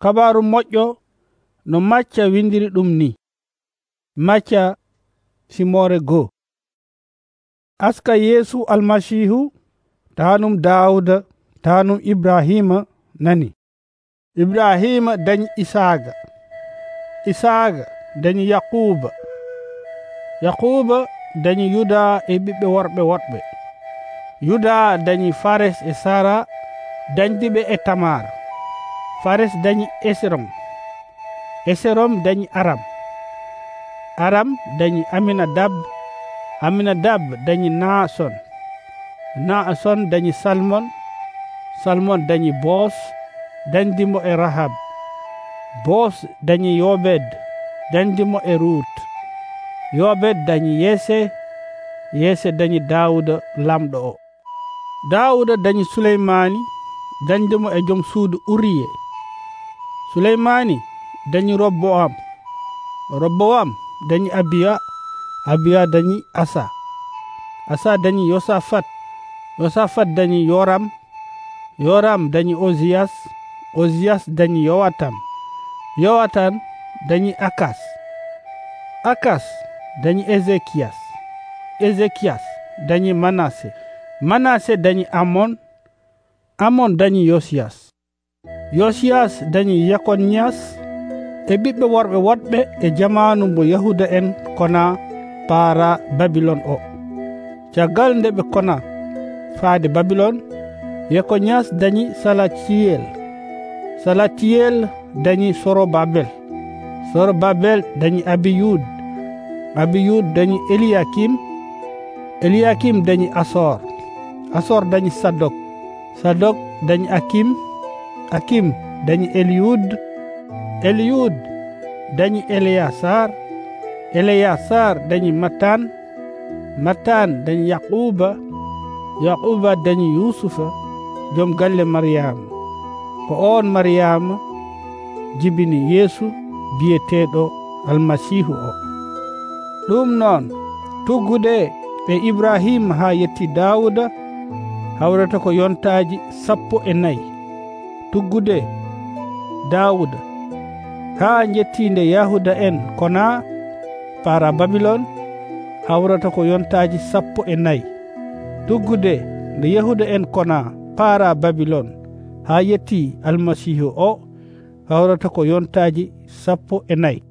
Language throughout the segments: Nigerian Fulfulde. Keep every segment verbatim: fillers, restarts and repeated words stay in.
Kabaaru moƴƴo no Macca windiri ɗum ni. Macca simore goo. Aska Yeesu almasihu tanum Daawuda tanum Ibrahima nani. Ibrahima dañi Isaaga, Isaaga dañi Yaquba, Yaquba dañi Yuda e ɓiɓɓe worɓe woɗɓe. Yuda dañi Fares e Sara dañdiɓe e Tamar. Fares dañi Esrom, Esrom dañi Aram, Aram dañi Aminadab, Aminadab dañi Naason, Naason dañi Salmon, Salmon dañi Boos dañdimo e Rahab, Boos dañi Yobed dañdimo e Rut, Yobed dañi Yese, Yese dañi Daawuda lamɗo o. Daawuda dañi Suleymani dañdimo e joom suudu Uriye. Suleymani dañi Robboam, Robboam dañi Abiya, Abiya dañi Asa, Asa dañi Yosafat, Yosafat dañi Yoram, Yoram dañi Oziyas, Oziyas dañi Yowatam, Yowatan dañi Akas, Akas dañi Ezekiyas, Ezekiyas dañi Manase, Manase dañi Amon, Amon dañi Yosiyas, Yosiyas dañi Yakonias e ɓiɓɓe worɓe woɗɓe e jamanu mo Yahuda en kona paara Babilon o. Caggal nde ɓe kona faade Babilon, Yakonias dañi Salatiyel, Salatiyel dañi Sorobabel, Sorobabel dañi Abiyud, Abiyud dañi Eliakim, Eliakim dañi Asor, Asor dañi Sadok, Sadok dañi Akim, Akim dañi Eliud, Eliud dañi Eleyasar, Eleyasar dañi Matan, Matan dañi Yaquba, Yaquba dañi Yusufa joom galle Maryama. Ko on Maryama jibini Yeesu biyeteɗo almasihu o. Ɗum noon tuggude e Ibrahima ha yetti Daawuda hawrata ko yontaji sappo e nayi. Tuggude Daawuda ha jettinde Yahuda en kona para Babilon hawrata ko yontaji sappo e nayi. Tuggude nde Yahuda en kona para Babilon ha yetti almasihu o hawrata ko yontaji sappo e nayi.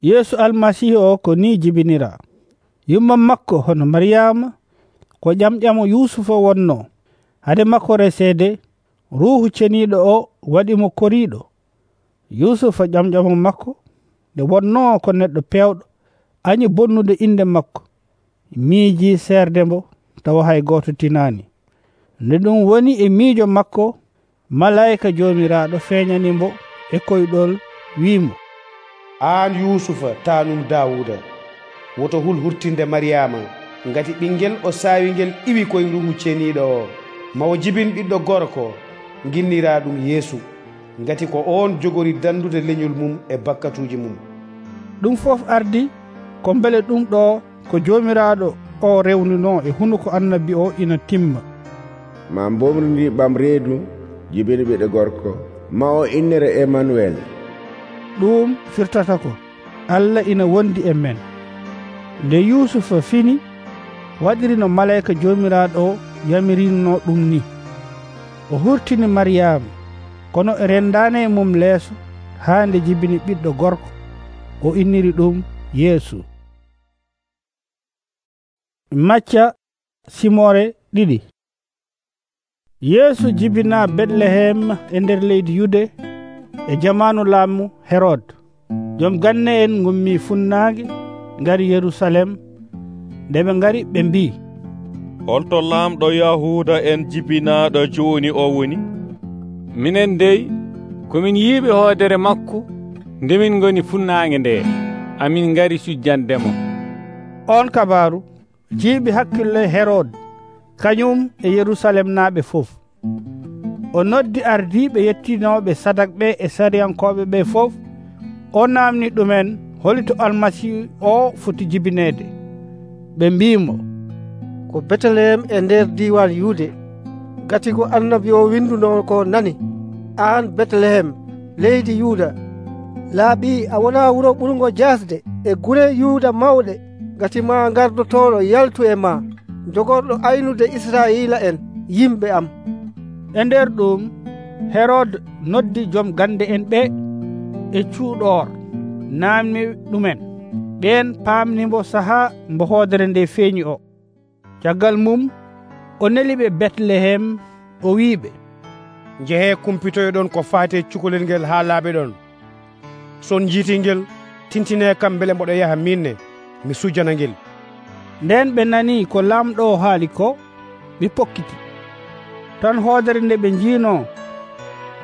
Yeesu almasihu o ko ni jibinira. Yumma makko hono Maryama ko ƴamƴamo Yusufa wonno. Hade makko resede ruhu ceniɗo o waɗimo koriɗo. Yusufa ƴamƴamo makko nde wonno ko neɗɗo pewɗo añi bonnude inde makko miiji serde mbo tawa hay goto tinani. Nde ɗum woni e miijo makko malayika jomiraɗo feeñanimbo e koyɗol wiimo, an Yusufa tanum Dawuda woto hul hurtinde Maryama ngati ɓinguel o sawingel iwi koye ruhu ceniɗo o. Mawo jibin ɓiɗɗo gorko ginnira ɗum Yeesu ngati ko on jogori dandude leñol mum e bakkatuji mum. Ɗum fof ardi ko beele ɗum ɗo ko jomiraɗo o rewnuno e hunuko annabi o ina timma. Ma bomridi ɓam reedu jibini ɓiɗɗo gorko ma o innere Emmanuel. Ɗum firtata ko Allah ina wondi e men. Nde Yusufa fini waɗiri no malayika jomiraɗo o yamirino ɗum ni. O hurtini Maryama kono e rendane e mum leeso ha nde jibini ɓiɗɗo gorko o inniri ɗum Yeesu. Macca simore ɗiɗi. Yeesu jibina Betlehem e nder leydi Yude e jamanu laamu Herod. Joom ganne en gummi funnaage ngari Yerusalem. Nde ɓe ngari ɓe mbi, holto lamɗo Yahuda en jibinaɗo joni o woni? Minen dey komin yiiɓe hoodere makko ndemin goni funnaange nde amin ngari sujjandemo. On kabaru jiiɓi hakkille Herod kañum e Yerusalem naaɓe fof. O noddi ardiɓe yettinoɓe sadak ɓe e sariyankoɓe ɓe fof. O namni ɗumen holito almasihu o foti jibinede. Ɓe mbimo, ko Betlehem e nder diwan Yude, gati ko annabi o winduno ko nani. aan Betlehem leydi Yuuda, laaɓii a wonaa wuro ɓurngo jasde e gure Yuuda mawɗe, ngati maa ngardotooɗo yaltu e maa, jogorɗo aynude Israa'iila en yimɓe am.” E nder ɗum Herod noddi joom gande en ɓe e cuuɗoor naamni ɗumen. Ɓeen paamnimo sahaa mbo hoodere nde feeñi o. Caggal mum o neli ɓe Betlehem o wiiɓe, “Njehee kumpitoyoɗon ko faati e cukalel ngel haa laaɓe ɗon. Son njiitii ngel, tintinee kam mbele mboɗo yaha minne mi sujjana ngel.” Nden ɓe nanii ko laamɗo o haali ko, ɓe pokkiti. Tan hoodere nde ɓe njiinoo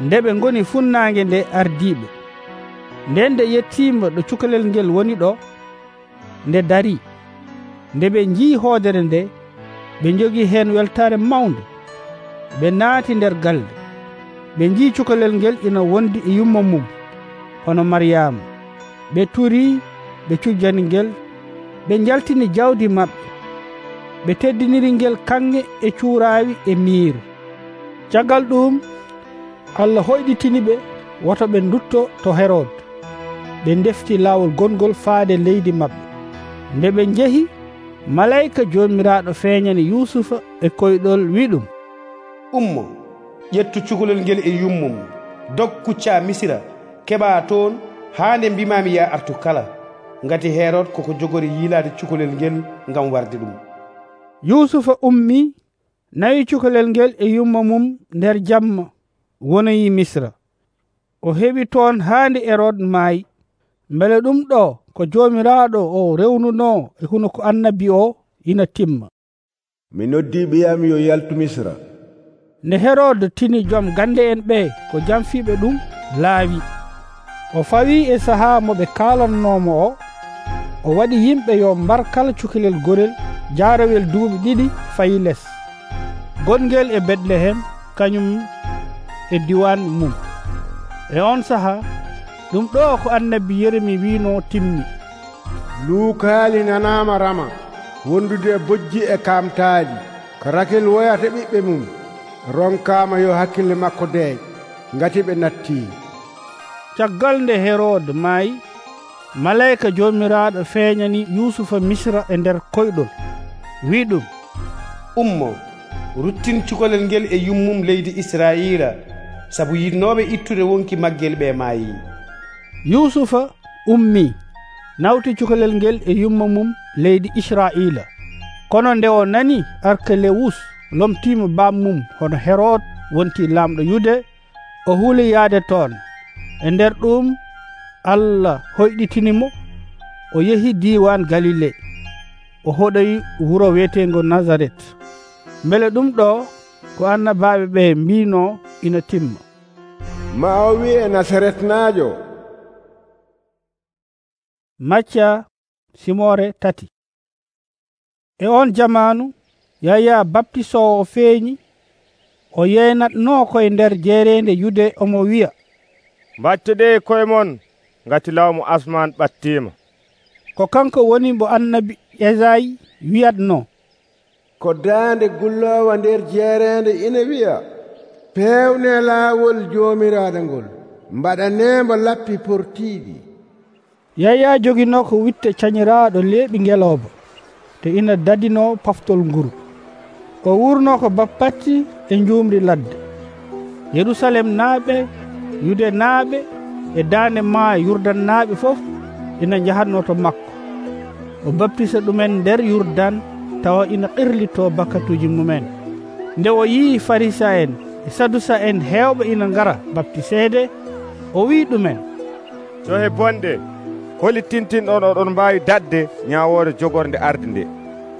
nde ɓe ngoni funnaange nde ardiiɓe. Nden nde yettiima ɗo cukalel ngel woni ɗo, nde darii. Nde ɓe njii hoodere nde, ɓe njogii heen weltaare mawnde. Ɓe naati nder galde. Ɓe njii cukalel ngel ina wondi e yumma mum hono Maryaama. Ɓe turii, ɓe cujjani ngel, ɓe njaltini jawdi maɓɓe. Ɓe teddiniri ngel kanŋe e cuuraawi e miiru. Caggal ɗum Allah hoyɗitini ɓe woto ɓe ndutto to Herod. Ɓe ndefti laawol gongol faade leydi maɓɓe. Nde ɓe njehi, malayika joomiraaɗo feeñani Yuusufa e koyɗol wi ɗum, “Ummo, ƴettu cukalel ngel e yummum, dog kuccaa Misira, keɓaa toon haa nde mbimaami ya artu kala, ngati Herod koko jogori yiilaade cukalel ngel ngam warde ɗum.” Yuusufa ummii, nawi cukalel ngel e yumma mum nder jamma, wonoyi Misra. O heɓi toon haa nde Herod maayi. Mbele ɗum ɗo ko joomiraaɗo o rewnunoo e hunoko annabi o ina timma. “Mi noddii ɓiyam yo yaltu Misra.” Nde Herod tini joom gande en ɓe ko jamfiiɓe ɗum laawi. O fawii e sahaa mo ɓe kaalanoomo o. O waɗi yimɓe yo mbar kala cukalel gorel jaarawel duuɓi ɗiɗi fayi les, gongel e Betlehem kañum e diwan mum. E on sahaa ɗum ɗo ko annabi Yeremi wiino timmi: “Luukaali nanaama rama, wondude e bojji e kaamtaali. Ko Rakel woyata ɓiɓɓe mum, ronkaama yo hakkille makko deey, ngati ɓe nattii.” Caggal nde Herod maayi, malayika joomiraaɗo feeñani Yuusufa Misra e nder koyɗol, wi ɗum, “Ummo, ruttin cukalel ngel e yummum leydi Israa'iila, sabu yiɗnooɓe ittude wonki maggel ɓe maayii.” Yuusufa ummii, nawti cukalel ngel e yumma mum leydi Israa'iila. Kono nde o nani Arkelewus lomtiima bammum hono Herod wonti laamɗo Yude, o huuli yaade toon. E nder ɗum Allah hoyɗitinimo, o yehi diiwan Galile. O hoɗoyi wuro wiyetengo Nazaret. Mbele ɗum ɗo ko annabaaɓe ɓe mbino ina timma: “Ma o wi'e Nasaretnaajo.” Macca simore tati. E on jamanu Yaya baptisowo feeñi. O yeynatnoo koye nder jeerende Yude omo wiya, “Mbaccuɗe koye mon, ngati lawmu asman ɓattiima.” Ko kanko woni mbo annabi Esayi wiyatno: “Ko daande gullowa nder jeerende ina wiya, pewne laawol joomiraaɗo ngol, mbaɗanee mbo lappi portiiɗi.” Yaya joginoo ko witte cañiraaɗo leeɓi ngelooba, te ina dadinoo paftol nguru. O wurnoo ko bappatti e njuumri ladde. Yerusalem naaɓe, Yude naaɓe e daande maa Yurdan naaɓe fof ina njahatnoo to makko. O baptisa ɗumen nder Yurdan, tawa ina qirlitoo bakatuuji mumen. Nde o yii Farisa en e Sadusa en heewɓe ina ngara baptiseede, o wii ɗumen, “To he bonɗe, holi tintinɗon oɗon mbaawi dadde ñaawoore jogorde arde nde.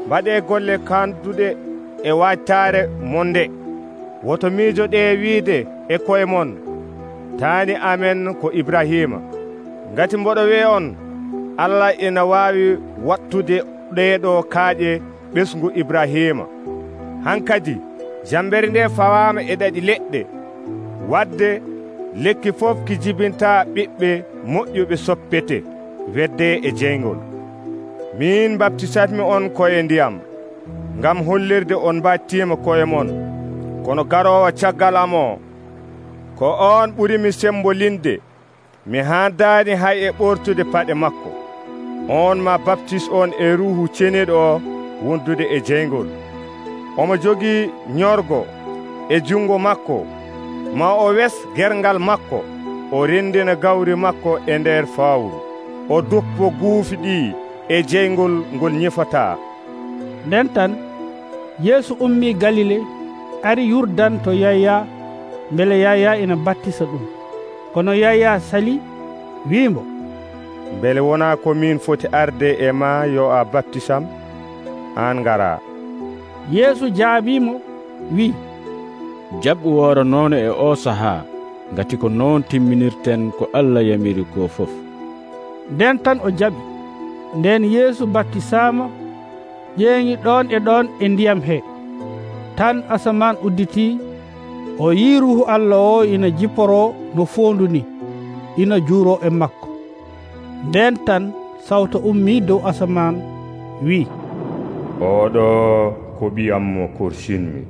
Mbaɗee golle kanduɗe e waajtaare mon nde. Woto miijoɗee wiide e koye mon, taani amen ko Ibrahima. Ngati mboɗo wi'a on, Allah ina waawi wattude ɗeeɗo kaaƴe ɓesngu Ibrahima. Hankadi jambere nde fawaama e ɗaɗi leɗɗe, wadde lekki fof ki jibintaa ɓiɓɓe moƴƴuɓe soppete wedde e jeyngol. Min baptisatmi on koye ndiyam, ngam hollirde on mbattiima koye mon. Kono garoowo caggal am o, ko ko on ɓurimi sembolinde. Mi haandaani hay e ɓortude paɗe makko. On ma baptis on e Ruuhu Ceniiɗo o wondude e jeyngol. Omo jogii nyorgo e jungo makko. Ma o wes gergal makko, o rendina gawri makko e nder fawru. O doppo guufi ɗi e jeyngol ngol ñifataa. Nden tan Yeesu ummii Galile, ari Yurdan to Yaya, mbele Yaya ina battisa ɗum. Kono Yaya sali wiimo, mbele wonaa ko min foti arde e ma yo a baptisam, an ngara? Yeesu jaabiimo wi, jaɓɓu wooro noon e o sahaa, ngati ko noon timminirten ko Allah yamiri ko fof. Nden tan o jaɓi. Nden Yeesu baptisaama, ƴeeŋi ɗon e ɗon e ndiyam he. Tan asaman udditii, o yii Ruuhu Allah o ina jipporoo no foondu ni, ina juuroo e makko. Nden tan sawto ummii dow asaman wi, oɗo ko ɓiyam mo korsinmi,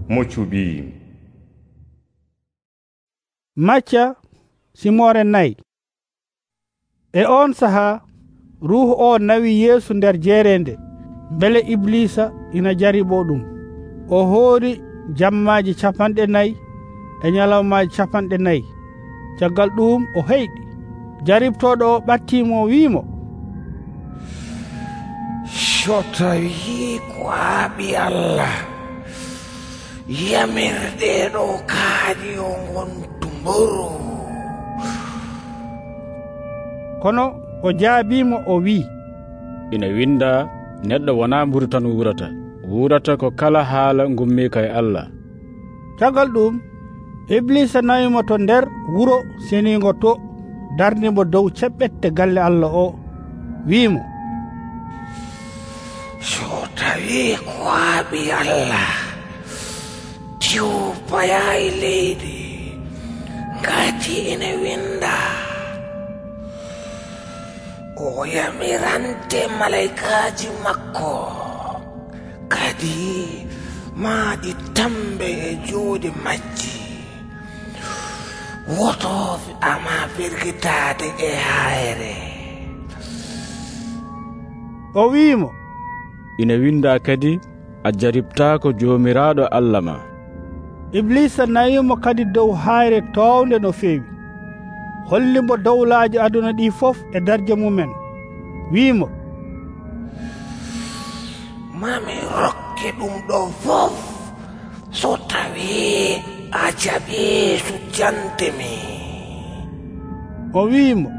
mo cuɓiimi. Macca simore nayi. E on sahaa Ruuhu o nawi Yeesu nder jeerende, mbele Iblisa ina jariɓo ɗum. O hoori jammaaji capanɗe nayi e ñalawmaaji capanɗe nayi. Caggal ɗum o heyɗi. Jaribtoɗo o ɓattiimo wiimo, so tawi ko a ɓi Allah, yamirɗe ɗo kaaƴi o ngontu mburu. Kono o jaabiimo o wi'i, ina winda, neɗɗo wonaa mburu tan wurata, wurata ko kala haala ngummii ka e Allah. Caggal ɗum Iblisa nawimo to nder wuro seniingo to, darnimo dow ceɓɓette galle Allah o, wiimo, so tawi ko a ɓi Allah, diw paya e leydi, ngati ina winda, o yamirante malaikaji makko, kadi maaɗi tambe e juuɗe majji, wotofi ama firgitade e hayre. o wiimo, ina winda kadi, a jaribtaako joomiraaɗo Allah ma. Iblisa nayimo kadi dow hayre townde no feewi, hollimo dowlaaji aduna ɗi fof e darje mumen, wiimo, mami rokke ɗum ɗo fof, so tawi a jaɓi sujjantemi. o wiimo,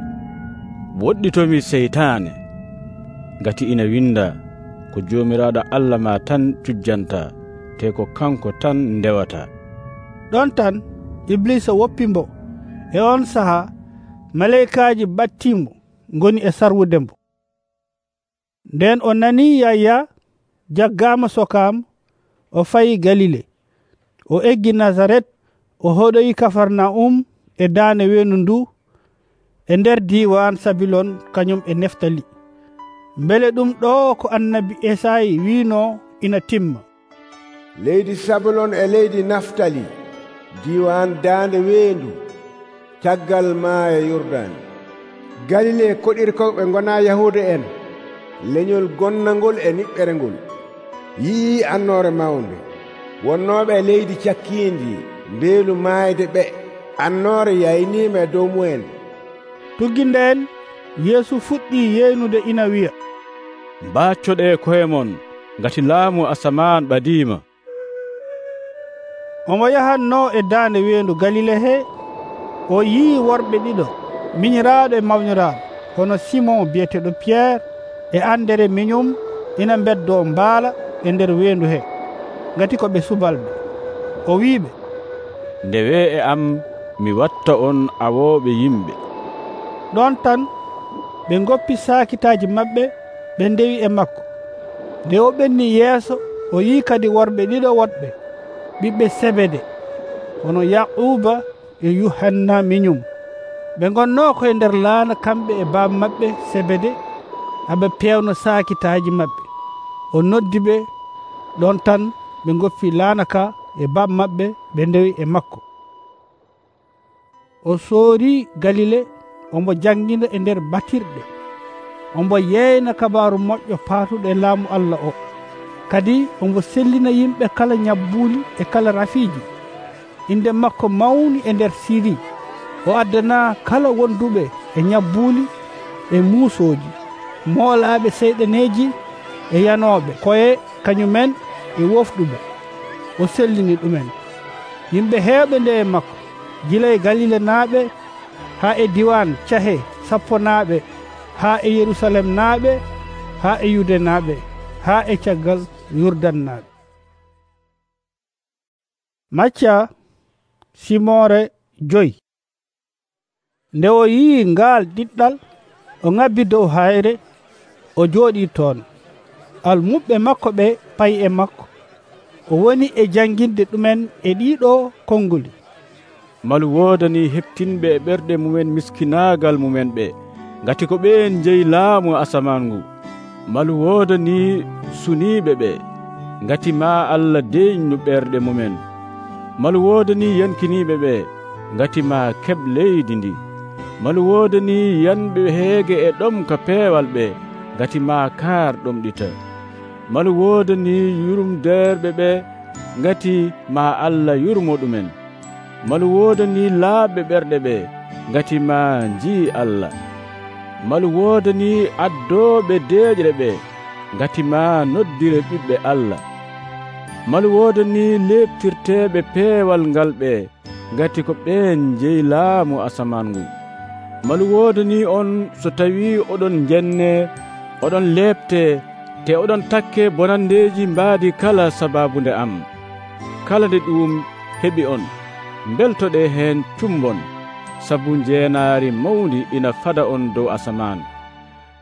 woɗɗitomi seytaane, ngati ina winda, ko joomiraaɗo Allah ma tan cujjanta, te ko kanko tan ndewata. ɗon tan Iblisa woppimbo. E on sahaa malaikaaji battimo ngoni e sarwudembo. Nden o nani Yaya jaggama sokam, o fayi Galile. O eggi Nazaret, o hoɗoyi Kafarnaum e daane wendu ndu e nder diwan Sabilon kañum e Neftali. Mbele ɗum ɗo ko annabi Esayi wino ina timma. leydi Sabilon e leydi Naftali, diwan daande wendu, caggal maaya Yurdan. Galile koɗirkoɓe gona Yahuda en, leñol gonnangol e niɓɓere ngol, yii annore mawnde. Wonnoɓe e leydi cakkindi, mbeelu maayde ɓe, annore yaynima e dow mumen. Tuggi nden Yeesu fuɗɗi yeynude ina wiya, mbaccoɗe koye mon, ngati laamu asaman ɓadima. omo yahanno e daande wendu Galile he. O yii worɓe ɗiɗo miñiraaɗo e mawniraaɗo, hono Simon biyeteɗo Pierre e Andere miñum, ina beddo mbaala e nder wendu he, ngati ko ɓe subalɓe. O wiiɓe, ndewe e am mi watta on awooɓe yimɓe. ɗon tan ɓe goppi saakitaaji maɓɓe, ɓe ndewi e makko. Nde o ɓenni yeeso, o yii kadi worɓe ɗiɗo woɗɓe, ɓiɓɓe Sebede, hono Yaquba e Yuhanna miñum. Ɓe gonno koye nder laana kamɓe e baaba maɓɓe Sebede, aɓe pewno saakitaaji maɓɓe. O noddi ɓe. Ɗon tan ɓe goppi laana ka e baaba maɓɓe, ɓe ndewi e makko. o soori Galile ombo jangina e nder batirɗe ombo yeyna kabaru moƴƴo paatuɗo e laamu Allah o kadi ombo sellina yimɓe kala ñabbuli e kala rafiiji inde makko mawni e nder Siri o addana kala wonduɓe e ñabbuli e muusooji moolaaɓe seyɗaneeji e yanooɓe koye kañumen e wofɗuɓe o sellini ɗumen yimɓe heewɓe nde e makko gila e Galile naaɓe haa e diwan cahe sappo naaɓe haa e Yerusalem naaɓe haa e Yude naaɓe haa e caggal Yurdan naaɓe. Macca simore joyi. Nde o yii ngaal ɗiɗɗal o ŋabbi dow hayre o jooɗi toon almuɓɓe makko ɓe payi e makko o woni e janginde ɗumen e ɗiɗo konnguli. Malu woodani heptinɓe e ɓerɗe mumen miskinaagal mumen ɓe ngati ko ɓeen jeyi laamu asaman ngu. Malu woodani suniiɓe ɓe ngati ma Allah deeƴnu ɓerɗe mumen. Malu woodani yankiniiɓe ɓe ngati ma keɓ leydi ndi. Malu woodani yanɓe heege e ɗomka peewal ɓe ngati ma kaar ɗomɗita. Malu woodani yurumdeerɓe ɓe ngati ma Allah yurmo ɗumen. Malu woodani laaɓɓe ɓerɗe ɓe ngati ma njii Allah. Malu woodani addooɓe deeƴre ɓe ngati ma noddire ɓiɓɓe Allah. Malu woodani leɓtirteeɓe peewal ngal ɓe ngati ko ɓeen jeyi laamu asaman ngu. Malu woodani on so tawi oɗon jenne oɗon leɓte te oɗon takke bonandeeji mbaadi kala sababunde am. Kala nde ɗum heɓi on beltoɗe heen cumbon sabu jeenaari mawndi ina fada on dow asaman.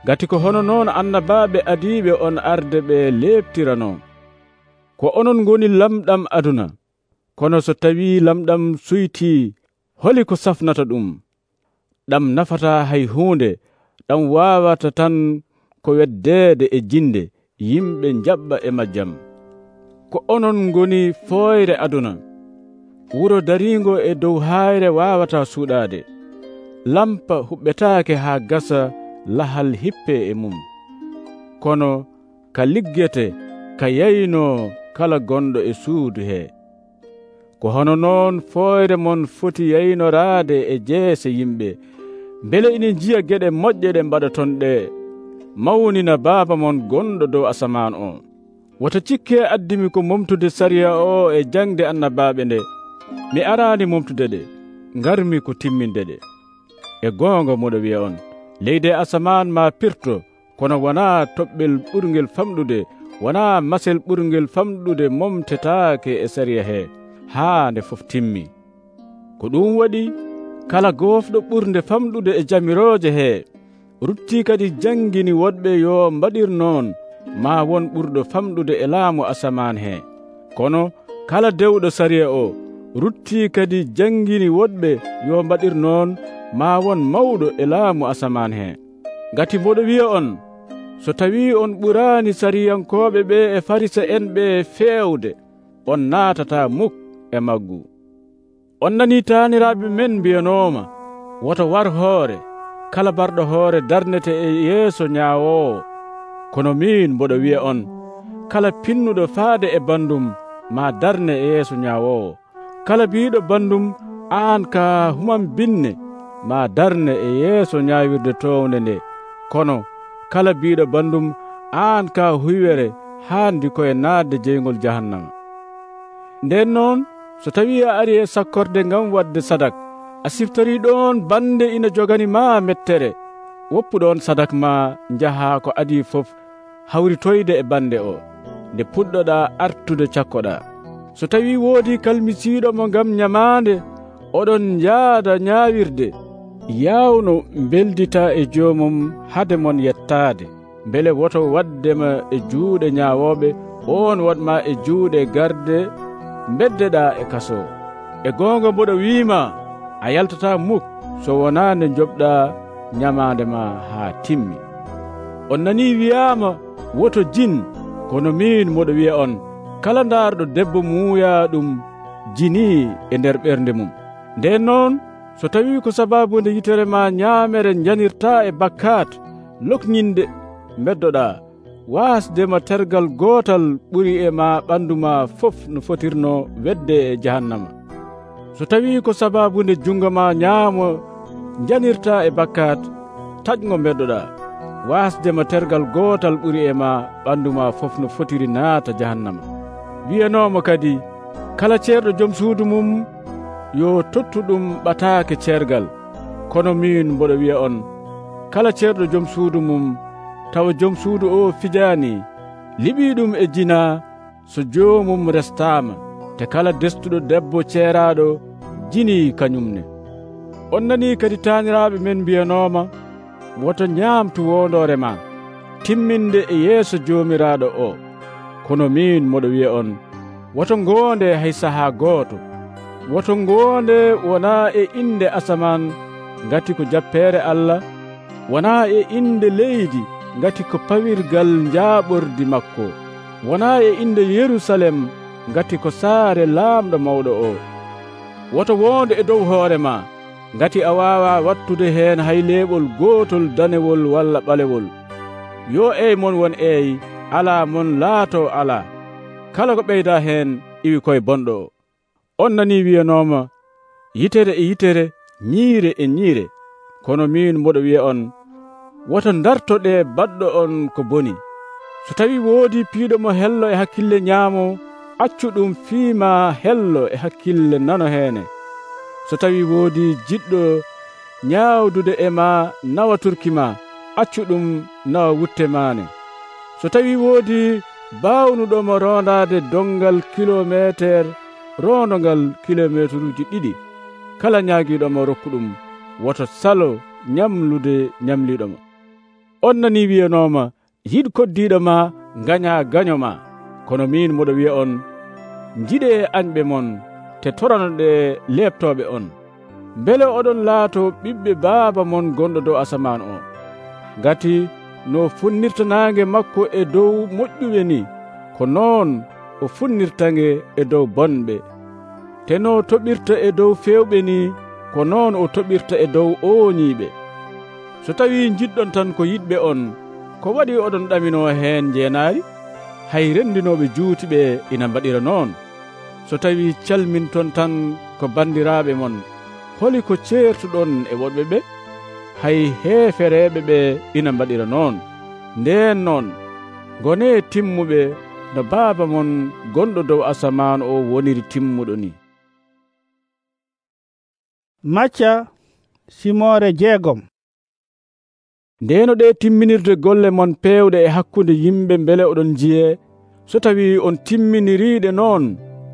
Gati ko hono noon annabaaɓe adiiɓe on arde ɓe leɓtirano. Ko onon ngoni lamɗam aduna, kono so tawi lamɗam suytii holi ko safnata ɗum. Ɗam nafata hay huunde, ɗam waawata tan ko weddeede e jinde yimɓe jaɓɓa e majjam. Ko onon ngoni fooyre aduna, wuro dariingo e dow hayre waawata suuɗaade. Lampa huɓɓetaake haa gasa lahal hippe e mum. Kono ka liggete ka yaynoo kala gonɗo e suudu he. Ko hono noon fooyre mon foti yaynoraade e jeese yimɓe mbele ina jiya geɗe moƴƴe ɗe mbaɗaton ɗe mawnina baaba mon gonɗo dow asaman o. Wota cikke addimi ko momtude sariya o e jangde annabaaɓe nde. Mi araani momtude ɗe, ngarmi ko timminde ɗe. E goonga moɗo wiya on, leydi asaman ma pirto, kono wonaa toɓɓel ɓurngel famɗude, wonaa masel ɓurngel famɗude momtetaake e sariya he haa nde fof timmi. Ko ɗum waɗi kala goofɗo ɓurde famɗude e jamirooje he rutti kadi jangini woɗɓe yo mbaɗir noon ma won ɓurɗo famɗude e laamu asaman he. Kono kala dewɗo sariya o rutti kadi jangini woɗɓe yo mbaɗir noon ma won mawɗo e laamu asaman he. Ngati mboɗo wiya on, so tawi on ɓuraani sariyankooɓe ɓe e farisa en ɓe feewde, on naatata muk e maggu. On nani taaniraaɓe men mbiyanooma, woto war hoore, kala barɗo hoore darnete e yeeso ñaawoowo. Kono min mboɗo wiya on, kala pinnuɗo faade e bandum ma darne e yeeso ñaawoowo. Kala biiɗo bandum aan ka human binne ma darne e yeeso ñaawirde townde nde. Kono kala biiɗo bandum aan ka huywere haandi koye naatde jeygol jahannama. Nden noon so tawi a ari e sakkorde ngam wadde sadak, a siftori ɗon bande ina jogani ma mettere, woppuɗon sadak ma njaha ko adi fof hawritoyde e bande o nde puɗɗoɗa artude cakkoɗa. So tawi woodi kalmisiiɗo mo ngam nyamaande, oɗon jaada ñaawirde, yawno beldita e joomum hade mon yettaade, mbele woto waddema e juuɗe ñaawoɓe, on waɗma e juuɗe garde beddeɗa e kaso. E goonga mboɗo wiima, a yaltata muk so wonaa nde joɓɗa ñamaande ma haa timmi. On nani wiyaama woto jin, kono min mboɗo wiya on, kala ndaarɗo debbo muuya ɗum jinii e nder ɓernde mum. Nden noon so tawi ko sababunde yitere ma ñaamere janirta e bakkat lokñinde beddoɗa wasdema tergal gotal ɓuri e ma ɓandu ma fof no fotirno wedde e jahannama. So tawi ko sababunde jungo ma ñaamo janirta e bakkat taƴgo beddoɗa wasdema tergal gotal ɓuri e ma ɓandu ma fof no fotiri naata jahannama. Wiyanomo kadi kala ceerɗo joom suudu mum yo tottu ɗum ɓataake ceergal, kono min mboɗo wiya on kala ceerɗo joom suudu mum tawa joom suudu o fijaani liɓi ɗum e jina so joomum restaama, te kala destuɗo debbo ceeraɗo jini kañumne. On nani kadi taaniraaɓe men mbiyanoma woto ñaamtu wondore ma timminde e yeeso joomiraaɗo o, kono min moɗo wiya on woto ngoonde hay sahaa gooto. Woto ngoonde wonaa e inde asaman ngati ko jappeere Allah, wonaa e inde leydi ngati ko pawirgal njaaɓordi makko, wonaa e inde Yerusalem ngati ko saare laamɗo mawɗo o. Woto wonde e dow hoore ma ngati a waawa wattude heen hay leeɓol gootol danewol walla ɓalewol. Yo ey mon won ey, alaa mon laato alaa. Kala ko ɓeyda heen iwi koye bonɗo o. On nani wiyanoma yitere e yitere, ñiire e ñiire, kono min mboɗo wiya on woto dartoɗe baɗɗo on ko boni. So tawi woodi piiɗo mo hello e hakkille ñaamo, accu ɗum fiima hello e hakkille nano heene. So tawi woodi jiɗɗo ñaawdude e ma nawa turki ma, accu ɗum nawa wutte maane. So tawi woodi baawnuɗomo rondade dongal kilometer, rondongal kilometeruji ɗiɗi, kala ñaagiiɗomo rokku ɗum woto salo ñamlude ñamliɗomo. On nani wiyanoma yiɗ koddiɗo ma gaña gaño ma, kono min moɗo wiya on jiɗe añɓe mon te toranoɗe leptoɓe on, beele oɗon laato ɓiɓɓe baaba mon gonɗo dow asaman o. Gati no funnirta nange makko e dow moƴƴuɓe ni, ko noon o funnirtange e dow bonɓe. Te no toɓirta e dow fewɓe ni, ko noon o toɓirta e dow ooñiɓe. So tawi jiɗɗon tan ko yiɗɓe on, ko waɗi oɗon ɗamino heen jeenaari? Hay renndinoɓe juutiɓe ina mbaɗira noon. So tawi calminton tan ko bandiraɓe mon, holi ko ceertuɗon e woɗɓe ɓe? Hay heefereɓe ɓe ina mbaɗira noon. Nden noon gone timmuɓe no baaba mon gonɗo dow asaman o woniri timmuɗo ni. Macca simore jeegom. Ndeno ɗe timminirde golle mon pewɗe e hakkunde yimɓe beele oɗon jiye, so tawi on timminiriɗe noon,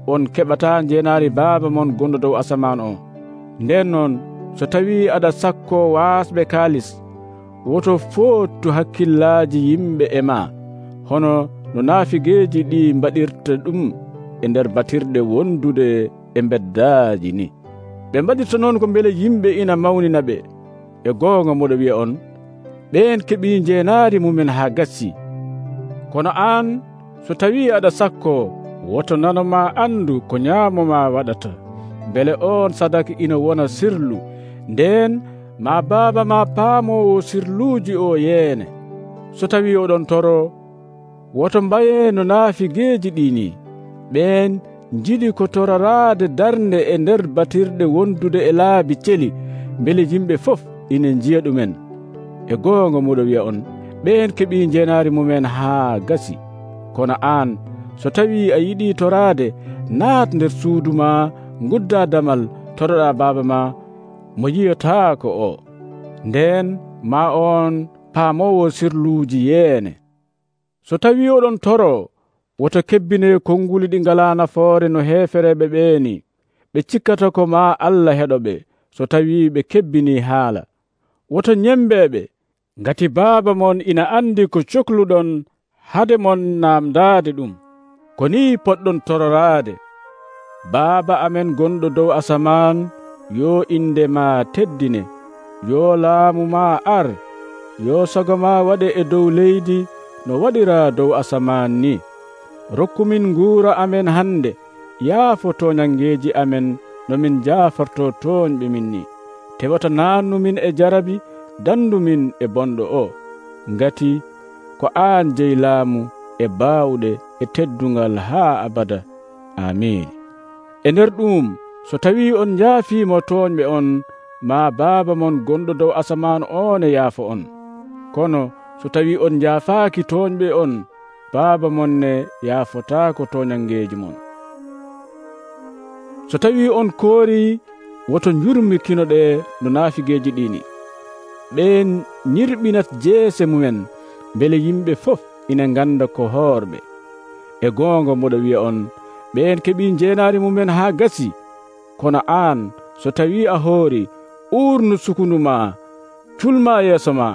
on keɓata jeenaari baaba mon gonɗo dow asaman o. Nden noon so tawi aɗa sakko waasɓe kaalis, woto foottu hakkillaji yimɓe e ma, hono no naafigeeji ɗi mbaɗirta ɗum e nder batirɗe wondude e beddaaji ni. Ɓe mbaɗirta noon ko beele yimɓe ina mawnina ɓe. E goonga moɗo wiya on ɓen keɓi jeenaari mumen haa gassi. Kono aan so tawi aɗa sakko, woto nanoma andu ko ñaamoma waɗata, beele on sadaka ina wona sirlu, nden ma baaba ma paamowo sirluuji o yeene. So tawi oɗon toro, woto mbaye no naafigeeji ɗini, ɓen jiɗi ko toraraade darnde e nder batirɗe wondude e laabi celi, beele yimɓe fof ina jiya ɗumen. E goonga muɗo wiya on ɓen keɓi jeenaari mumen haa gasi. Kono aan so tawi a yiɗi toraade, naat nder suudu ma, ngudda damal, toroɗa baaba ma mo yiyataako o, nden ma on paamowo sirluuji yeene. So tawi oɗon toro, woto kebbine konnguli ɗi ngala nafoore no heefereɓe ɓeeni, ɓe cikkata ko ma Allah heɗoɓe so tawi ɓe kebbini haala. Woto ñembeɓe, ngati baaba mon ina andi ko cohluɗon hade mon namdade ɗum. Ko ni poɗɗon tororaade. Baaba amen gonɗo dow asaman, yo inde ma teddine, yo laamu ma ar, yo sago ma waɗe e dow leydi no waɗira dow asaman ni. Rokkumin nguura amen hande, yaafo toñangeeji amen no min jaaforto toñɓe min ni. tewata naannumin e jarabi dandumin e bonɗo o, ngati ko aan jeyi laamu e baawɗe e teddungal haa abada. Amiin. E nder ɗum, so tawi on njaafiimo tooñɓe on, maa Baaba mon gonɗo dow asaman on e yaafo on. Kono so tawi on njaafaaki tooñɓe on, Baaba mon ne yaafotaako toñangeeji mon. So tawi on koori, woto njurmikinoɗe no naafigeeji ɗini. Ɓeen ñirɓinat jeese mumen, bele yimɓe fof ina nganda ko hoorɓe. E goonga moɗo wi'a on, ɓeen keɓi jeenaari mumen haa gasi. Kono aan, so tawi a hoori, uurnu sukundu ma, culma yeeso ma,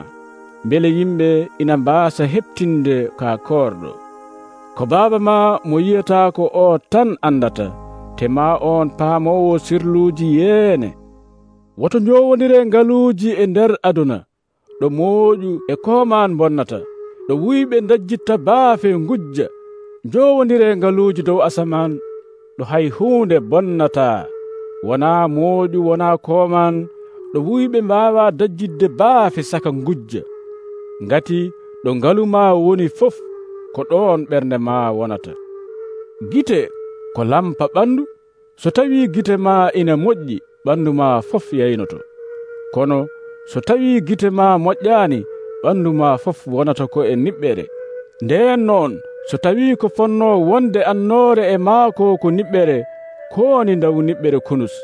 bele yimɓe ina mbaasa heɓtinde ka koorɗo. Ko Baaba ma mo yi'ataa ko o tan andata, te ma on paamowo sirluuji yeene. Woto njowondire ngaluuji e nder aduna, ɗo mooƴu e koomaan bonnata, ɗo wuyɓe dajjitta baafe ngujja. Njowondire ngaluuji dow asaman, ɗo hay huunde bonnataa, wonaa mooƴu wonaa koomaan, ɗo wuyɓe mbaawa dajjidde baafe saka ngujja. Ngati ɗo ngalu ma woni fof, ko ɗoon ɓernde ma wonata. Gite ko lampa ɓandu, so tawi gite ma ina moƴƴi, ɓandu ma fof yaynoto. Kono so tawi gite ma moƴƴaani, ɓandu ma fof wonata ko e niɓɓere. Ndeen noon, so tawi ko fonno wonde annoore e maako ko niɓɓere, kooni ndawu niɓɓere kunus.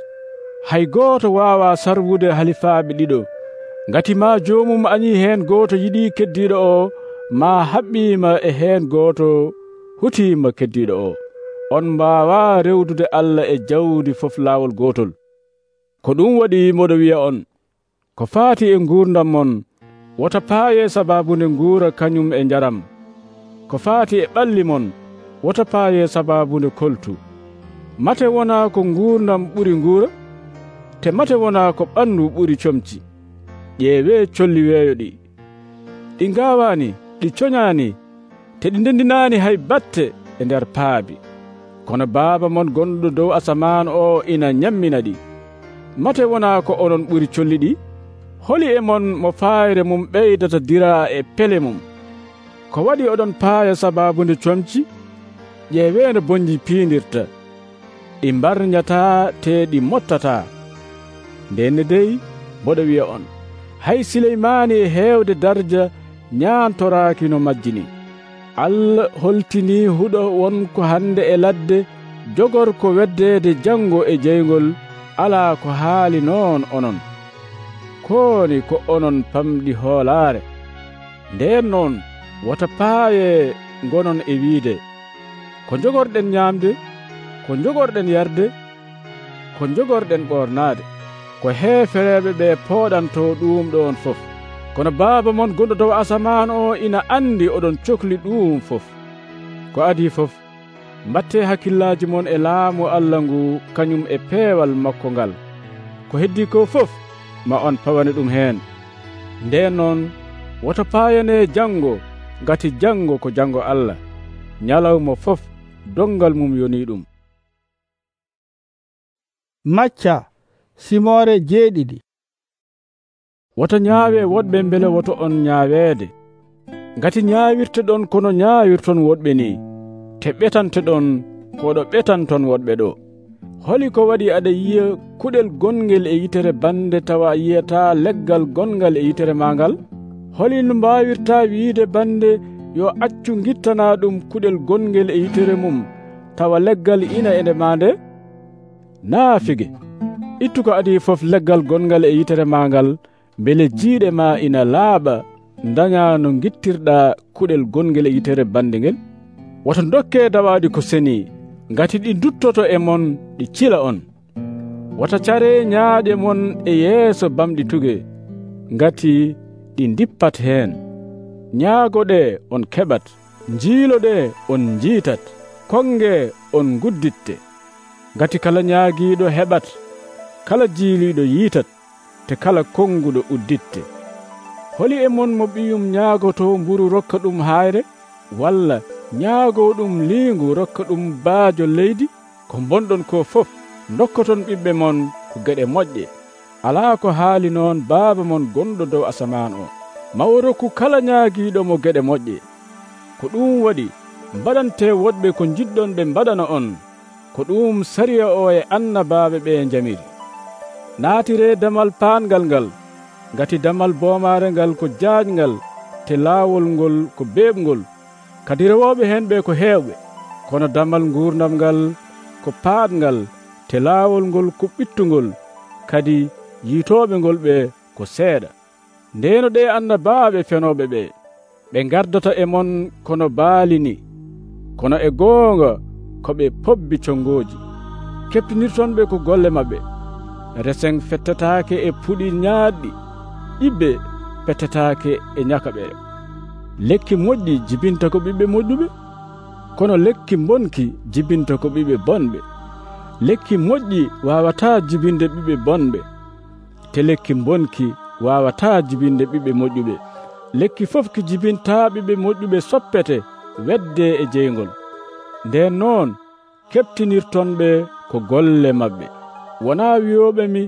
Hay gooto waawa sarwude halifaaɓe ɗiɗo, ngati ma joomum añi heen gooto yiɗi keddiiɗo o, ma haɓɓiima e heen gooto hutiima keddiiɗo o. On mbaawa rewdude Allah e jawdi fof laawol gootol. Ko ɗum waɗi moɗo wi'a on, ko faati e nguurdam mon, wota paaye sababunde nguura kañum e njaram. Ko faati e ɓalli mon, wota paaye sababunde koltu. Mate wona ko nguurdam ɓuri nguura, te mate wona ko ɓandu ɓuri comci. Ƴeewe colli weeyo ɗi, ɗi ngaawani, ɗi coñaani, te ɗi ndendinaani hay batte e nder paabi. Kono Baaba mon gonɗo dow asaman o ina nyammina ɗi. Mate wona ko onon ɓuri colli ɗi? Holi e mon mo faayre mum ɓeydata dira e pele mum. Ko waɗi oɗon paaya sababunde comci? Ƴeeweeno bonji piindirta, ɗi mbarñataa te ɗi mottataa. Ndenne dey, mboɗo wi'a on, hay Sileymaani e heewde darja ñaantoraaki no majjini. Allah holtini huɗo wonko hande e ladde, jogor ko weddeede jango e jeygol, alaa ko haali noon onon. Kooni ko onon pamɗi hoolaare. Ndeen noon, wota paaye ngonon e wiide, ko jogorɗen ñaamde, ko jogorɗen yarde, ko jogorɗen ɓornaade, ko heefereeɓe ɓe pooɗanto ɗum ɗon fof. Kono Baaba mon gonɗo dow asaman o ina andi oɗon cohli ɗum fof. Ko adi fof, mbatte hakkillaaji mon e laamu Allah ngu kañum e peewal makko ngal. Ko heddi ko fof, ma on pawane ɗum heen. Ndeen noon, woto paayane jango, ngati jango ko jango Allah. Nyalawma fof, dongal mum yoni ɗum. Macca simore jeeɗiɗi. Woto ñaawe woɗɓe mbele woto on ñaaweede. Ngati ñaawirte ɗon kono ñaawirton woɗɓe ni, te ɓetante ɗon koɗo ɓetanton woɗɓe ɗo. Holi ko waɗi aɗa yiya kuɗel gongel e yitere bande tawa yiyata leggal gongal e yitere mangal? Holi no mbawirta wiide bande yo accu gittana ɗum kuɗel gongel e yitere mum tawa leggal ina ende mande? Naafige, ittu ko adi fof leggal gongal e yitere mangal, bele jiiɗe ma ina laaɓa daña no gittirɗa kuɗel gongel e yitere bande ngel. Woto dokke dawaɗi ko seni, ngati ɗi duttoto e mon ɗi cila on. Wota care ñaaɗe mon e yeeso bamɗi tuge, ngati ɗi dippat heen. Ñaagoɗe on keɓat, jiiloɗe on jiitat, konge on gudditte. Ngati kala ñaagiiɗo heɓat, kala jiiliiɗo yiitat, te kala konguɗo udditte. Holi e mon mo ɓiyum ñaagoto mburu rokka ɗum hayre, walla ñaago ɗum liingu rokka ɗum baajo leydi? Ko bonɗon ko fof dokkoton ɓiɓɓe mon ko geɗe moƴƴe. alaa ko haali noon Baaba mon gonɗo dow asaman o mawo rokku kala ñaagiiɗo mo geɗe moƴƴe. Ko ɗum waɗi mbaɗante woɗɓe ko jiɗɗon ɓe mbaɗana on, ko ɗum sariya o e annabaaɓe ɓe jamiri. Naatire damal paangal ngal, ngati damal boomaare ngal ko jaajngal, te laawol ngol ko beeɓngol, kadi rewooɓe hen ɓe ko heewɓe. Kono damal nguurdam ngal ko paaɗngal, te laawol ngol ko ɓittungol, kadi yiitooɓe ngol ɓe ko seeɗa. Ndeeno ɗe annabaaɓe fenooɓe ɓe, ɓe ngardata e mon kono baali ni, kono e goonga ko ɓe pobbi conngooji. Keptinirtonɓe ko golle maɓɓe. Resen fettataake e puɗi ñaaɗɗi, ɗibbe pettataake e ñakaɓere. Lekki moƴƴi jibinta ko ɓiɓɓe moƴƴuɓe, kono lekki bonki jibinta ko ɓiɓɓe bonɓe. Lekki moƴƴi waawataa jibinde ɓiɓɓe bonɓe, te lekki bonki waawataa jibinde ɓiɓɓe moƴƴuɓe. Lekki fof ki jibintaa ɓiɓɓe moƴƴuɓe soppete wedde e jeygol. Nden noon keptinirtonɓe ko golle maɓɓe. Wonaa wiyooɓe mi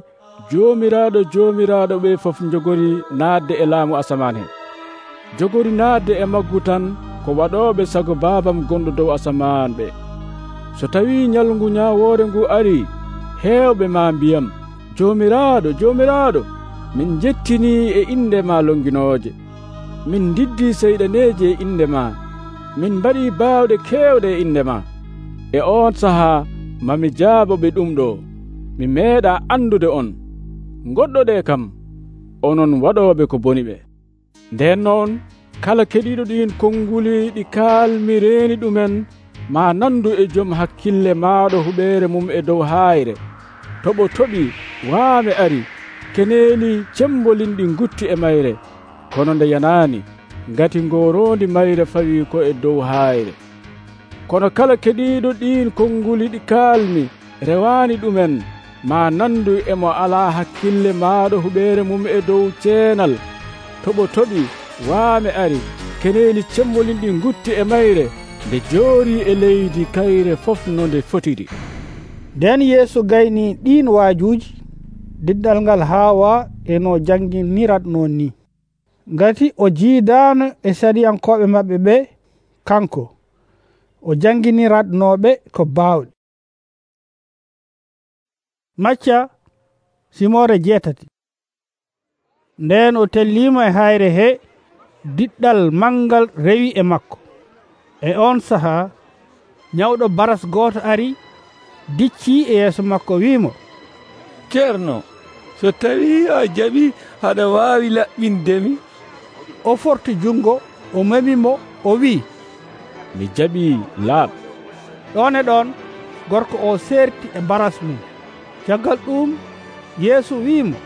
joomiraaɗo joomiraaɗo ɓe fof jogori naatde e laamu asaman heen. Jogori naatde e maggu tan ko waɗooɓe sago baabam gonɗo dow asaman ɓe. So tawii ñalngu ñaawoore ngu arii, heewɓe maa mbiyam, joomiraaɗo joomiraaɗo, min jettinii e inde ma longinooje, min ndiddii seyɗaneeji e inde ma, min mbaɗii baawɗe keewɗe e inde ma. E on sahaa mami jaaboɓe ɗum ɗo, mi meeɗaa anndude on. Goɗɗoɗe kam onon waɗooɓe ko boni ɓe. Nden noon kala keɗiiɗo ɗiin konnguli ɗi kaalmi reeni ɗumen maa nandu e jom hakkille maaɗo huɓeere mum e dow haayre. Toɓo toɓi waame ari, keneeli cembolinɗi ngutti e mayre, kono nde yanaani ngati ngooroondi mayre fawii ko e dow haayre. Kono kala keɗiiɗo ɗiin konnguli ɗi kaalmi rewaani ɗumen maa nandu emo alaa hakkille maaɗo huɓeere mum e dow ceenal. Toɓo toɓi waame ari, keneeli cembolinɗi ngutti e mayre, nde joorii e leydi kayre fof no nde fotiri. Nden Yeesu gaynii ɗiin waajuuji diddal ngal Haawa e no janginiratnoo ni, ngati o jiidaano e sariyankooɓe maɓɓe ɓe, kanko o janginiratnooɓe ko baawɗe. Macca simore jeetati. Nden o telliimo e hayre he, diɗɗal mangal rewi e makko. E on sahaa ñawɗo baras gooto ari, diccii e yeeso makko wiimo, ceerno, so tawii a jaɓi haɗa waawi laɓɓindemi. O forti jungo, o memimo, o wii, mi jaɓii, laaɓ. ɗon e ɗon gorko o seerti e baras mum. Caggal ɗum Yeesu wiimo,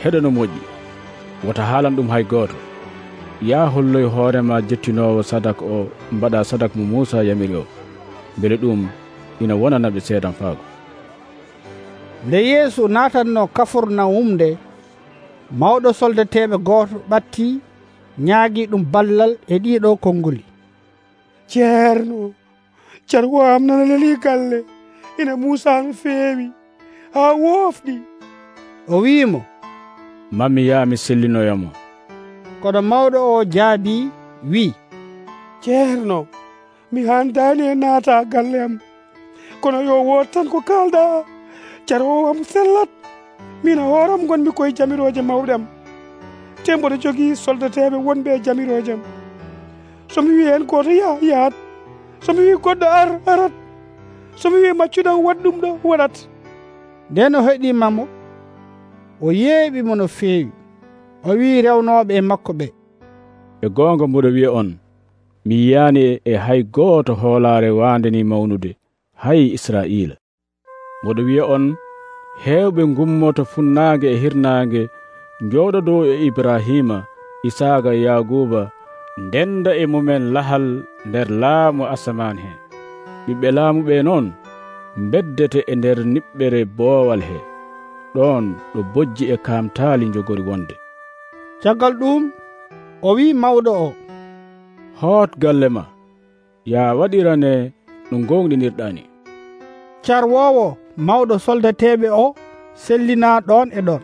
heɗo no moƴƴi, wota haalan ɗum hay gooto. Yaa holloy hoorema jettinoowo sadak o mbaɗa sadak mo Muusa yamiri o, mbele ɗum ina wonana ɓe seedan faago. Nde Yeesu naatanno Kafurnawum nde, mawɗo soldateɓe gooto ɓatti ñaagi ɗum ballal e ɗiɗo konnguli. ceerno, carwo am nana leli galle, ina Muusa no feewi haa woofɗi. O wiimo, mammi yaa mi sellinoyamo. Kono mawɗo o jaabi wi, ceerno, mi handani e naata galle am, kono yo woot tan ko kalda. Carwo am sellat, min hooram gonmi koye jamiroje mawɗe am, te mboɗo jogii soldateɓe wonɓe e jamiroje am. somi wi hen goto ya yahat, somi wi goɗɗo ar arat, somi wi maccuɗam waɗ ɗum ɗo waɗat. Nden o heɗimamo, o yeeɓimo no feewi. O wi rewnoɓe e makko ɓe, e goonga mboɗo wiya on, mi yiyani e hay gooto hoolaare waande ni mawnude hay Israila. Mboɗo wiya on, heewɓe gummoto funnaange e hirnaange njooɗo dow e Ibrahima, Isaaga e Yaguba, ndenda e mumen lahal nder laamu asaman he. Ɓiɓɓe laamu ɓe noon beddete e nder niɓɓere boowal he, ɗon ɗo bojji e kaamtaali jogori wonde. Caggal ɗum o wi mawɗo o, hoot galle ma, yaa waɗirane no gonɗinirɗani. Carwowo mawɗo soldateɓe o sellina ɗon e ɗon.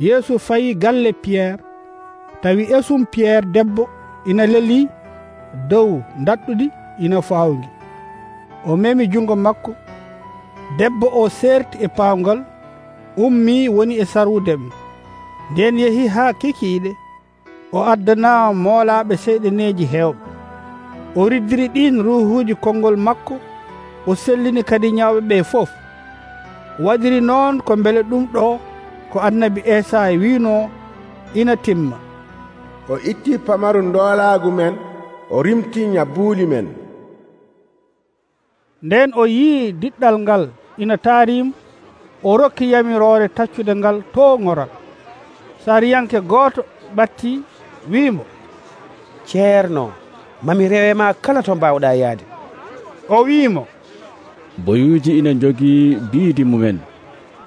Yeesu fayi galle Pierre, tawi esum Pierre debbo ina leli dow dadɗudi ina fawngi. O memi jungo makko. Debbo o serti e pawngal, ummi woni e sarwudem. Nden yehi ha kekiiɗe, o addana moolaɓe seyɗeneji hewɓe. O riddiri ɗin ruhuji konngol makko, o sellini kadi nyawɓe ɓe fof. Waɗiri noon ko beele ɗum ɗo ko annabi Esaya wino ina timma. O itti pamaru ndoolaagu men, o rimti nyabbuuli men. Nden o yii diɗɗal ngal ina taarim, o rokki yamiroore taccude ngal to ŋoral. Sariyanke gooto ɓatti wiimo, ceerno, mami rewema kala to mbawɗa yaade. O wiimo, boyuuji ina jogii biidi mumen,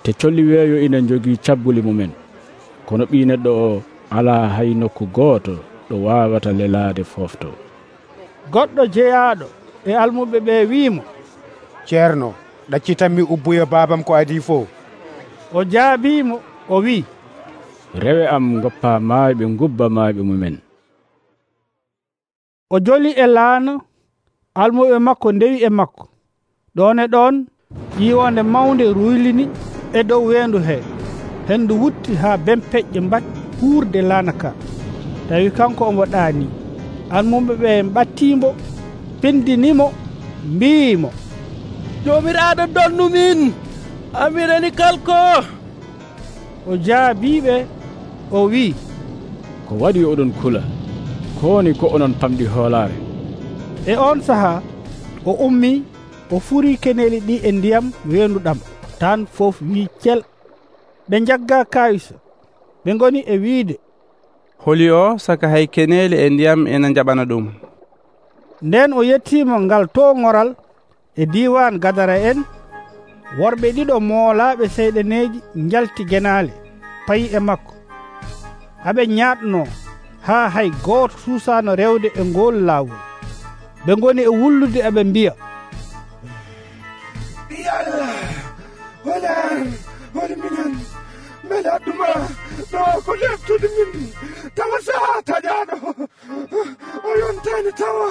te colli weeyo ina jogii cabbuli mumen, kono ɓii neɗɗo o alaa hay nokku gooto ɗo waawata lelaade foofto. Goɗɗo jeyaaɗo e almuɓe ɓe wiimo, ceerno, ɗaccitanmi ubbuya baabam ko adi fof. O jaabiimo, o wii, rewe am goppa maayɓe ngubba maayɓe mumen. O joli e laana, almuɓe makko ndewi e makko. Ɗon e ɗon yiiwonde mawnde ruylini e dow weendu he. Hendu wutti haa bempeƴƴe mbaɗi huurde laana ka. Tawi kanko omo ɗaani. Almuɓe ɓe mbattiimo, pindinimo, mbiimo, joomiraaɗo donnu min, amirani kalko. O jaabiɓe, o wii, ko waɗi oɗon kula, kowoni ko onon pamɗi hoolaare. E on sahaa o ummi, o furi keneeli ɗi e ndiyam weenduɗam, tan fof wii cel. Ɓe jagga kayisa, ɓe ngoni e wiide, holi o saka hay keneeli e ndiyam ena jaɓana ɗum. Nden o yettiimo ngal to ŋoral e diiwan Gadara en. Worɓe ɗiɗo moolaaɓe seyɗeneeji njalti genaale, payi e makko. Aɓe ñaaɗno haa hay gooto suusaano rewde e ngol laawol. Ɓe ngoni e wullude aɓe mbiya, yalla holan hol minen mbeɗa adduma ɗo ko leftude min tawa saha taƴaɗo o yontani tawa.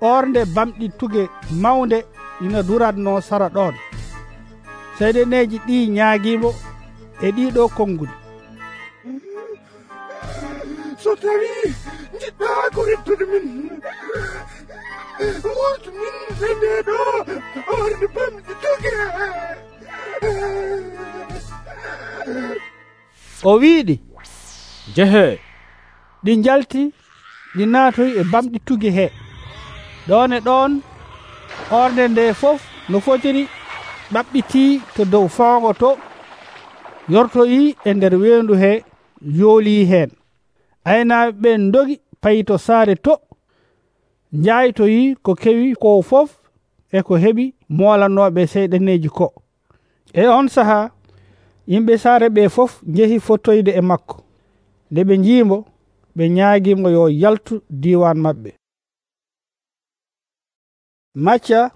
Ornde bamɗi tuge mawnde ina duratno sara ɗon. Seyɗeneeji ɗi ñaagiimo e ɗiɗo konnguli. So tawi jiɗɗa ko reftude min, wurtu min e nde ɗo ornde bamɗi tuge. O wiiɗi, jehe. ɗi njalti, ɗi naatoyi e bamɗi tuge he. Ɗon e ɗon ornde nde fof no fotiri ɓaɓɓitii to dow fawngo to, yortoyi e nder weendu he, yoolii heen. Aynaaɓe ɓen ndogi payi to saare to, njaaytoyi ko kewi ko fof e ko heɓi moolanooɓe seyɗaneeji ko. E on sahaa yimɓe saare ɓe fof njehi fottoyde e makko. Nde ɓe njiimo, ɓe ñaagiimo yo yaltu diiwan maɓɓe. Macca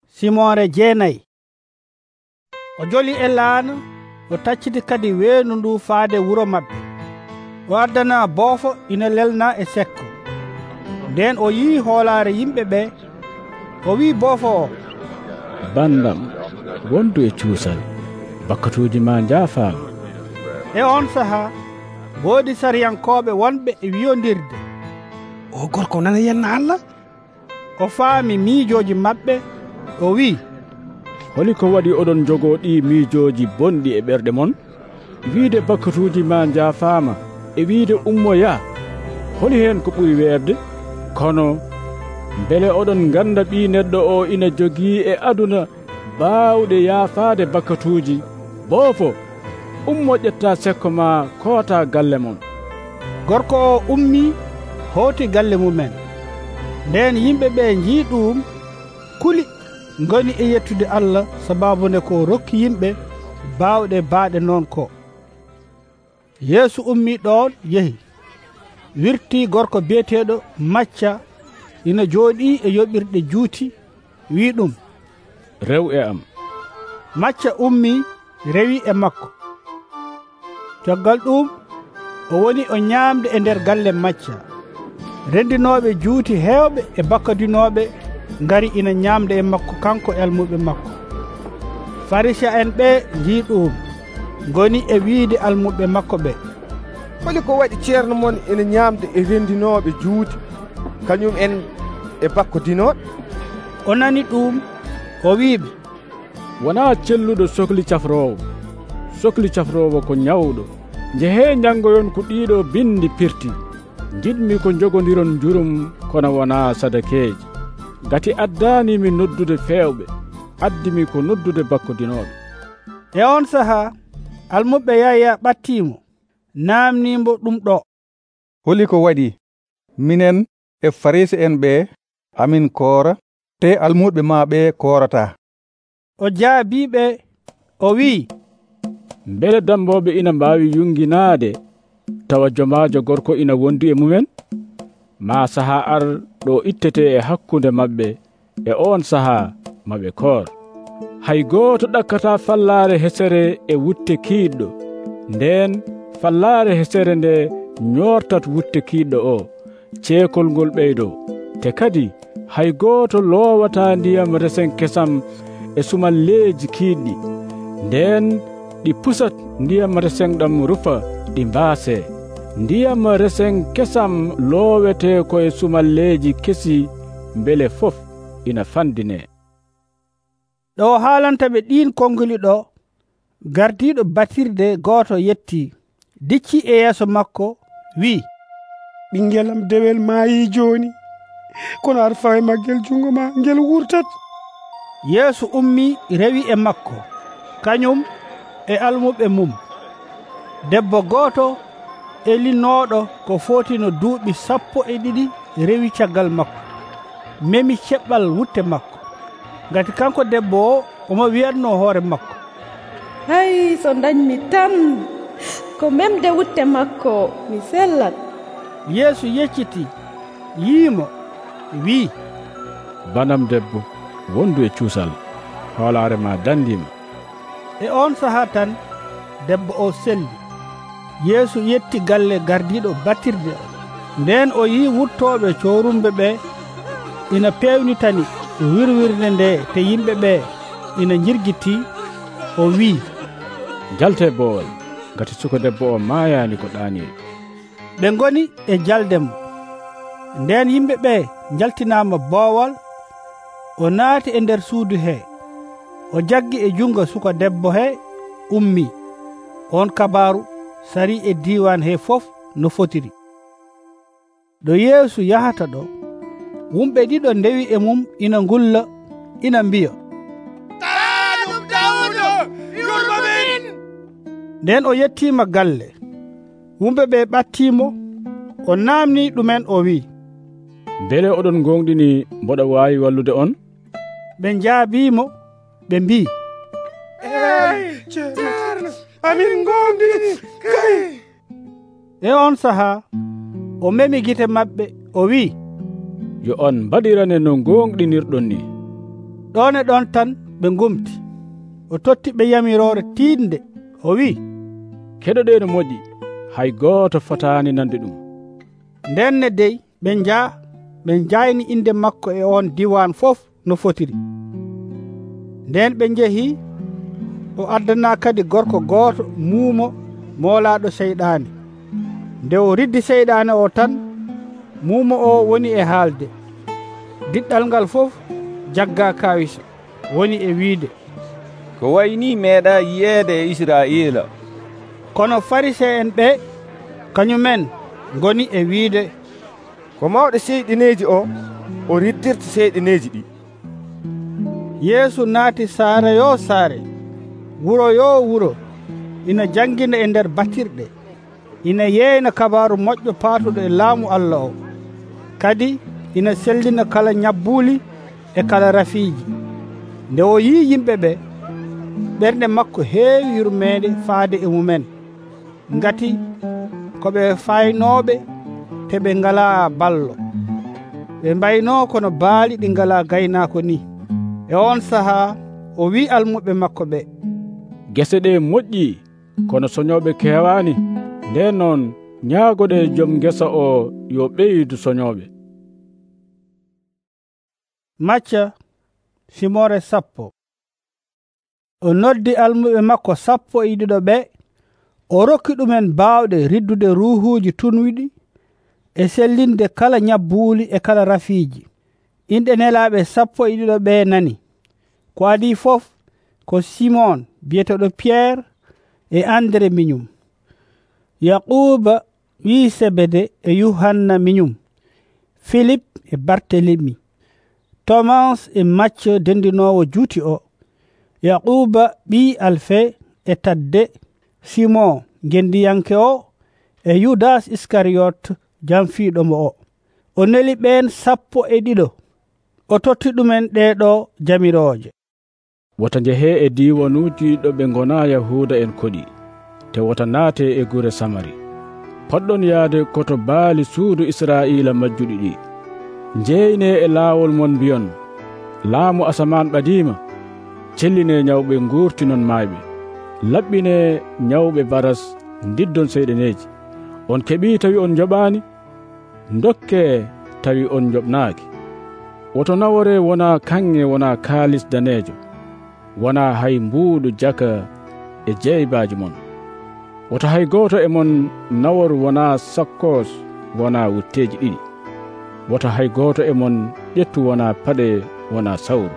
Simore jeenayi. O joli e laana, o tacciti kadi weenu ndu faade wuro maɓɓe. O addana boofo ina lelna e sekko. Nden o yii hoolaare yimɓe ɓe, o wii boofo o, bandam, wondu e cuusal, bakkatuuji ma njaafaama. E on sahaa woodi sariyankooɓe wonɓe e wiyondirde, o gorko nana yenna Allah. O faami miijooji maɓɓe, o wii, holi ko waɗi oɗon jogoo ɗi miijooji bonɗi e ɓerɗe mon? Wiide bakkatuuji ma njaafaama e wiide ummoya, holi heen ko ɓuri weerde? Kono mbele oɗon ngannda ɓii neɗɗo o ina jogii e aduna baawɗe yaafaade bakkatuuji. Boofo, ummo ƴetta sekko ma koota galle mon. Gorko o ummii hooti galle mumen. Nden yimɓe ɓe njii ɗum, kuli, ngoni e yettude Allah sababune ko rokki yimɓe baawɗe baaɗe noon ko. Yeesu ummii ɗon yehi, wirtii gorko biyeteeɗo Macca ina jooɗii e yoɓirɗe juuti, wii ɗum, rew e am, macca ummi rewi e makko. Caggal ɗum o woni o ñaamde e nder galle macca. Rendinooɓe juuti heewɓe e bakkadinooɓe ngari ina ñaamde e makko kanko e almuɓe makko. Farisiyen en ɓe njii ɗum, ngoni e wiide almuɓe makko ɓe, holi ko waɗi ceerno mon ina ñaamde e rendinooɓe juuti kañum en e bakkodinooɓe? O nani ɗum, o wiiɓe, wonaa celluɗo sohli cafroowo. Sohli cafroowo ko ñawɗo. Njehee njanngoyon ko ɗiiɗo bindi pirti. Jiɗmi ko njogodiron njurum kono wonaa sadakeeji. Gati addaanimi noddude feewɓe, addimi ko noddude bakkodinooɓe. E on sahaa almuɓe Yahya ɓattiimo, naamniimbo ɗum ɗo, holi ko waɗi minen e Farisi'en ɓe amin koora, te almuɓe maa ɓe koorataa? O jaabiiɓe o wi'i, mbele dambooɓe ina mbaawi yunginaade tawa jomaajo gorko ina wondi e mumen? Maa sahaa ar ɗo ittetee e hakkunde maɓɓe, e on sahaa maɓe koor. Hay gooto ɗakkataa fallaare hesere e wutte kiiɗɗo, ndeen fallaare hesere nde ñoortat wutte kiiɗɗo o, ceekol ngol ɓeydoo. Te kadi hay gooto loowataa ndiyam resen kesam e sumalleeji kiiɗɗi, ndeen ɗi pusat ndiyam resen ɗam rufa ɗi mbaasee. Ndiyam resen kesam loowetee koye sumalleeji kesi, mbele fof ina fandinee. ɗo haalanta ɓe ɗiin konnguli ɗo, gardiiɗo batirde gooto yettii, dicci e yeeso makko, wi'i, ɓingelam dewel maayii jooni, kono aɗa fawi maggel jungo ma ngel wurtat. Yeesu ummii rewi e makko, kañum e almuɓe mum. Debbo gooto elinooɗo ko footino duuɓi sappo e ɗiɗi rewi caggal makko, memi ceɓɓal wutte makko. Ngati kanko debbo o omo wiyatno hoore makko, hay so dañmi tan ko memde wutte makko mi sellat. Yeesu yecciti, yiimo, wi'i, banam debbo, wondu e cuusal, hoolaare ma dandiima. E on sahaa tan debbo o selli. Yeesu yetti galle gardiiɗo batirde o. Nden o yii wuttooɓe coorumɓe ɓe ina peewnitani wirwirde nde te yimɓe ɓe ina jirgitii. O wi'i, jalte boowal, ngati suka debbo o maayaani ko ɗaaniiɗo. ɓe ngoni e jalde mo. Nden yimɓe ɓe jaltinaama boowal. O naati e nder suudu hee, o jaggi e jungo suka debbo hee, ummii. On kabaaru sarii e diiwan hee fof no fotiri. ɗo Yeesu yahata ɗo, wumɓe ɗiɗo ndewi e mum ina ngulla, ina mbiya, Taanum Dawuda, yurmo min. nden o yettiima galle. Wumɓe ɓe ɓattiimo, o naamni ɗumen, o wi'i, mbele oɗon gonɗini mboɗo waawi wallude on? ɓe njaabiimo, ɓe mbii, eyi ceerno, amin gonɗini kay. E on sahaa o memi gite maɓɓe, o wi'i, yo on mbaɗirane no gonɗinirɗon ni. ɗon e ɗon tan ɓe ngumti. O totti ɓe yamiroore tiiɗnde, o wi'i, keɗoɗee no moƴƴi, hay gooto fotaani nande ɗum. nden ne dey ɓe njaa, ɓe njayni inde makko e on diwan fof no fotiri. Nden ɓe njehii, o addanaa kadi gorko gooto muumo moolaaɗo seyɗaane. Nde o riddi seyɗaane o tan, muumo o woni e haalde. Diɗɗal ngal fof jaggaa kawisa, woni e wiide, ko wayni meeɗa yiyeede e Israa'iila. Kono Farisiyen ɓe kañumen ngoni e wiide, ko mawɗo seyɗineeji o o riddirta seyɗineeji ɗi. Yeesu naati saare yo saare, wuro yo wuro, ina jangina e nder batirɗe, ina yeeyna kabaaru moƴƴo paatuɗo e laamu Allah o. Kadi ina sellina kala ñabbuuli e kala rafiiji. Nde o yii yimɓe ɓe, ɓernde makko heewi yurmeede faade e mumen, ngati ko ɓe faynooɓe te ɓe ngalaa ballo. Ɓe mbaynoo kono baali ɗi ngalaa gaynaako ni. E on sahaa o wi'i almuɓe makko ɓe, gese ɗe moƴƴi kono soñoɓe keewani. Nden noon ñaagoɗe joom gesa o yo ɓeydu soñoɓe. Macca fimore sappo. O noddi almuɓe makko sappo e ɗiɗo ɓe, o rokki ɗumen baawɗe riddude ruuhuuji tunwiɗi e sellinde kala ñabbuuli e kala rafiiji. Inɗe nelaaɓe sappo e ɗiɗo ɓe nani. Ko adi fof ko Simon biyeteɗo Pierre e Andre miñum, Yaquba ɓii Sebede e Yuhanna miñum, Philippe e Bartelemi, Thomas e Macce dendinowo juuti o, Yaquba ɓii Alfe e Tadde, Simon gendiyanke o e Yudas Iskariyot jamfiiɗomo o. O neli ɓen sappo e ɗiɗo, o totti ɗumen ɗeɗo jamirooje. Wota njehe e diiwanuuji ɗo ɓe ngona Yahuuda en koɗi, te wota naate e gure Samari. Poɗɗon yaade koto baali suudu Israa'iila majjuɗi ɗi. Njeyne e laawol mon mbiyon, laamu asaman ɓadiima. Celline ñawɓe nguurtinon maayɓe. Laɓɓine ñawɓe baras ndiddon seyɗeneeji. On keɓii tawi on njoɓaani? Ndokke tawi on njoɓnaaki. Woto nawore wona kanŋe wona kaalis daneejo, wona hay mbuuɗu jaka e jeybaaji mon. Woto hay gooto e mon naworu wona sakkos wona wutteeji ɗiɗi. Woto hay gooto e mon ƴettu wona paɗe wona sawru.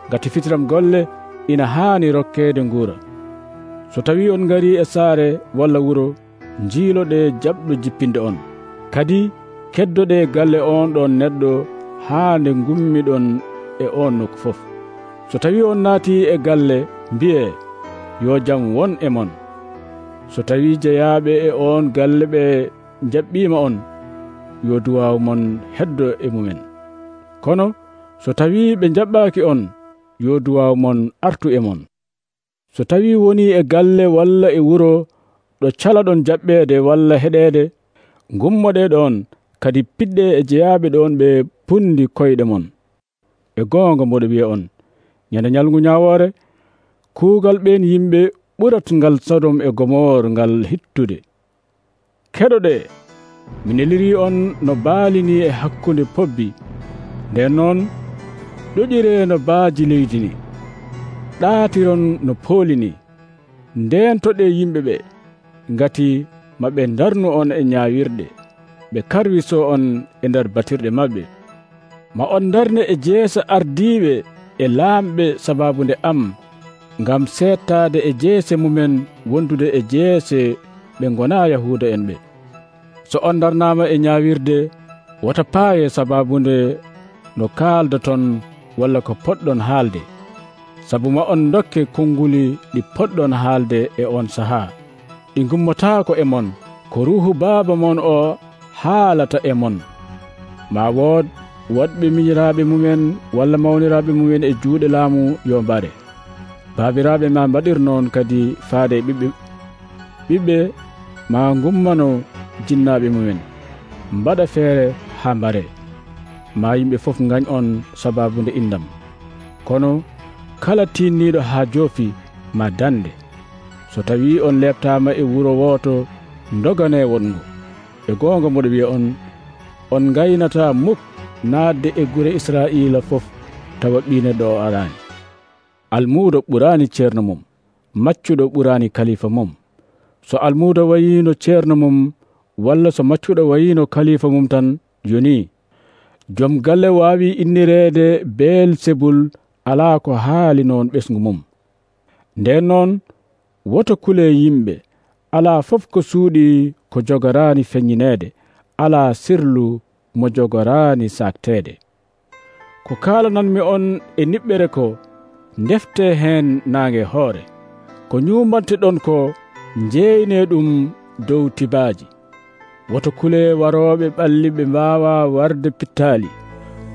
Ngati fitiram golle ina haani rokkeede nguura. So tawi on ngari e saare walla wuro, njiiloɗe jaɓɗo jippinde on. Kadi keddoɗe galle on ɗon neɗɗo haa nde ngummiɗon e on nokku fof. So tawi on naati e galle, mbi'e yo jam won e mon. So tawi jeyaaɓe e on galle ɓe jaɓɓiima on, yo duwaw mon heddo e mumen. Kono so tawi ɓe jaɓɓaaki on, yo duwaw mon artu e mon. So tawi woni e galle walla e wuro ɗo calaɗon jaɓɓeede walla heɗeede, ngummoɗe ɗon kadi piɗɗe e jeyaaɓe ɗon ɓe pundi koyɗe mon. E goonga mboɗo wiya on, ñande ñalngu ñaawoore, kuugal ɓen yimɓe ɓurat ngal Sodom e Gomor ngal hittude. Keɗoɗe, mi neliri on no baalini e hakkunde pobbi, nden noon ɗoƴire no baaji leydi ni, ɗaatiron no poolini, nden toɗe yimɓe ɓe, ngati maɓe darnu on e ñaawirɗe, ɓe karwiso on e nder batirɗe maɓɓe. Ma on darne e jeesa ardiiɓe e laamɓe sababunde am, ngam seettaade e jeese mumen wondude e jeese ɓe ngona Yahuuda en ɓe. So on darnaama e ñaawirde, wota paaye sababunde no kaaldaton walla ko poɗɗon haalde, sabu ma on dokke konnguli ɗi poɗɗon haalde e on sahaa. Ɗi gummotaako e mon, ko ruuhu baaba mon o haalata e mon. Ma wood woɗɓe miñiraaɓe mumen walla mawniraaɓe mumen e juuɗe laamu yo mbare. Baabiraaɓe ma mbaɗir noon kadi faade ɓiɓɓe. Ɓiɓɓe ma ngummano jinnaaɓe mumen, mbaɗa feere haa mbare. Ma yimɓe fof ngañ on sababunde indam. Kono kala tinniiɗo haa joofi ma dande. So tawi on leɓtaama e wuro wooto, ndogane wongo. E goonga mboɗo wiya on, on ngaynata muk naatde e gure Israa'iila fof tawa ɓii neɗɗo o araani. Almuudo ɓuraani ceerno mum, maccuɗo ɓuraani kalifa mum. So almuudo wayiino ceerno mum walla so maccuɗo wayiino kalifa mum tan, yoni joom galle waawi innireede Beelsebul alaa ko haali noon ɓesngu mum. Nden noon woto kule yimɓe, alaa fof ko suuɗi ko jogoraani feññineede, alaa sirlu mo jogoraani sakteede. Ko kaalananmi on e niɓɓere ko, ndefte heen naange hoore. Ko ñuumante ɗon ko, njeyne ɗum dow tibaaji. Woto kule warooɓe ɓalli ɓe mbaawa warde pittaali.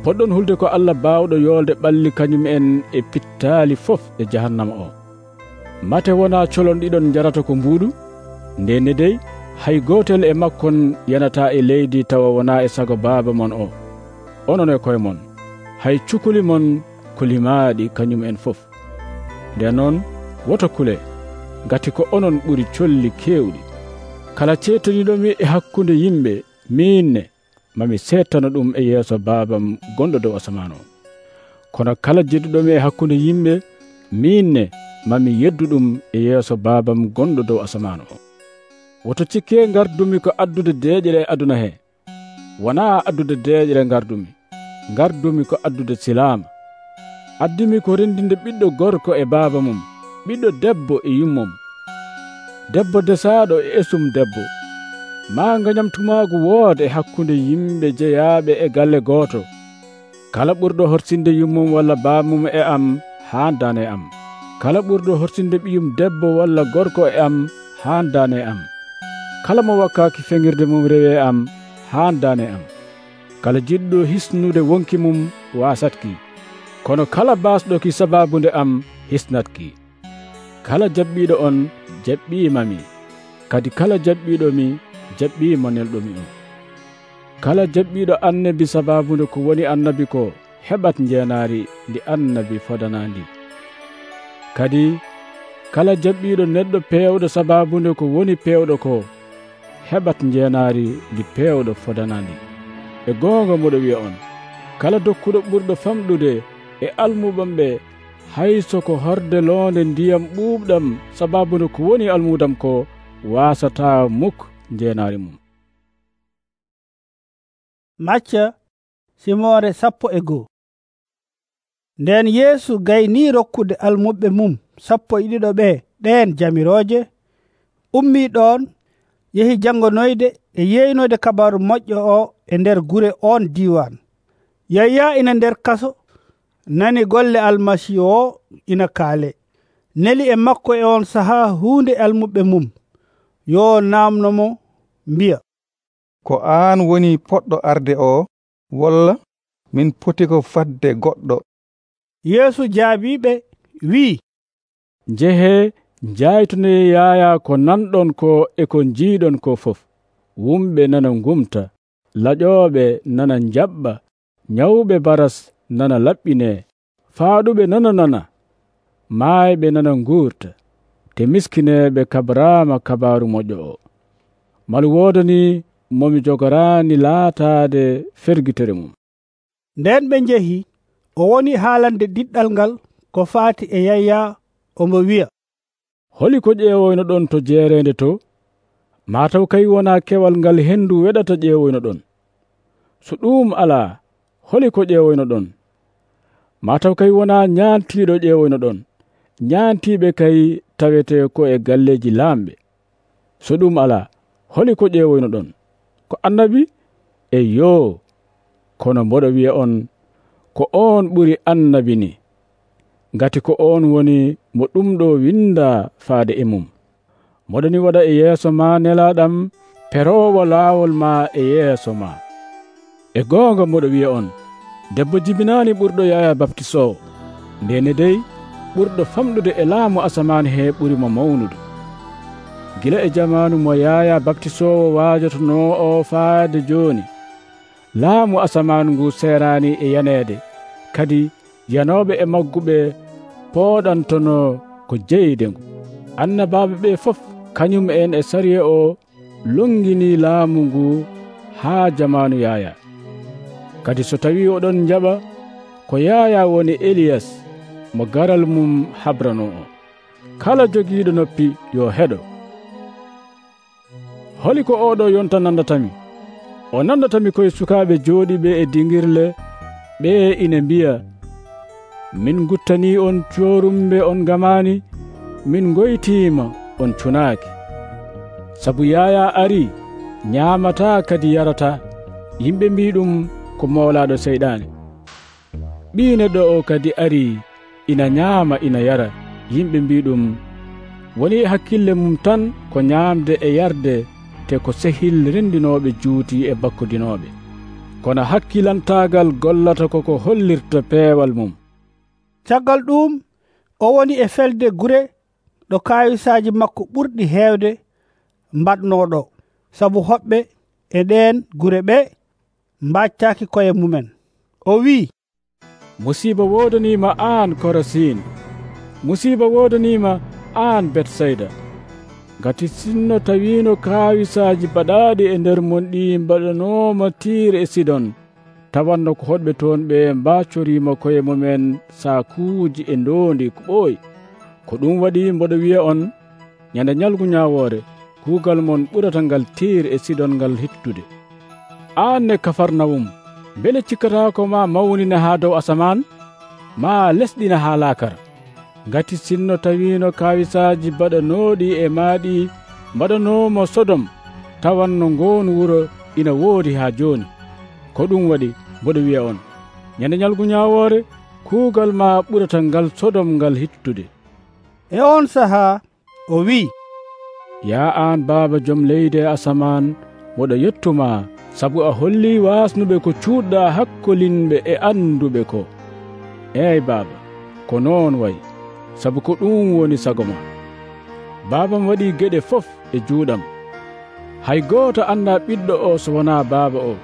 Poɗɗon hulde ko Allah baawɗo yoolde ɓalli kañum en e pittaali fof e jahannama o. Mate wona colon ɗiɗon jarata ko mbuuɗu? Ndenne dey hay gootel e makkon yanata e leydi tawa wona e sago baaba mon o. Onon e koye mon, hay cukuli mon ko limaaɗi kañum en fof. nden noon woto kule ngati ko onon ɓuri colli kewɗi. Kala ceetaniɗomi e hakkunde yimɓe minne mami settana ɗum e yeeso Baabam gonɗo dow asaman o. Kono kala jedduɗomi e hakkunde yimɓe minne mami yeddu ɗum e yeeso Baabam gonɗo dow asaman o. Woto cikke gardumi ko addude deeƴere e aduna he. Wona addude deeƴere gardumi, gardumi ko addude silama. Addimi ko rendinde ɓiɗɗo gorko e baaba mum, ɓiɗɗo debbo e yummum, debbo desaɗo e esum debbo. Ma gañam tumagu wooda e hakkunde yimɓe jeyaaɓe e galle gooto. Kala ɓurɗo horsinde yummum walla baamum e am haandane am. Kala ɓurɗo horsinde ɓiyum debbo walla gorko e am haandane am. Kala mo wakkaaki feŋirde mum rewe am haandane am. Kala jiɗɗo hisnude wonki mum wasatki, kono kala baasɗoki sababunde am hisnatki. Kala jabbiɗo on jaɓɓimami, kadi kala jaɓɓiɗomi jaɓɓimo nelɗomi on. Kala jaɓɓiɗo annabi sababunde ko woni annabi ko heɓat jeenaari ndi annabi fodanandi. Kadi kala jaɓɓiɗo neɗɗo pewɗo sababunde ko woni pewɗo ko heɓat jeenaari ndi pewɗo fodanandi. E goonga moɗo wiya on, kala dokkuɗo ɓurɗo famɗude e almuɓam ɓe hayso ko horde loonde ndiyam ɓuuɓɗam sababunde ko woni almudam ko wasata muk jeenaari mum. Macca simore sappo e goo. Nden Yeesu gayni rokkude almuɓe mum sappo e ɗiɗo ɓe ɗen jamiroje, ummi ɗon yehi jangonoyde e yeynode kabaru moƴƴo o e nder gure on diwan. Yaya ina nder kaso nani golle almasihu o ina kaale, neli e makko e on saha hunde almuɓe mum yo namnomo mbiya, ko aan woni poɗɗo arde o, walla min poti ko fadde goɗɗo? Yeesu jaabiɓe wi, njehe jaytune Yaya ko nanɗon ko e ko jiiɗon ko fof. Wumɓe nana ngumta, laƴoɓe nana jaɓɓa, nyawɓe baras nana laɓɓine, faaɗuɓe nana nana, maayɓe nana nguurta, te miskineɓe kabrama kabaru moƴƴo o. Malu woodani momi jogorani laataade fergitere mum. Nden ɓe njehi, o woni haalande diɗɗal ngal ko faati e Yaya, omo wiya, holi ko ƴeewoyno ɗon to jeerende to? Mataw kay wona kewal ngal hendu weɗata ƴeewoyno ɗon. So ɗum alaa, holi ko ƴeewoyno ɗon? Mataw kay wona ñaantiiɗo ƴeewoyno ɗon. Ñaantiiɓe kay tawete ko e galleji laamɓe. So ɗum alaa, holi ko ƴeewoyno ɗon? Ko annabi? E yoo, kono mboɗo wiya on ko on ɓuri annabi ni, ngati ko on woni mo ɗum ɗo winda faade e mum. Moɗoni waɗa e yeeso ma nelaɗam perowo laawol ma e yeeso ma. E goonga moɗo wiya on, debbo jibinaani ɓurɗo Yaya baptisowo, ndene dey ɓurɗo famɗude e laamu asaman he ɓuri mo mawnude. Gila e jamanu mo Yaya baptisowo waajotono o faade jooni, laamu asaman ngu serani e yaneede, kadi yanoɓe e magguɓe pooɗantono ko jeyde ngu. Annabaɓe ɓe fof kañum en e sariya o longini laamu ngu haa jamanu Yaya. Kadi so tawi oɗon jaɓa ko Yaya woni Eliyas mo garal mum habrano o. Kala jogiiɗo noppi yo heɗo. Holi ko oɗo yonta nandatami? O nandatami koye sukaaɓe jooɗiɓe e dingirle, ɓe ina mbiya, min guttani on coorumbe on gamani, min goytima on cunaaki. Sabu Yaya ari, ñaamata kadi yarata, yimɓe mbi ɗum ko mawlaɗo seyɗane. Ɓii neɗɗo o kadi ari, ina ñaama ina yara, yimɓe mbi ɗum woni hakkille mum tan ko ñaamde e yarde, te ko sehil rendinoɓe juuti e bakkodinoɓe. Kono hakkilantagal gollata koko hollirta peewal mum. Caggal ɗum o woni e felde gure ɗo kayisaji makko ɓurɗi heewde mbaɗnoɗo, sabu hoɓɓe e ɗen gure ɓe mbaccaki koye mumen. O wi, musiba wodanima an Korasin. musiba wodanima an Betsayda, ngati sinno tawino kawisaji baɗaɗi e nder mon ɗi mbaɗanoma Tiir e Sidon, tawanno ko hoɗɓe toon ɓe mbaccorima koye mumen sakuuji e ndondi ko ɓooyi. Ko ɗum waɗi mboɗo wiya on, ñande ñalgu ñawoore kuugal mon ɓurata ngal Tiir e Sidon ngal hittude. An ne Kafarnawum, bele cikkatako ma mawnina ha dow asaman, ma lesɗina ha laakara. Ngati sinno tawino kawisaji baɗanoɗi e maaɗi mbaɗanomo Sodom, tawanno ngon wuro ina woodi ha joni. Ko ɗum waɗi mboɗo wiya on, ñande ñalgu ñawoore kuugal ma ɓurata ngal Sodom ngal hittude. E on saha o wi, ya an Baaba joom leydi e asaman, moɗo yettuma sabu a holli wasnuɓe ko cuuɗɗa hakkolinɓe e anduɓe ko. Eyi Baaba, ko noon wayi, sabu ko ɗum woni sago ma. Baabam waɗi geɗe fof e juuɗam. Hay gooto anda ɓiɗɗo o so wona Baaba o,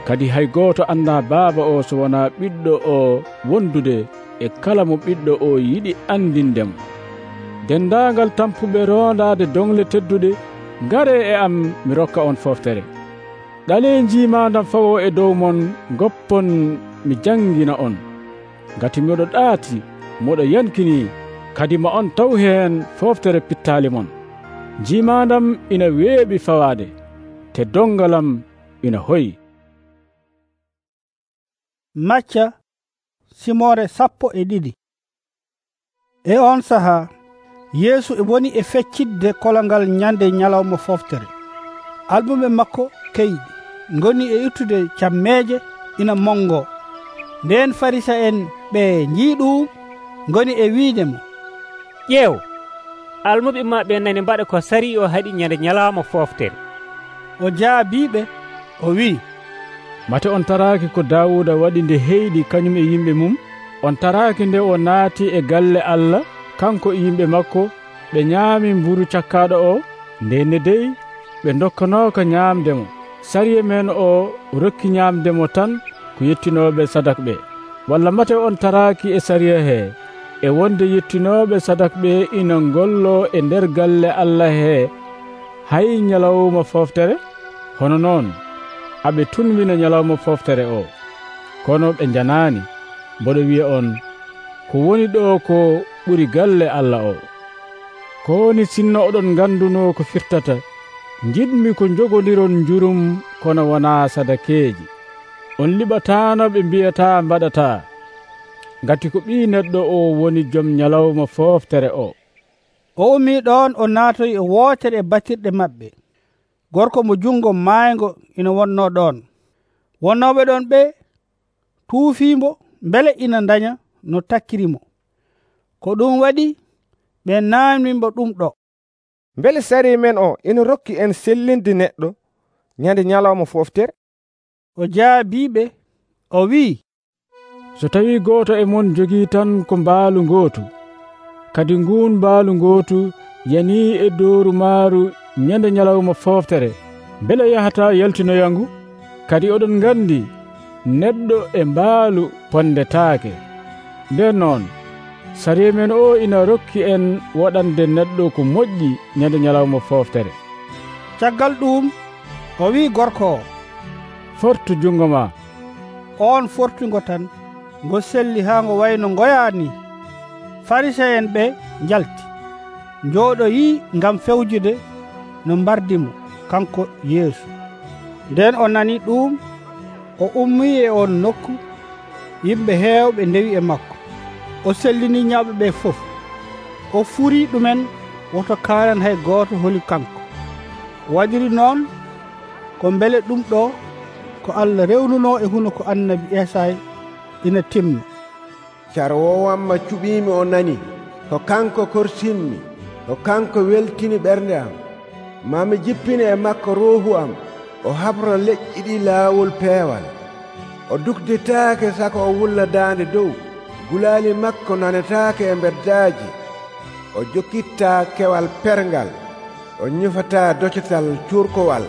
kadi hay gooto anda Baaba o so wona ɓiɗɗo o wondude e kala mo ɓiɗɗo o yiɗi andindemo. Dendaangal tampuɓe rondade dongle teddude, ngare e am mi rokka on foftere. Ɗale jiimandam fawo e dow mon goppon mi jangina on. Ngati miɗo ɗaati, moɗo yankini, kadi ma on taw heen foftere pittali mon. Jiimandam ina weeɓi fawade, te dongalam ina hoyi. Macca simore sappo e ɗiɗi. E on saha Yeesu e woni e feccidde kolongal ñande ñalawma foftere. Albuɓe makko keyɗi ngoni e ittude cammeje ina mongo. Nden Farisa en ɓe njiiɗum ngoni e wiidemo, ƴeew, almuɓe maɓɓe nani mbaɗa ko sari o haɗi ñande ñalawma foftere. O jaabiɓe o wi, mate on taraki ko Dawuda waɗi nde heyɗi kañum e yimɓe mum. On taraki nde o naati e galle Allah kanko e yimɓe makko, ɓe ñaami mburu cakkaɗo o, ndenne dey ɓe dokkanoka ñaamdemo. Sariya men o rokki ñaamdemo tan ko yettinoɓe sadak ɓe. Walla mate on taraki e sariya he e wonde yettinoɓe sadak ɓe ina gollo e nder galle Allah he hay ñalawma foftere? Hono noon aɓe tunwina ñalawma foftere o, kono ɓe janani. Mboɗo wiya on, ko woni ɗo ko ɓuri galle Allah o. Ko woni sinno oɗon ganduno ko firtata, jiɗmi ko jogodiron jurum kono wona sadakeji. On liɓatano ɓe mbiyata mbaɗata, ngati ko ɓi neɗɗo o woni joom ñalawma foftere o. O ummi ɗon o naatoy e wootere e batirɗe maɓɓe. Gorko mo jungo maaygo ina wonno ɗon. Wonnoɓe ɗon ɓe tuufimo bele ina daña no takkirimo. Ko ɗum waɗi ɓe naamnimo ɗum ɗo. Bele sari men o ina rokki en sellinde neɗɗo ñande ñalawma foftere? O jaabiɓe o wi, so tawi goto e mon jogii tan ko mbaalu gootu, kadi ngun mbaalu gootu yani e dooru maaru ñande ñalawma foftere, bele yahata yaltinoyangu? Kadi oɗon ngandi neɗɗo e mbaalu pondetaake. Nden noon sariya men o ina rokki en waɗande neɗɗo ko moƴƴi ñande ñalawma foftere. Caggal ɗum o wi gorko o, fortu jungo ma. On fortungo tan ngo selli ha ngo wayno ngoyani. Farisa en ɓe jalti jooɗoyi ngam fewjude no mbardimo kanko Yeesu. Nden o nani ɗum, o ummi e on nokku. Yimɓe heewɓe ndewi e makko. O sellini ñawɓe ɓe fof. O furi ɗumen woto kaanan hay gooto holi kanko. Waɗiri noon ko mbele ɗum ɗo ko Allah rewnuno e huno ko annabi Esay ina timma. Carwowamma cuɓimi o nani, ko kanko korsinmi, ko kanko weltini ɓernde am. Mami jippini e makko ruuhu am, o habra leƴƴi ɗi laawol peewal. O dukditaake sako o wulla daande dow, gulaali makko nanetaake e mbeddaaji. O jokkittaa kewal pergal, o ñufataa docatal cuurkowal,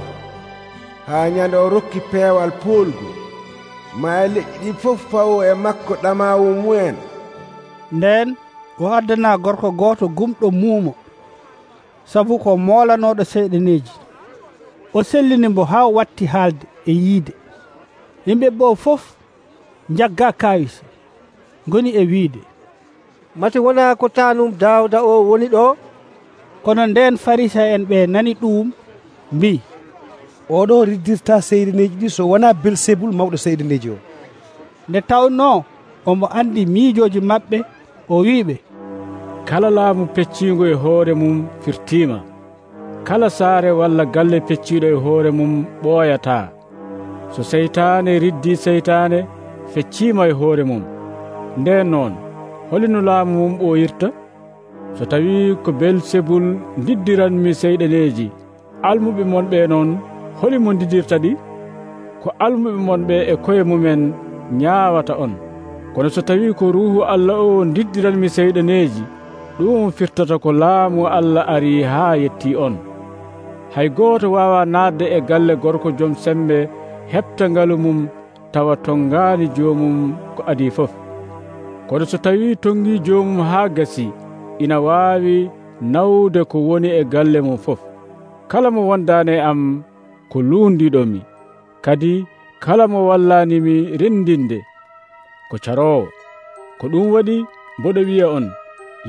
haa ñande o rokki peewal poolgu. Maa leƴƴi ɗi fof fawo e makko ɗamaawu mumen. Nden o addana gorko gooto gumɗo muumo sabu ko moolanoɗo seyɗaneji. O sellini mbo haa watti haalde e yiide. Yimɓe ɓe fof jagga kawisa goni e wiide, mati wona ko taanum Daawuda o woni ɗo? Kono nden Farisa'en ɓe nani ɗum mbi, oɗo riddirta seydaneji ɗi so wona Belsebul mawɗo seydaneji o. Nde tawno omo andi miijoji maɓɓe, o wiɓe, kala laamu pecciingo e hoore mum firtima. Kala saare walla galle pecciiɗo e hoore mum ɓooyataa. So seytaane riddi seytaane feccima e hoore mum, nden noon holino laamu mum ɓooyirta? So tawi ko Belsebul diddiranmi seyɗaneji, almuɓe mon ɓe noon holimo diddirta ɗi? Ko almuɓe mon ɓe e koye mumen ñaawata on. Kono so tawi ko Ruuhu Allah o diddiranmi seyɗaneji, ɗum firtata ko laamu Allah ari haa yetti on. Hay gooto wawa naatde e galle gorko joom sembe heɓta ngalu mum tawa tongaani joomum ko adi fof. Kono so tawi tongi joomum haa gasi, ina waawi nawde ko woni e galle mum fof. Kala mo wondaane am ko luundiɗomi, kadi kala mo wallanimi rendinde ko caroowo. Ko ɗum waɗi mboɗo wiya on,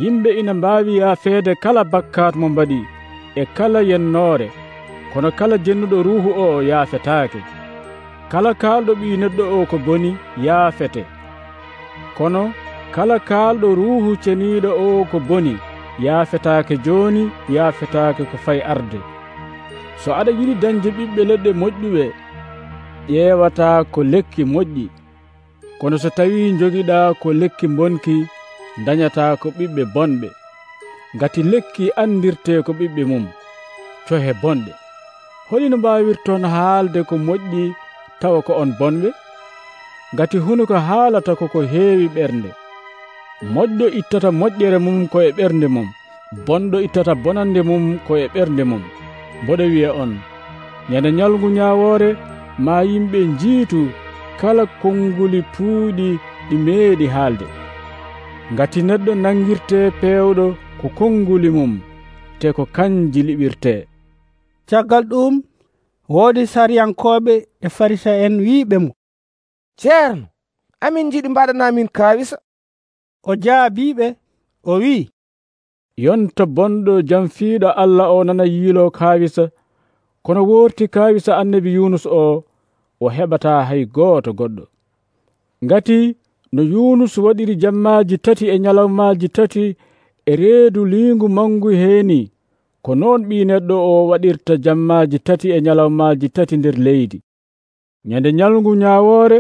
yimɓe ina mbaawi yaafeede kala bakkat mo mbaɗi e kala yennoore, kono kala jennuɗo Ruuhu o yaafetaake. Kala kaalɗo ɓii neɗɗo o ko boni yaafete, kono kala kaalɗo Ruuhu ceniiɗo o ko boni yaafetaake jooni, yaafetaake ko fay arde. So aɗa yiɗi dañde ɓiɓɓe leɗɗe moƴƴuɓe, ƴeewataa ko lekki moƴƴi, kono so tawi jogiɗaa ko lekki bonki, dañataa ko ɓiɓɓe bonɓe. Ngati lekki andirte ko ɓiɓɓe mum, cohe bonɗe. Holino mbawirton haalde ko moƴƴi tawa ko on bonɓe? Ngati hunuko haalata koko heewi ɓernde. Moƴƴo ittata moƴƴere mum ko e ɓernde mum, bonɗo ittata bonande mum ko e ɓernde mum. Mboɗo wiya on, ñande ñalngu ñaawoore ma yimɓe njiitu kala konnguli puuɗi ɗi meeɗi haalde. Ngati neɗɗo nangirte peewɗo ko konnguli mum, te ko kanji liɓirte. Caggal ɗum woodi sariyankoɓe e Farisa'en wiiɓe mo, ceerno, amin jiɗi mbaɗanamin kaawisa. O jaabiɓe o wi, yonta bonɗo jamfiiɗo Allah o nana yiilo kaawisa, kono worti kaawisa annabi Yunus o, o heɓata hay gooto goɗɗo. Ngati no Yunus waɗiri jammaaji tati e ñalawmaaji tati e reedu liingu mangu heeni, ko noon ɓii neɗɗo o waɗirta jammaaji tati e ñalawmaaji tati nder leydi. Ñande ñalngu ñaawoore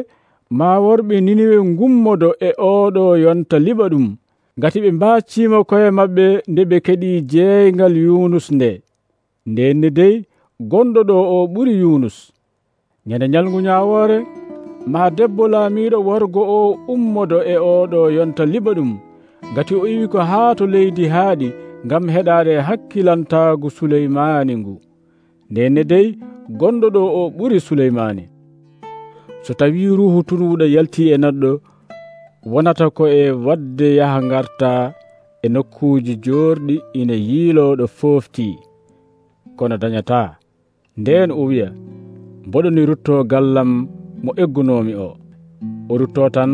ma worɓe Niniwe ngummodo e oɗo yonta liɓa ɗum, ngati ɓe mbaaciima koye maɓɓe nde ɓe keɗii jeeyngal Yunus nde. Ndenne dey gonɗo ɗo o ɓuri Yunus. Ñande ñalngu ñaawoore ma debbo laamiiɗo worgo o ummodo e oɗo yonta liɓa ɗum, ngati o iwi ko haa to leydi haaɗi ngam heɗaade hakkilantaagu Suleymaani ngu. Ndenne dey gonɗo ɗo o ɓuri Suleymaani. So tawi Ruuhu tunuuɗo yaltii e neɗɗo, wonata ko e wadde yaha ngarta e nokkuuji joorɗi ina yiilooɗo fooftii, kono dañataa. Ndeen o wiya, mboɗoni ruttoo gallam mo eggunoomi o. O ruttoo tan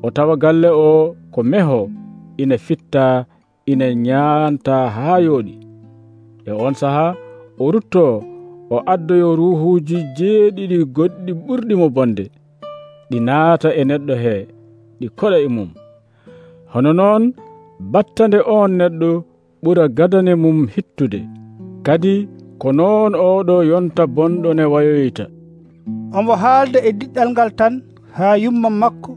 o tawa galle o ko meho, ina fitta, ina ñaanta haa yooɗi. E on sahaa o ruttoo o addoyo ruuhuuji jeeɗiɗi goɗɗi ɓurɗi mo bonde, ɗi naata e neɗɗo hee, ɗi koɗa e mum. Hono noon battande on neɗɗo ɓura gadane mum hittude, kadi ko noon oɗo yonta bonɗo ne wayoyta. Omo haalde e diɗɗal ngal tan haa yumma makko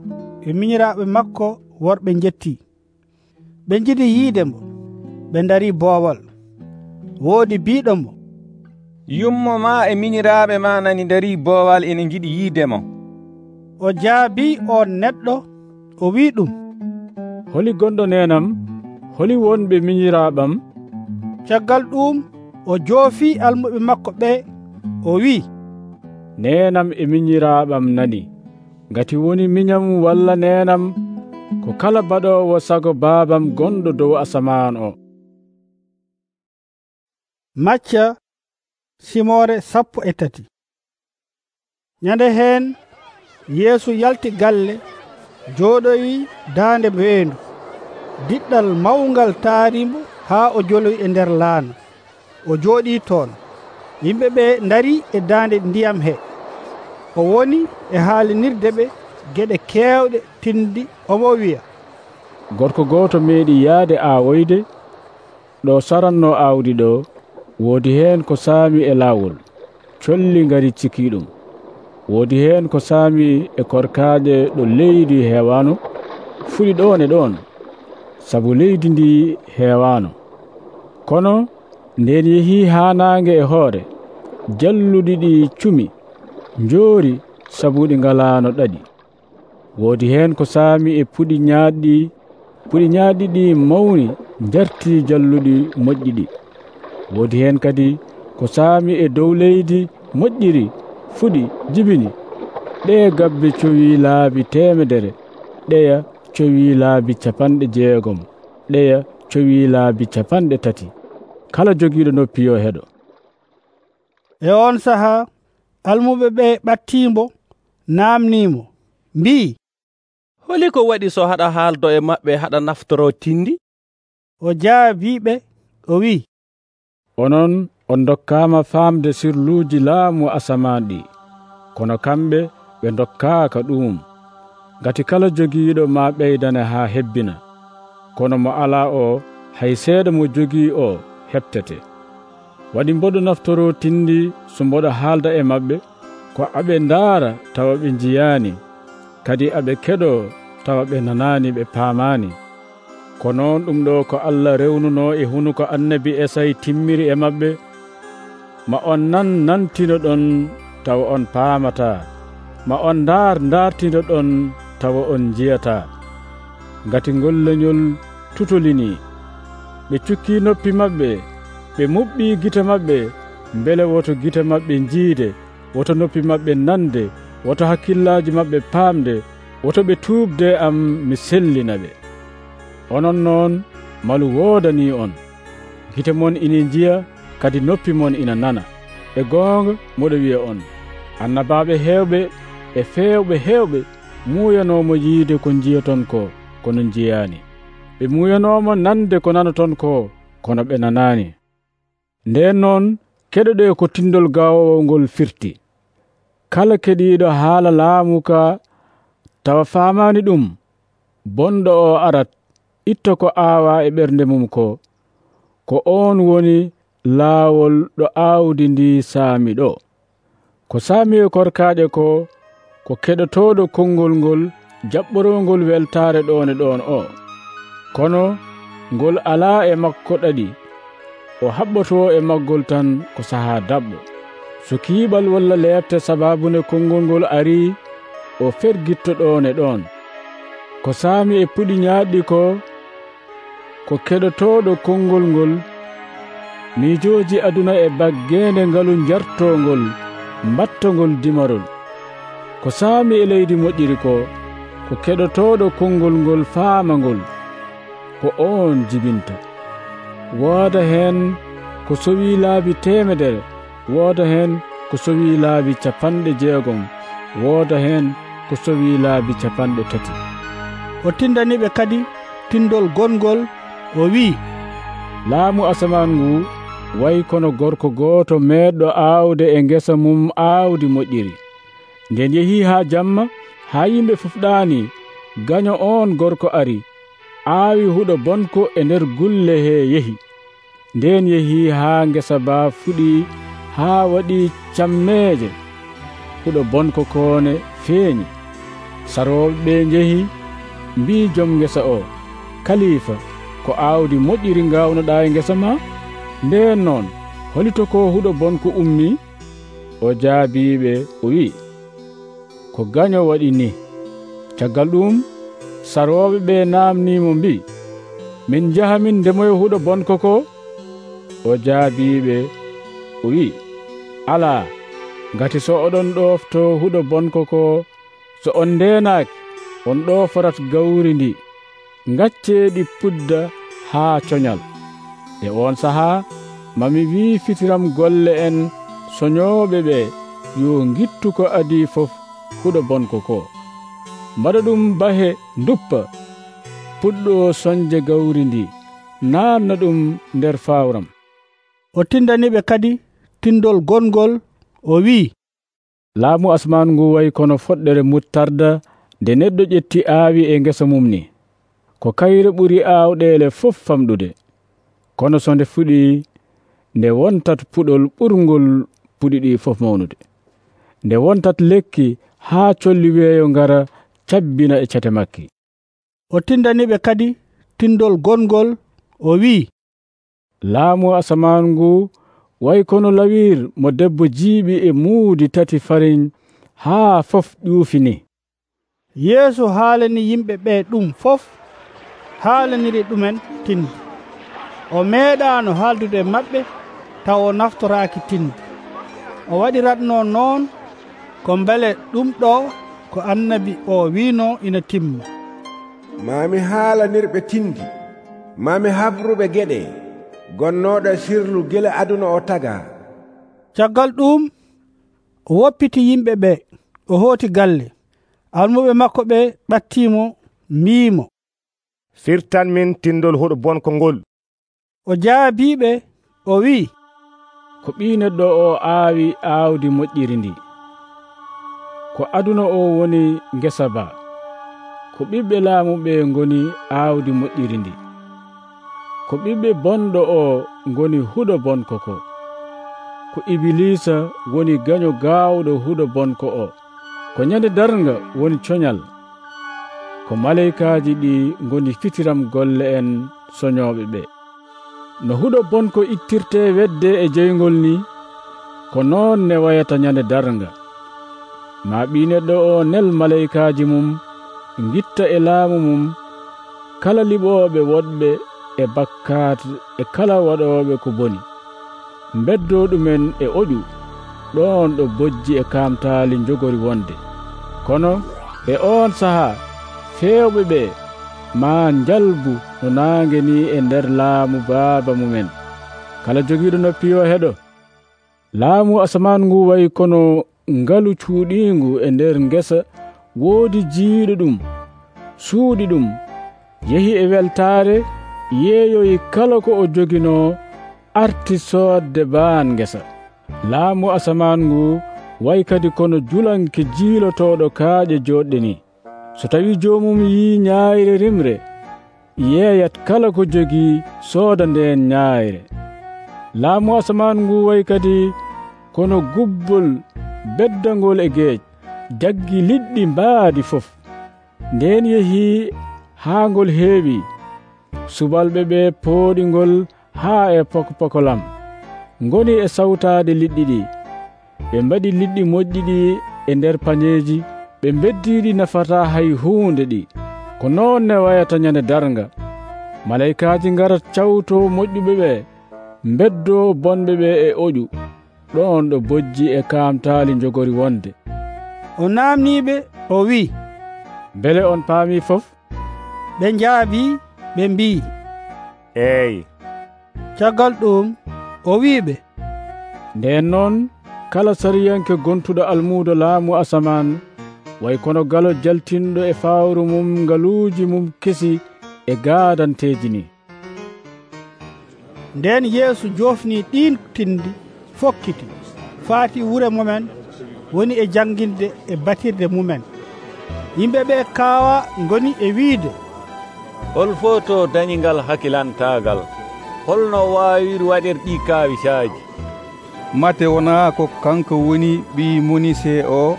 e miñiraaɓe makko worɓe njetti. Ɓe njiɗi yiide mo, ɓe ndarii boowal. Woodi biiɗo mo, yummo ma e miñiraaɓe ma nani ndarii boowal ene njiɗi yiide mo. O jaabii on neɗɗo o wii ɗum, holi gonɗo nenam, holi wonɓe miñiraaɓam? Caggal ɗum o joofii almuɓe makko ɓe o wii, nenam e miñiraaɓam nani. Ngati woni miñam walla nenam, ko kala baɗowo sago baabam gonɗo dow asaman o. Macca simore sappo e tati. Nyande hen Yeesu yalti galle jooɗoyi daande weendu. Diɗɗal mawngal taarimo haa o joloyi e nder laana. O jooɗii toon. Yimɓe ɓe ndari e daande ndiyam he. O woni e haalinirde ɓe geɗe keewɗe tindi omo wiya, gorko gooto meeɗi yaade aawoyde ɗo saranno aawdi ɗo. Woodi heen ko saami e laawol, colli ngari cikii ɗum. Woodi heen ko saami e korkaaɗe ɗo leydi heewaano, fuɗi ɗoon e ɗoon, sabu leydi ndi heewaano. Kono nden yehii haa naange e hoore, jalluɗi ɗi cumi, njoori sabu ɗi ngalaano ɗaɗi. Woodi heen ko saami e puɗi ñaaɗɗi, puɗi ñaaɗɗi ɗi mawni njartii jalluɗi moƴƴi ɗi. Woodi heen kadi ko saami e dow leydi moƴƴiri, fuɗi jibini. Ɗee gabbe cowii laabi temedere, ɗeya cowii laabi capanɗe jeegom, ɗeya cowii laabi capanɗe tati. Kala jogiiɗo noppi yo heɗo. E on sahaa almuɓe ɓe ɓattiimbo naamniimo mbii, holi ko waɗi so haɗa haaldo e maɓɓe haɗa naftoro tindi? O jaabiɓe o wi'i, onon on dokkaama faamde sirluuji laamu asaman ɗi, kono kamɓe ɓe dokkaaka ɗum. Ngati kala jogiiɗo ma ɓeydane haa hebbina, kono mo alaa o hay seeɗa mo jogii o heɓtete. Waɗi mboɗo naftoro tindi so mboɗo haalda e maɓɓe, ko aɓe ndaara tawa ɓe njiyaani, kadi aɓe keɗo tawa ɓe nanaani ɓe paamaani. Ko noon ɗum ɗo ko Allah rewnuno e hunuko annabi Esay timmiri e maɓɓe. Ma on nan nantino ɗon tawa on paamataa, ma on ndaar ndaartino ɗon tawa on njiyataa. Ngati ngol leñol tutolinii, ɓe cukkii noppi maɓɓe, ɓe muɓɓii gite maɓɓe, mbele woto gite maɓɓe njiide, woto noppi maɓɓe nande, woto hakkillaaji maɓɓe paamde, woto ɓe tuubde am mi sellina ɓe. Onon noon malu woodanii on, gite mon ina njiya, kadi noppi mon ina nana. E goonga moɗo wiya on, annabaaɓe heewɓe e feewɓe heewɓe muuyanoomo yiide ko njiyaton ko, kono njiyaani. Ɓe muuyanoomo nande ko nanaton ko, kono ɓe nanaani. Nden noon keɗoɗe ko tindol gaawowo ngol firti. Kala keɗiiɗo haala laamu ka tawa faamaani ɗum, bonɗo o arat itta ko aawaa e ɓernde mum ko, ko oon woni laawol ɗo aawdi ndi saami ɗo. Ko saami e korkaaɗe ko, ko keɗotooɗo konngol ngol jaɓɓorongol weltaare ɗoon e ɗoon o. Kono ngol alaa e makko ɗaɗi, o haɓɓotoo e maggol tan ko sahaa daɓɓo. So kiiɓal walla leebte sabaabune konngol ngol arii, o fergitto ɗoon e ɗoon. Ko saami e puɗi ñaaɗɗi ko, ko keɗotooɗo konngol ngol miijooji aduna e baggeende ngalu njartongol mbattongol dimarol. Ko saami e leydi moƴƴiri ko, ko keɗotooɗo konngol ngol faamangol, ko oon jibinta. Wooda heen ko sowii laabi temedere, wooda heen ko sowii laabi capanɗe jeegom, wooda heen ko sowii laabi capanɗe tati. O tindaniɓe kadi tindol gongol o wi'i, laamu asaman ngu wayi kono gorko gooto meeɗɗo aawde e ngesa mum aawdi moƴƴiri. Nden yehii haa jamma, haa yimɓe fufɗaani, gaño on gorko ari, aawi huɗo bonko e nder gulle he yehi. Nden yehii haa ngesa baa fuɗi haa waɗii cammeeje, huɗo bonko koone feeñi. Sarooɓe ɓe njehi mbii jom ngesa o, kaliifa, ko aawdi moƴƴiri ngaawnoɗaa e ngesa ma? Nden noon holito ko huɗo bonko ummii? O jaabiiɓe o wi'i, ko gaño waɗi ni. Caggal ɗum sarooɓe ɓe naamniimo mbii, min njaha min ndemoyo huɗo bonko ko? O jaabiiɓe o wi'i, alaa, ngati so oɗon ɗofto huɗo bonko ko, so on ndeenaaki, on ɗooforat gawri ndi ngacceeɗi pudda haa coñal. E on sahaa mami wii fitiram golle en soñooɓe ɓe yo ngittu ko adii fof huɗo bonko ko, mbaɗa ɗum bahe nduppa puɗɗo soñje gawri ndi, naatna ɗum nder fawram. O tindaniɓe kadi tindol gongol o wi'i, laamu asman ngu wayi kono foɗɗere muttarda nde neɗɗo ƴetti aawi e ngesa mum ni. Ko kayre ɓuri aawɗeele fof famɗude, kono so nde fuɗi nde wontat puɗol ɓurngol puɗi ɗi fof mawnude. Nde wontat lekki haa colli weeyo ngara cabbina e cate makki. O tindaniɓe kadi tindol gongol o wi'i, laamu asaman ngu way kono lawir mo debbo jiiɓi e muudi tati fariñ haa fof ƴuufini. Yeesu haalani yimɓe ɓe ɗum fof haalaniri ɗumen tindi. O meeɗaano haaldude maɓɓe taw o naftoraaki tindi. O waɗiratno noon ko mbele ɗum ɗo ko annabi o wiino ina timma. Mami haalanirɓe tindi, mami habruɓe geɗe, gonnoɗo sirlu gila aduna o taga. Caggal ɗum o woppiti yimɓe ɓe, o hooti galle. Almuɓe makko ɓe ɓattimo mbiimo, firtan min tindol huɗo bonko ngol. O jaabiɓe o wi'i, ko ɓii neɗɗo o aawi aawdi moƴƴiri ndi. Ko aduna o woni ngesa ba, ko ɓiɓɓe laamu ɓe ngoni aawdi moƴƴiri ndi. Ko ɓiɓɓe bonɗo o ngoni huɗo bonko ko. Ko Ibilisa woni gaño gaawɗo huɗo bonko o. Ko nyande darnga woni coñal. Ko maleykaaji ɗi ngoni fitiram golle en soñooɓe ɓe. No huɗo bonko ittirte wedde e jeyngol ni, ko noon ne wayata nyande darnga. Ma ɓii neɗɗo o nel maleykaaji mum, ngitta e laamu mum kala liɓooɓe woɗɓe e bakkaat e kala waɗooɓe ko boni, mbeddo ɗumen e oƴu ɗon ɗo bojji e kaamtaali njogori wonde. Kono e on sahaa feewɓe ɓe ma njalbu no naange ni e nder laamu baaba mumen. Kala jogiiɗo noppi yo heɗo. Laamu asaman ngu wayi kono ngalu cuuɗiingu e nder ngesa, woodi jiiɗo ɗum, suuɗi ɗum, yehi e weltaare, yeeyoyi kala ko o joginoo, arti soodde baan ngesa. Laamu asaman ngu way kadi kono julanke jiilotooɗo kaaƴe jooɗɗe ni. So tawi joomum yii ñaayre rimre, yeeyat kala ko jogii sooda ndeen ñaayre. Laamu asaman ngu way kadi kono gubbol beddangol e geej, jaggi liɗɗi mbaadi fof. Ndeen yehii haa ngol heewi, subalɓe ɓe pooɗi ngol haa e pokopokolam, ngoni e sawtaade liɗɗi ɗi. Ɓe mbaɗi liɗɗi moƴƴi ɗi e nder pañeeji, ɓe beddiiɗi nafataa hay huunde ɗi. Ko noon ne wayata nyande darnga. Maleykaaji ngarat cawtoo moƴƴuɓe ɓe, mbeddoo bonɓe ɓe e oƴu, ɗon ɗo bojji e kaamtaali njogori wonde. O naamniiɓe o wi'i, mbele on paami fof? Ɓe njaabii ɓe mbi'i, eeyi. Caggal ɗum o wi'iɓe, ndeen noon kala sariyanke gontuɗo almuudo laamu asaman way kono galo jaltinɗo e fawru mum ngaluuji mum kesi e gaadanteeji ni. Ndeen Yeesu joofni ɗiin tindi fokkiti, faati wure mumen, woni e janginde e batirde mumen. Yimɓe ɓe kaawa ngoni e wiide, hol fo to dañingal hakkilantaagal, holno waawir waɗir ɗi kaawisaaji? mate wonaa ko kanko woni ɓii Monise o?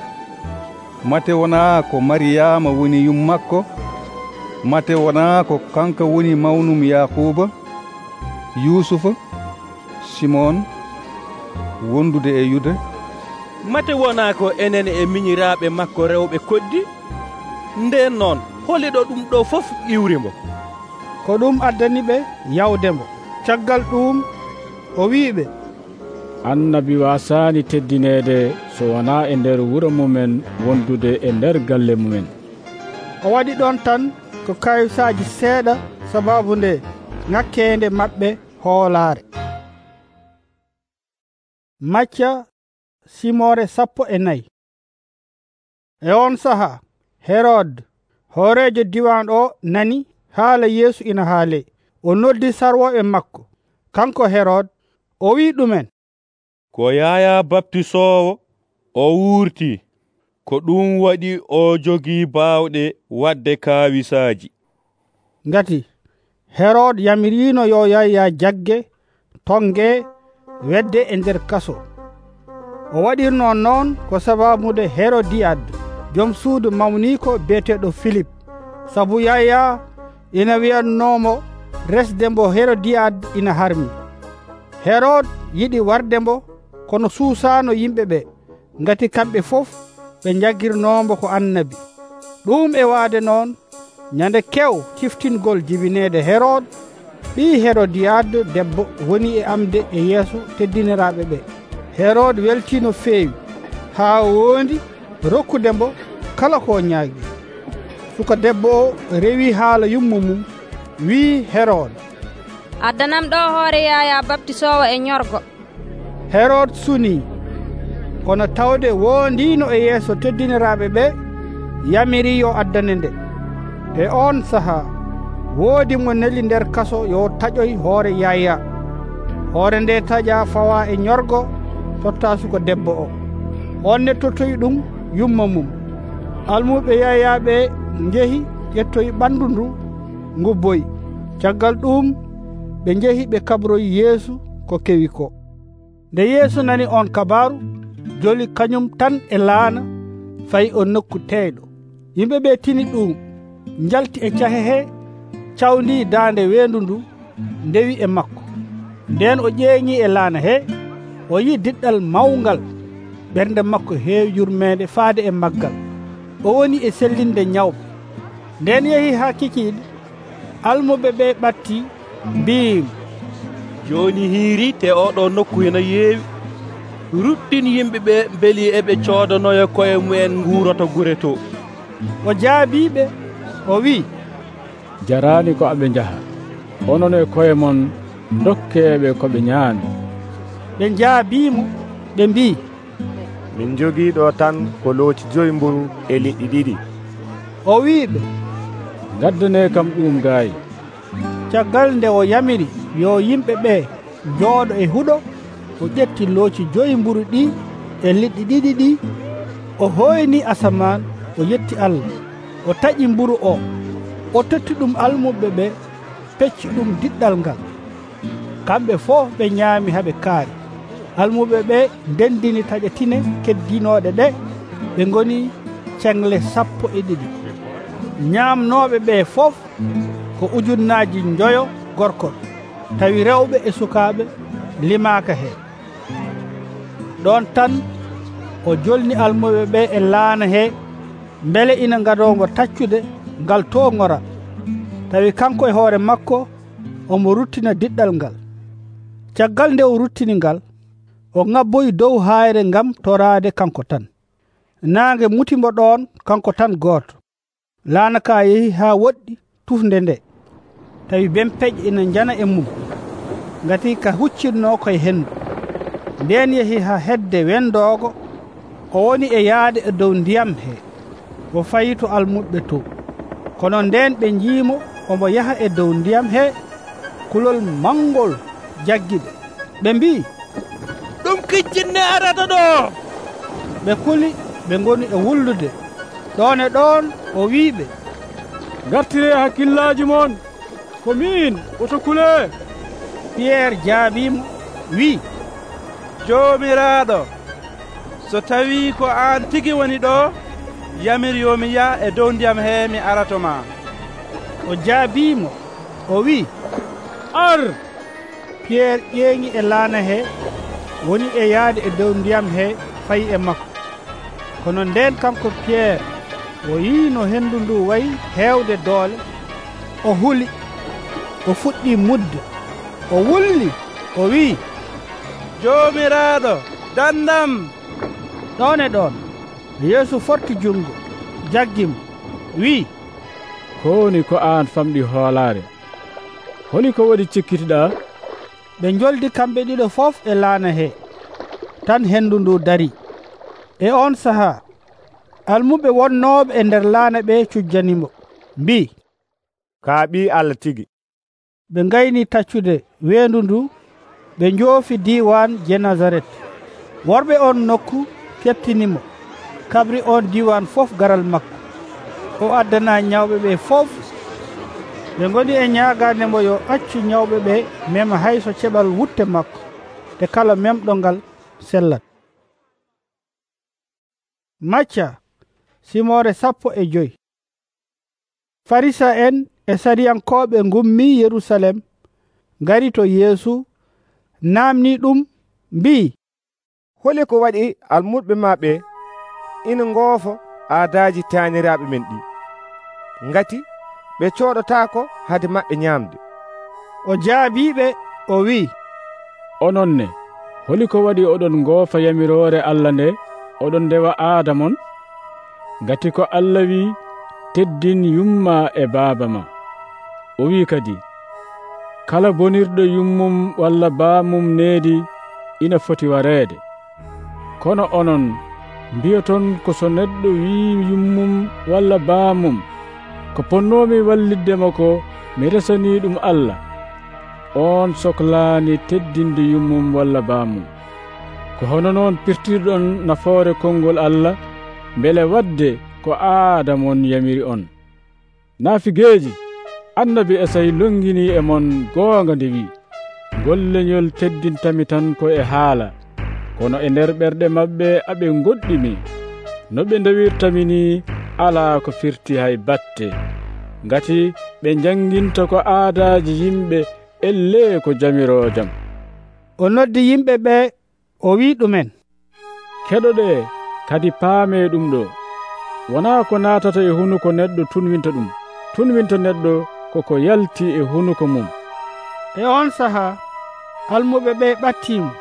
mate wonaa ko Mariyama woni yummakko? mate wonaa ko kanko woni mawnum Yakuba, Yusufa, Simon, wondude e Yuda? mate wonaa ko enen e miñiraaɓe makko rewɓe koddi? Ndeen noon holiɗo ɗum ɗo fof iwrimo. Ko ɗum addani ɓe yawdemo. Caggal ɗum o wi'iɓe, annabi waasaani teddineede so wonaa e nder wuro mumen wondude e nder galle mumen. o waɗi ɗon tan ko kayisaaji seeɗa sababu nde ŋakkeende maɓɓe hoolaare. Macca simore sappo e nayi. E on saha Herod hoorejo diwan o nani haala Yeesu ina haale. O noddi sarwoɓe makko. Kanko Herod o wi ɗumen, ko Yaya Baptisowo o wurti, ko ɗum waɗi o jogii baawɗe wadde kaawisaaji. Ngati Herod yamirino yo Yaya jagge tonge wedde e nder kaso. O waɗirno noon ko sababude Herodiyad joom suudu mawniko beeteɗo Philip, sabu Yaya ina wi'annomo resde mbo Herodiyad ina harmi. Herod yiɗi warde mbo kono suusano yimɓe ɓe, ngati kamɓe fof ɓe jaggirnombo ko annabi. Ɗum e waade noon nyande kew ciftingol jibinede Herod ɓii Herodiyad debbo woni e amde e yeeso teddiniraɓe ɓe. Herod weltino feewi haa wondi rokkude mbo kala ko ñaagi. Suka debbo o rewi haala yummu mum, wii Herod, addanam ɗo hoore Yaya Baptisowo e ñorgo. Herod suni, kono tawde wondino e yeeso teddiniraɓe ɓe, yamiri yo addane nde. E on saha woodi mo neli nder kaso yo taƴoy hoore Yaya. Hoore nde taƴa fawa e ñorgo totta suka debbo o. On ne tottoyi ɗum yumma mum. Almuɓe Yaya ɓe njehi ƴettoyi ɓandu ndu ngubboyi. Caggal ɗum ɓe njehi ɓe kabroyi Yeesu ko kewi ko. Nde Yeesu nani on kabaru, joli kañum tan e laana fayi o nokku teyɗo. Yimɓe ɓe tini ɗum, njalti e cahe he, cawndi daande weendu ndu, ndewi e makko. Nden o ƴeeŋi e laana he, o yi diɗɗal mawngal, ɓernde makko heewi yurmeede faade e maggal. O woni e sellinde ñawɓe. Nden yehi haa kikiiɗe, almuɓe ɓe ɓatti mbiimo, joni hiiri te oɗo nokku ina yeewi. Ruɗɗin yimɓe ɓe beeli eɓe coodanoya koye mumen nguuroto gure to. O jaabiɓe o wi, jarani ko aɓe njaha, onon e koye mon dokkeɓe ko ɓe ñaami. Ɓe jaabimo ɓe mbi, min jogii ɗo tan ko looci joyi mburu e liɗɗi ɗiɗi. O wiɓe, gaddane kam ɗum gaayi. Caggal nde o yamiri yo yimɓe ɓe jooɗo e huɗo, o ƴetti looci joyi mburu ɗi e liɗɗi ɗiɗi ɗi, o hoyni asaman, o yetti Allah, o taƴi mburu o, o totti ɗum almuɓe ɓe, pecci ɗum diɗɗal ngal. Kamɓe fof ɓe ñaami haɓe kaari. Almuɓe ɓe ndendini taƴetine keddinoɗe ɗe, ɓe ngoni cengle sappo e ɗiɗi. Ñaamnoɓe ɓe fof ko ujunnaji njoyo gorkol, tawi rewɓe e sukaaɓe limaaka heen. Ɗon tan o jolni almuɓe ɓe e laana he, mbele ina ngadongo taccude ngal to ngora, tawi kanko e hoore makko omo ruttina diɗɗal ngal. Caggal nde o ruttini ngal, o ŋabboyi dow hayre ngam torade kanko tan. Naange mutimbo ɗon kanko tan gooto. Laana ka yehi haa woɗɗi tufnde nde, tawi bempeƴe ina jana e mum, ngati ka huccinno koye hendu. Nden yehi haa hedde wendoogo, o woni e yaade e dow ndiyam he, o fayi to almuɓe to. Kono nden ɓe njiimo omo yaha e dow ndiyam he, kulol mangol jaggiɓe. Ɓe mbi, ɗum kijjinne arata ɗo. Ɓe kuli ɓe ngoni e wullude. Ɗon e ɗon o wiiɓe, gartire hakkillaji mon, ko min oto kule. Pierre jaabimo wi, Jomiraɗo, so tawi ko an tigi woni ɗo, yamir yo mi yaha e dow ndiyam he mi arato ma. O jaabimo o wi, ar. Pierre ƴeeŋi e laana he, woni e yaade e dow ndiyam he, fayi e makko. Kono nden kanko Pierre o yii no hendu ndu wayi heewde doole, o huli, o fuɗɗi mudde, o wulli, o wi, Jomiraɗo, dandam. Ɗon e ɗon Yeesu forti jungo, jaggimo, wi, ko woni ko aan famɗi hoolaare. Holi ko waɗi cikkitiɗaa? ɓe joldi kamɓe ɗiɗo fof e laana he, tan hendu ndu dari. E on sahaa almuɓe wonnooɓe e nder laana ɓe cujjanimo, mbi, kaa ɓii Allah tigi. ɓe ngayni taccude weendu ndu, ɓe njoofi diiwan Genasaret. Worɓe on nokku kettinimo, kabri on diiwan fof garal makko. O addana ñawɓe ɓe fof. ɓe ngoni e ñaagaandemo yo accu ñawɓe ɓe mema hay so ceɓal wutte makko, te kala memɗo ngal sellat. Macca simore sappo e joyi. Farisa en e sariyankooɓe ngummi Yerusalem ngari to Yeesu, naamni ɗum, mbi, holi ko waɗi almuɓe ma ɓe ina ngoofo aadaaji taaniraaɓe men ɗi, ngati ɓe cooɗotaako hade maɓɓe ñaamde. O jaabiiɓe o wi'i, onon ne, holi ko waɗi oɗon ngoofa yamiroore Allah nde oɗon ndewa aada mon? Ngati ko Allah wi, teddin yumma e baaba ma. O wi kadi, kala bonirɗo yummum walla baamum needi ina foti wareede. Kono onon mbiyoton ko so neɗɗo wi yummum walla baamum, ko ponnoomi walliddemo ko mi resanii ɗum Allah, on sohlaani teddinde yummum walla baamum. Ko hono noon pirtirɗon nafoore konngol Allah, mbele wadde ko aada mon yamiri on. Naafigeeji, annabi Esayi longini e mon goonga nde wi, golleñol teddintami tan ko e haala, kono e nder ɓerɗe maɓɓe aɓe goɗɗimi. No ɓe ndewirtami ni alaa ko firti hay batte, ngati ɓe janginta ko aadaaji yimɓe elle ko jamiroo jam. O noddi yimɓe ɓe o wi ɗumen, keɗoɗe kadi paame ɗum ɗo, wonaa ko naatata e hunuko neɗɗo tunwinta ɗum, tunwinta neɗɗo koko yalti e hunuko mum. E on sahaa almuɓe ɓe ɓattimo,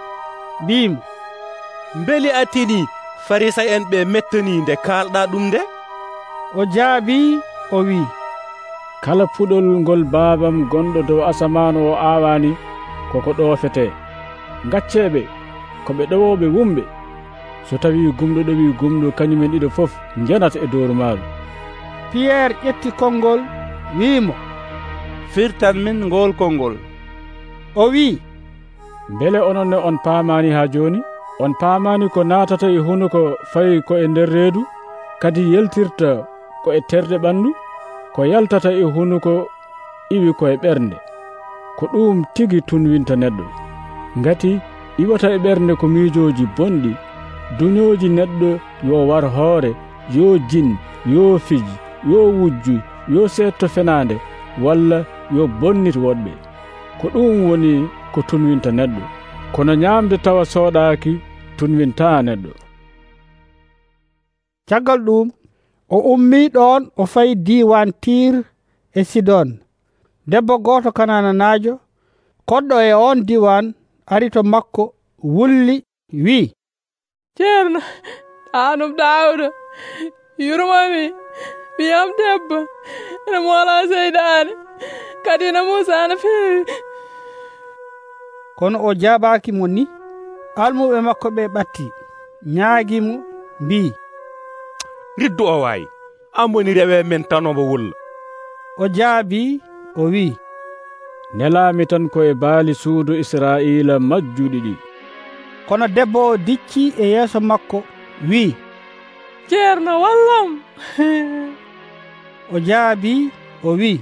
mbimo, mbeli a tini Farisa en ɓe mettani nde kalɗa ɗum nde? O jaabi o wi, kala puɗol ngol baabam gonɗo dow asaman o aawani koko ɗoofete. Gacceɓe ko ɓe ɗowoɓe wumɓe, so tawi gumɗo ɗowi gumɗo kañumen ɗiɗo fof janata e dooru maaru. Pierre ƴetti konngol wiimo, firtan min ngol konngol. O wi, mbele onon ne on paamani ha joni? On paamani ko naatata e hunuko fayi ko e nder reedu, kadi yeltirta ko e terde ɓandu, ko yaltata e hunuko iwi ko e ɓernde. Ko ɗum tigi tunwinta neɗɗo, ngati iwata e ɓernde ko miijoji bonɗi, duñoji neɗɗo yo war hoore, yo jin, yo fiji, yo wujju, yo seetto fenaande, walla yo bonnit woɗɓe. Ko ɗum woni ko tunwinta neɗɗo, kono ñaamde tawa sooɗaaki tunwintaa neɗɗo. Caggal ɗum o ummii ɗon o fayi diiwan Tir e Sidon. Debbo gooto Kanananaajo koɗɗo e on diiwan ari to makko, wulli, wi'i, ceerno aanum Daawuda, yurmami, ɓiyam debbo ene moolaa seyɗaane, kadi no Muusa no feewi. Kono o jaabaaki mo ni. Almuɓe makko ɓe ɓatti, ñaagimo, mbii, riddu o waayi, an woni rewe men tanomo wulla. O jaabii o wi'i, nelaami tan ko e baali suudu Israa'iila majjuɗi ɗi. Kono debbo o dicci e yeeso makko, wi'i, ceerno wallam. O jaabii o wi'i,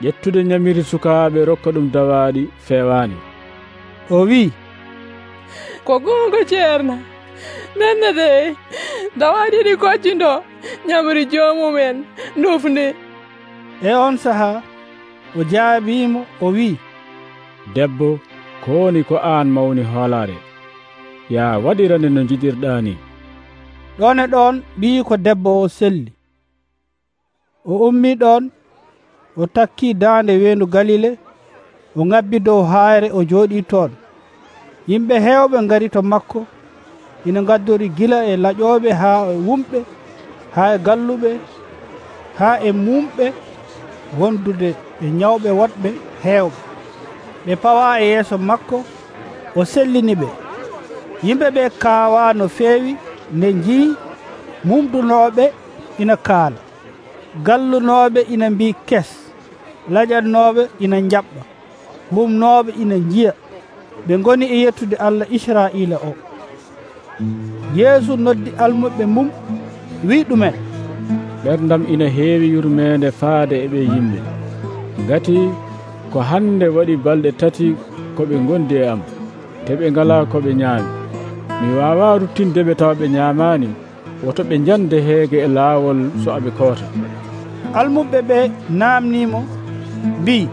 ƴettude ñamiri sukaaɓe rokka ɗum dawaaɗi feewaani. O wi'i, ko goonga ceerno, nenne de dawaaɗi ɗi koccindo ñamri joomumen ndufnde. E on sahaa o jaabiimo o wi'i, debbo, ko woni ko aan mawni hoolaare, yaa waɗirane no jiɗirɗaa ni. Ɗon e ɗon ɓii ko debbo o selli. O ummii ɗon, o takkii daande weendu Galile, o ŋabbi dow haayre o jooɗii toon. Yimɓe heewɓe ngari to makko, ina ngaddori gila e laƴooɓe haa e wumɓe, haa e galluɓe, haa e mumɓe, wondude e ñawɓe woɗɓe heewɓe. Ɓe pawa e yeeso makko, o sellini ɓe. Yimɓe ɓe kaawa no feewi nde njii mumdunooɓe ina kaala, gallunooɓe ina mbi kes, laƴannooɓe ina njaɓɓa, humnooɓe ina njiya. Ɓe ngoni e yettude Allah Israa'iila o. Yeesu noddi almuɓe mum wi ɗumen, ɓerdam ina heewi yurmeende faade e ɓe yimɓe, ngati ko hande waɗi balɗe tati ko ɓe gondi e am, te ɓe ngala ko ɓe ñaami. Mi wawa ruttinde ɓe tawa ɓe ñaamani, woto ɓe jande heege e laawol so aɓe koota. Almuɓe ɓe naamnimo mbi,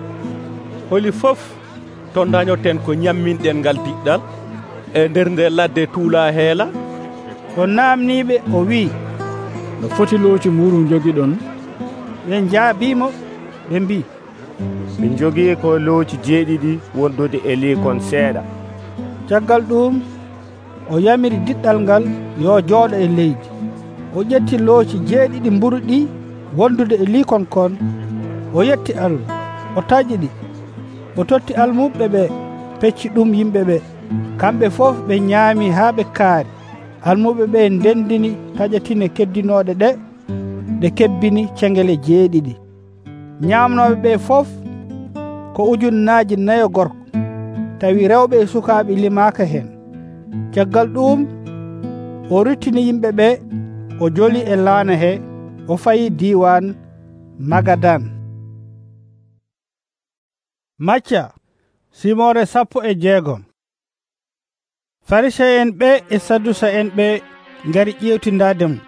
holi fof to dañoten ko ñamminɗen ngal diɗɗal e nder nde ladde tuula heela? O naamniɓe o wi, no foti looci muru jogiɗon? ɓe jaabimo ɓe mbi, min jogii ko looci jeeɗiɗi wondude e liikon seeɗa. caggal ɗum o yamiri diɗɗal ngal yo jooɗo e leydi. O ƴetti looci jeeɗiɗi mburu ɗi wondude e liikon kon, o yetti Allah, o taƴi ɗi, o totti almuɓe ɓe, pecci ɗum yimɓe ɓe. Kamɓe fof ɓe ñaami haa ɓe kaari. Almuɓe ɓe ndendini taƴatine keddinooɗe ɗe, ɗe kebbini cengele jeeɗiɗi. Ñaamnooɓe ɓe fof ko ujunnaaji nayo gorko, tawi rewɓe e sukaaɓe limaaka heen. Caggal ɗum o ruttini yimɓe ɓe, o joli e laana he, o fayi diiwan Magadan. Macca simore sappo e jeegom. Farisee en ɓe e Saddusa en ɓe ngari ƴewtindademo,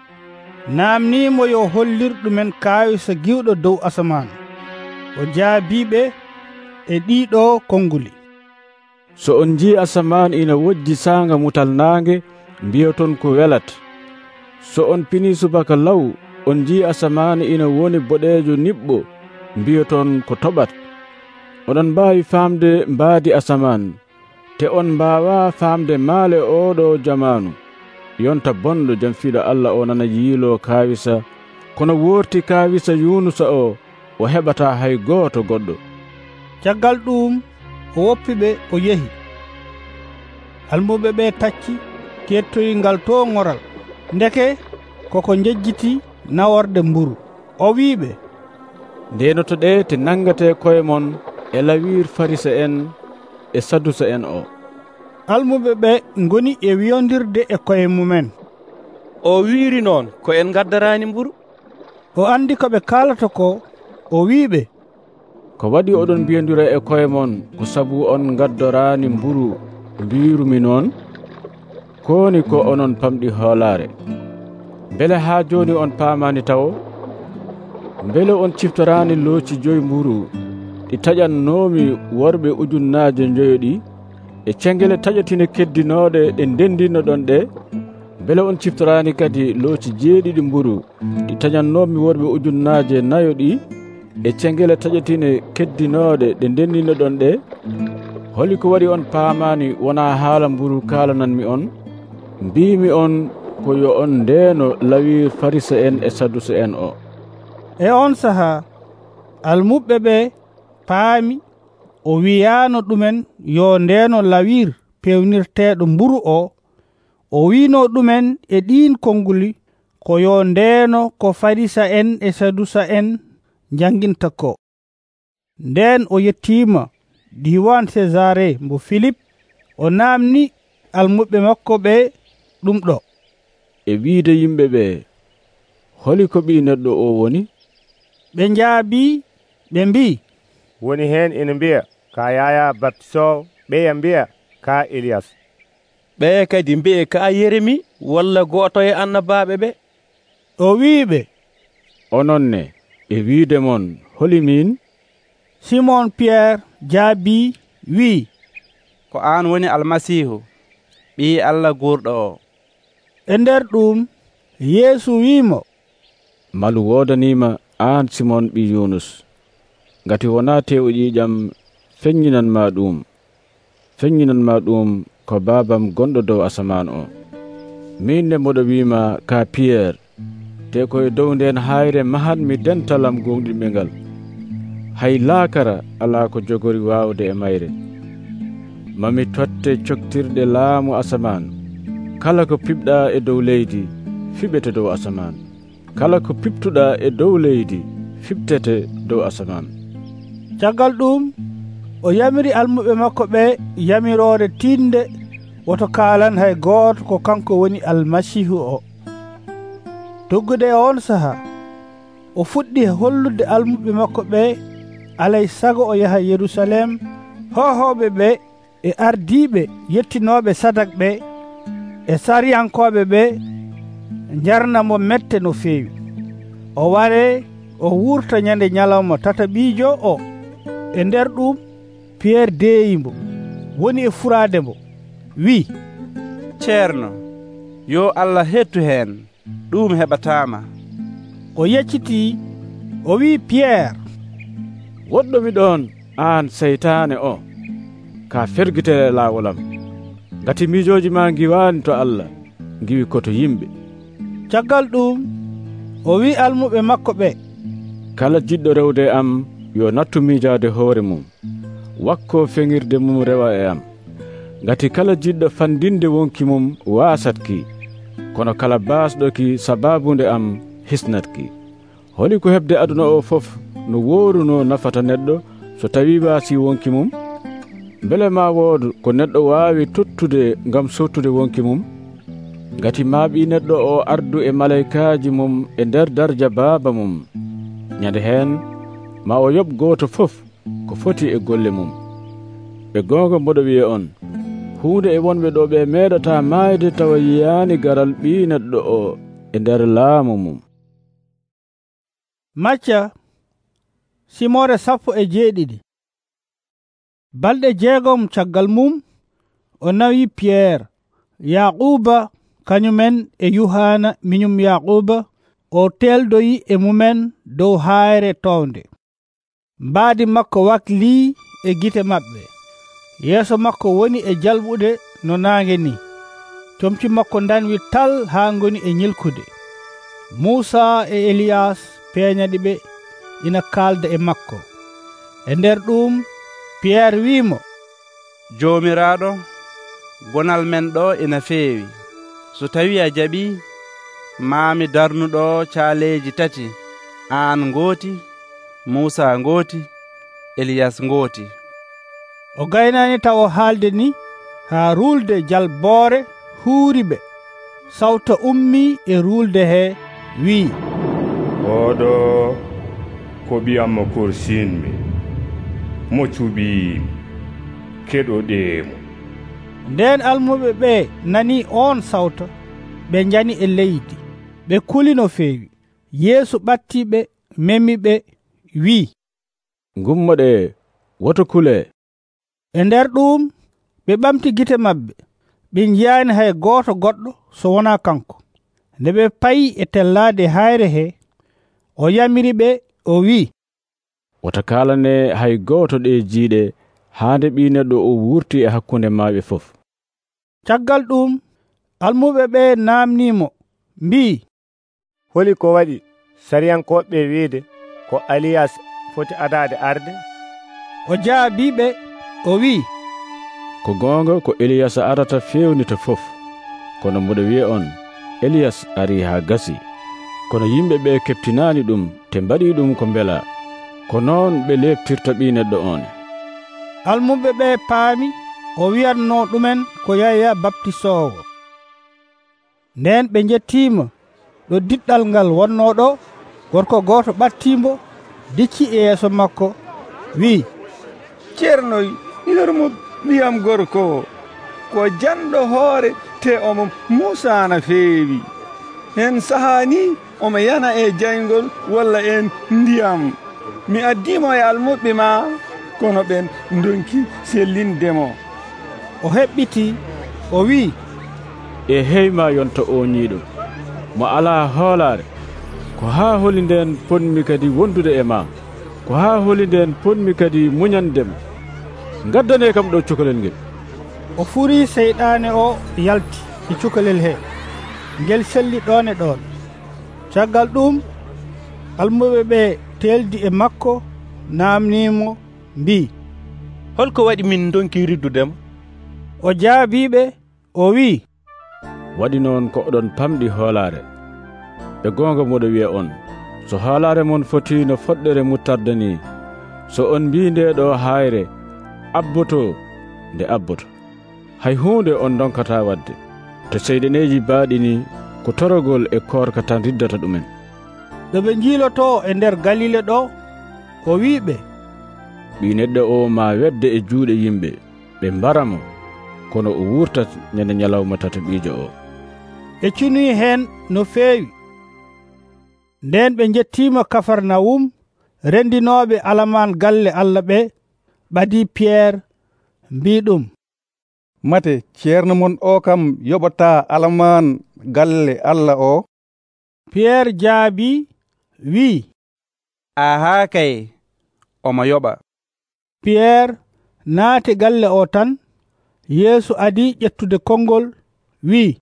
naamnimo yo hollir ɗumen kaawisa giwɗo dow asaman. O jaabiɓe e ɗiɗo konguli. So on jii asaman ina wojji saanga mutal naange, mbiyoton ko welat. So on pini subaka law, on jii asaman ina woni boɗeejo niɓɓo, mbiyoton ko toɓat. Oɗon mbaawi faamde mbaadi asaman, te on mbaawa faamde maale oɗo jamanu. Yonta bonɗo jamfiiɗo Allah o nana yiilo kaawisa, kono woorti kaawisa Yunusa o, o heɓata hay gooto goɗɗo. Caggal ɗum o woppiɓe o yehi. Almuɓe ɓe tacci kettoyi ngal to ŋoral, ndeke koko jejjiti naworde mburu. O wiiɓe, ndenoto ɗe te nangate koye mon e lawir Farisa en e Saddusa en o. Almuɓe ɓe ngoni e wiyondirde e koye mumen. O wiiri noon ko en gaddarani mburu? O andi ko ɓe kaalata ko, o wiiɓe, ko waɗi oɗon mbiyondira e koye mon ko sabu on gaddorani mburu mbirumi noon? Koni ko onon pamɗi hoolare. Bele haa joni on paamani tawo? Bele on ciftorani looci joyi mburu ɗi taƴannomi worɓe ujunnaaje joyoɗi, e cengele taƴatine keddinooɗe ɗe ndendino ɗon ɗe? Bele on ciftorani kadi looci jeeɗiɗi mburu ɗi taƴannomi worɓe ujunnaaje nayo ɗi, e cengele taƴatine keddinooɗe ɗe ndendino ɗon ɗe? Holi ko waɗi on paamani wona haala mburu kaalananmi on? Mbimi on ko yo on ndeeno lawir Farisa en e Saddusa en o. E on saha almuɓe ɓe paami o wiyano ɗumen yo ndeeno lawir pewnirteɗo mburu o. O wino ɗumen e ɗin konguli ko yo ndeeno ko Farisa en e Saddusa en janginta ko. Nden o yettima diwan Cesare mbo Philip, o namni almuɓe makko ɓe ɗum ɗo. E wiide yimɓe ɓe, holi ko ɓi neɗɗo o woni? Ɓe njaabi ɓe mbi, woni hen ina mbiya ka Yaya baptisowo, ɓeya mbiya ka Elias, ɓe kadi mbiye ka Yeremi walla goto e annabaɓe ɓe. O wiiɓe, ononne e wiide mon holi min? Simon Pierre jaabi wi, ko an woni Almasihu, ɓi Allah gurɗo o. E nder ɗum Yeesu wiimo, malu wodanima an Simon ɓi Yunus, ngati wona tew ƴiƴam feññinanma ɗum, feññinanma ɗum ko babam gonɗo dow asaman o. Min ne moɗo wima ka Pierre, te koye dow nden hayre mahanmi dentalam gonɗinɓe ngal. hay laakara alaa ko jogori waawde e mayre. Mami totte coktirɗe laamu asaman. Kala ko piɓɗaa e dow leydi fiɓete dow asaman. Kala ko piɓtuɗaa e dow leydi fiɓtete dow asaman. Caggal ɗum o yamiri almuɓe makko ɓe yamiroore tinde woto kaalan hay gooto ko kanko woni almasihu o. Doggude e on saha o fuɗɗi hollude almuɓe makko ɓe alay sago o yaha Yerusalem hohoɓe ɓe e ardiɓe yettinoɓe sadak ɓe e sariyankoɓe ɓe jarnamo mette no feewi. O ware o wurta nyande nyalawma tataɓijo o. E nder ɗum Pierre deeyimo woni e furaade mo wi, ceerno, yo Allah hettu hen, ɗum heɓatama. O yecciti o wi Pierre, woɗɗomi ɗon an seytaane o, ka fergitere laawolam, ngati miijoji ma giwani to Allah, giwi koto yimɓe. Caggal ɗum o wi almuɓe makko ɓe, kala jiɗɗo rewde e am yo nattu miijaade hoore mum, wakko feŋirde mum rewa e am. Ngati kala jiɗɗo fandinde wonki mum waasatki, kono kala baasɗoki sababunde am hisnatki. Holi ko heɓde aduna o fof no wooruno nafata neɗɗo so tawi waasi wonki mum? Mbele ma woodu ko neɗɗo waawi tottude ngam sottude wonki mum? Ngati maaɓi neɗɗo o ardu e malaykaaji mum e nder darja baaba mum. Nyande heen ma o yoɓ gooto fof ko foti e golle mum. Ɓe goonga mboɗo wiye on, huunde e wonɓe ɗo ɓe meeɗata maayde tawa yiyaani garal ɓii neɗɗo o e nder laamu mum. Macca simore sappo e jeeɗiɗi. Balɗe jeegom caggal mum o nawi Pierre, Yaquba kañumen e Yuhana miñum Yaquba o teldoyi e mumen dow hayre townde. Mbaadi makko wakli e gite maɓɓe. Yeeso makko woni e jalɓude no naange ni. Comci makko danwi tal haa ngoni e ñilkude. Muusa e Eliyas peeñaɗi ɓe ina kaalda e makko. E nder ɗum Pierre wiimo, joomiraaɗo, gonal men ɗo ina feewi. So tawi a jaɓi, maami darnuɗo caaleeji tati, aan ngooti, Muusa ngooti, Eliyas ngooti. O gaynani taw o haalde ni haa ruulde jalboore huuri ɓe. Sawta ummi e ruulde he wii, oɗo ko ɓiyammo korsinmi, mo cuɓiimi, keɗoɗeemo. Nden almuɓe ɓe nani on sawta, ɓe njani e leydi, ɓe kuli no feewi. Yeesu ɓattiɓe memiɓe wii, ngummoɗe woto kule. E nder ɗum ɓe ɓamti gite maɓɓe, ɓe njiyaani hay gooto goɗɗo so wonaa kanko. Nde ɓe payi e tellaade hayre he, o yamiri ɓe o wii, wota kaalane hay gooto ɗe jiiɗe haande ɓii neɗɗo o wurti e hakkunde maaɓe fof. Caggal ɗum almuɓe ɓe naamniimo mbii, holi ko waɗi sariyankoɓe wiide ko Aliyas foti adaade arde? O jaabiɓe o wii, ko goonga ko Eliyas arata fewnita fof. Kono mboɗo wiya on, Eliyas ari haa gasi. Kono yimɓe ɓe keɓtinaani ɗum te mbaɗi ɗum ko mbela. Ko noon ɓe leɓtirta ɓii neɗɗo on. Almuɓe ɓe paami o wiyatno ɗumen ko Yaya baptisoowo. Nden ɓe jettiimo ɗo diɗɗal ngal wonno ɗo. Gorko gooto ɓattiimbo dicci e yeeso makko wii, ceerno, yormo ɓiyam gorko ko janɗo hoore te omo Muusa feewi. Hen sahani omo yana e jayngol walla en ndiyam. Mi addimo e almuɓe ma, kono ɓen donki sellindemo. O heɓɓiti o wii, e heyma yonta o ñiiɗo mo alaa hoolaare. Ko haa holi nden ponmi kadi wondude e ma, ko haa holi nden ponmi kadi muñandema. Ngaddane kam ɗo cukalel ngel. O furii seyɗaane o yalti e cukalel he, ngel selli ɗon e ɗon. Caggal ɗum almuɓe ɓe teldi e makko namnimo mbi, holko waɗi min donki riddudema? O jaabiɓe o wi, waɗi noon ko oɗon pamɗi hoolare. E gonga moɗo wiya on, so hoolare mon foti no foɗɗere muttarde ni, so on mbi nde ɗo hayre abboto, nde abboto. Hay hunde on donkata wadde, to seyɗeneji baaɗini ko torogol e korka tan riddata ɗumen. ɗo ɓe jiiloto e nder Galile ɗo, o wiɓe, ɓi neɗɗo o ma wedde e juuɗe yimɓe, ɓe mbaramo, kono o wurtat ñande ñalawma tataɓiijo o. ɓe cunoyi hen no feewi. Nden ɓe jettima Kafarnawum. Rendinoɓe alaman galle Allah ɓe ɓadi Pierre mbi ɗum, mate ceerno mon o kam yoɓata alaman galle Allah o? Pierre jaabi wi, aha kay, omo yoɓa. Pierre naati galle o tan. Yeesu adi ƴettude konngol wi,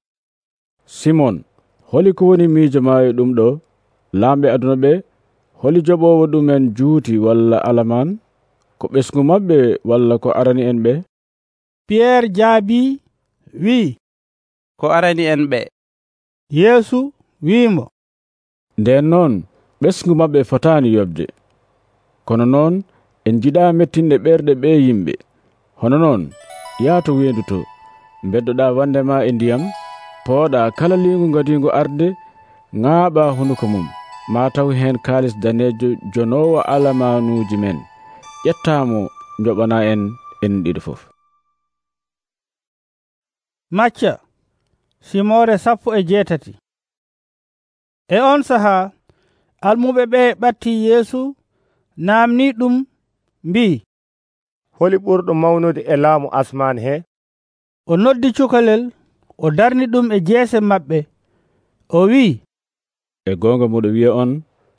Simon, holi ko woni miijo ma e ɗum ɗo? Lamɓe aduna ɓe, holi joɓowo ɗumen juuti walla alaman? Ko ɓesgu maɓɓe walla ko arani en ɓe? Pierre jaabi wi, ko arani en ɓe. Yeesu wiimo, nden noon ɓesgu maɓɓe fotani yobde. Kono noon en jiɗa mettinde ɓerɗe ɓe yimɓe. Hono noon yaato wendu to, beddoɗa wandema e ndiyam, pooɗa kala lingu gadingu arde, ŋaaɓa hunuko mum, ma taw hen kalis danejo jonowo alamanuji men. ƴettamo joɓana en en ɗiɗo fof. Macca simore sappo e jeetati. E on saha almuɓe ɓe ɓatti Yeesu, namni ɗum mbi, holi ɓurɗo mawnude e laamu asman he? O noddi cukalel, o darni ɗum e jeese maɓɓe, o wi, e gonga moɗo wiya on,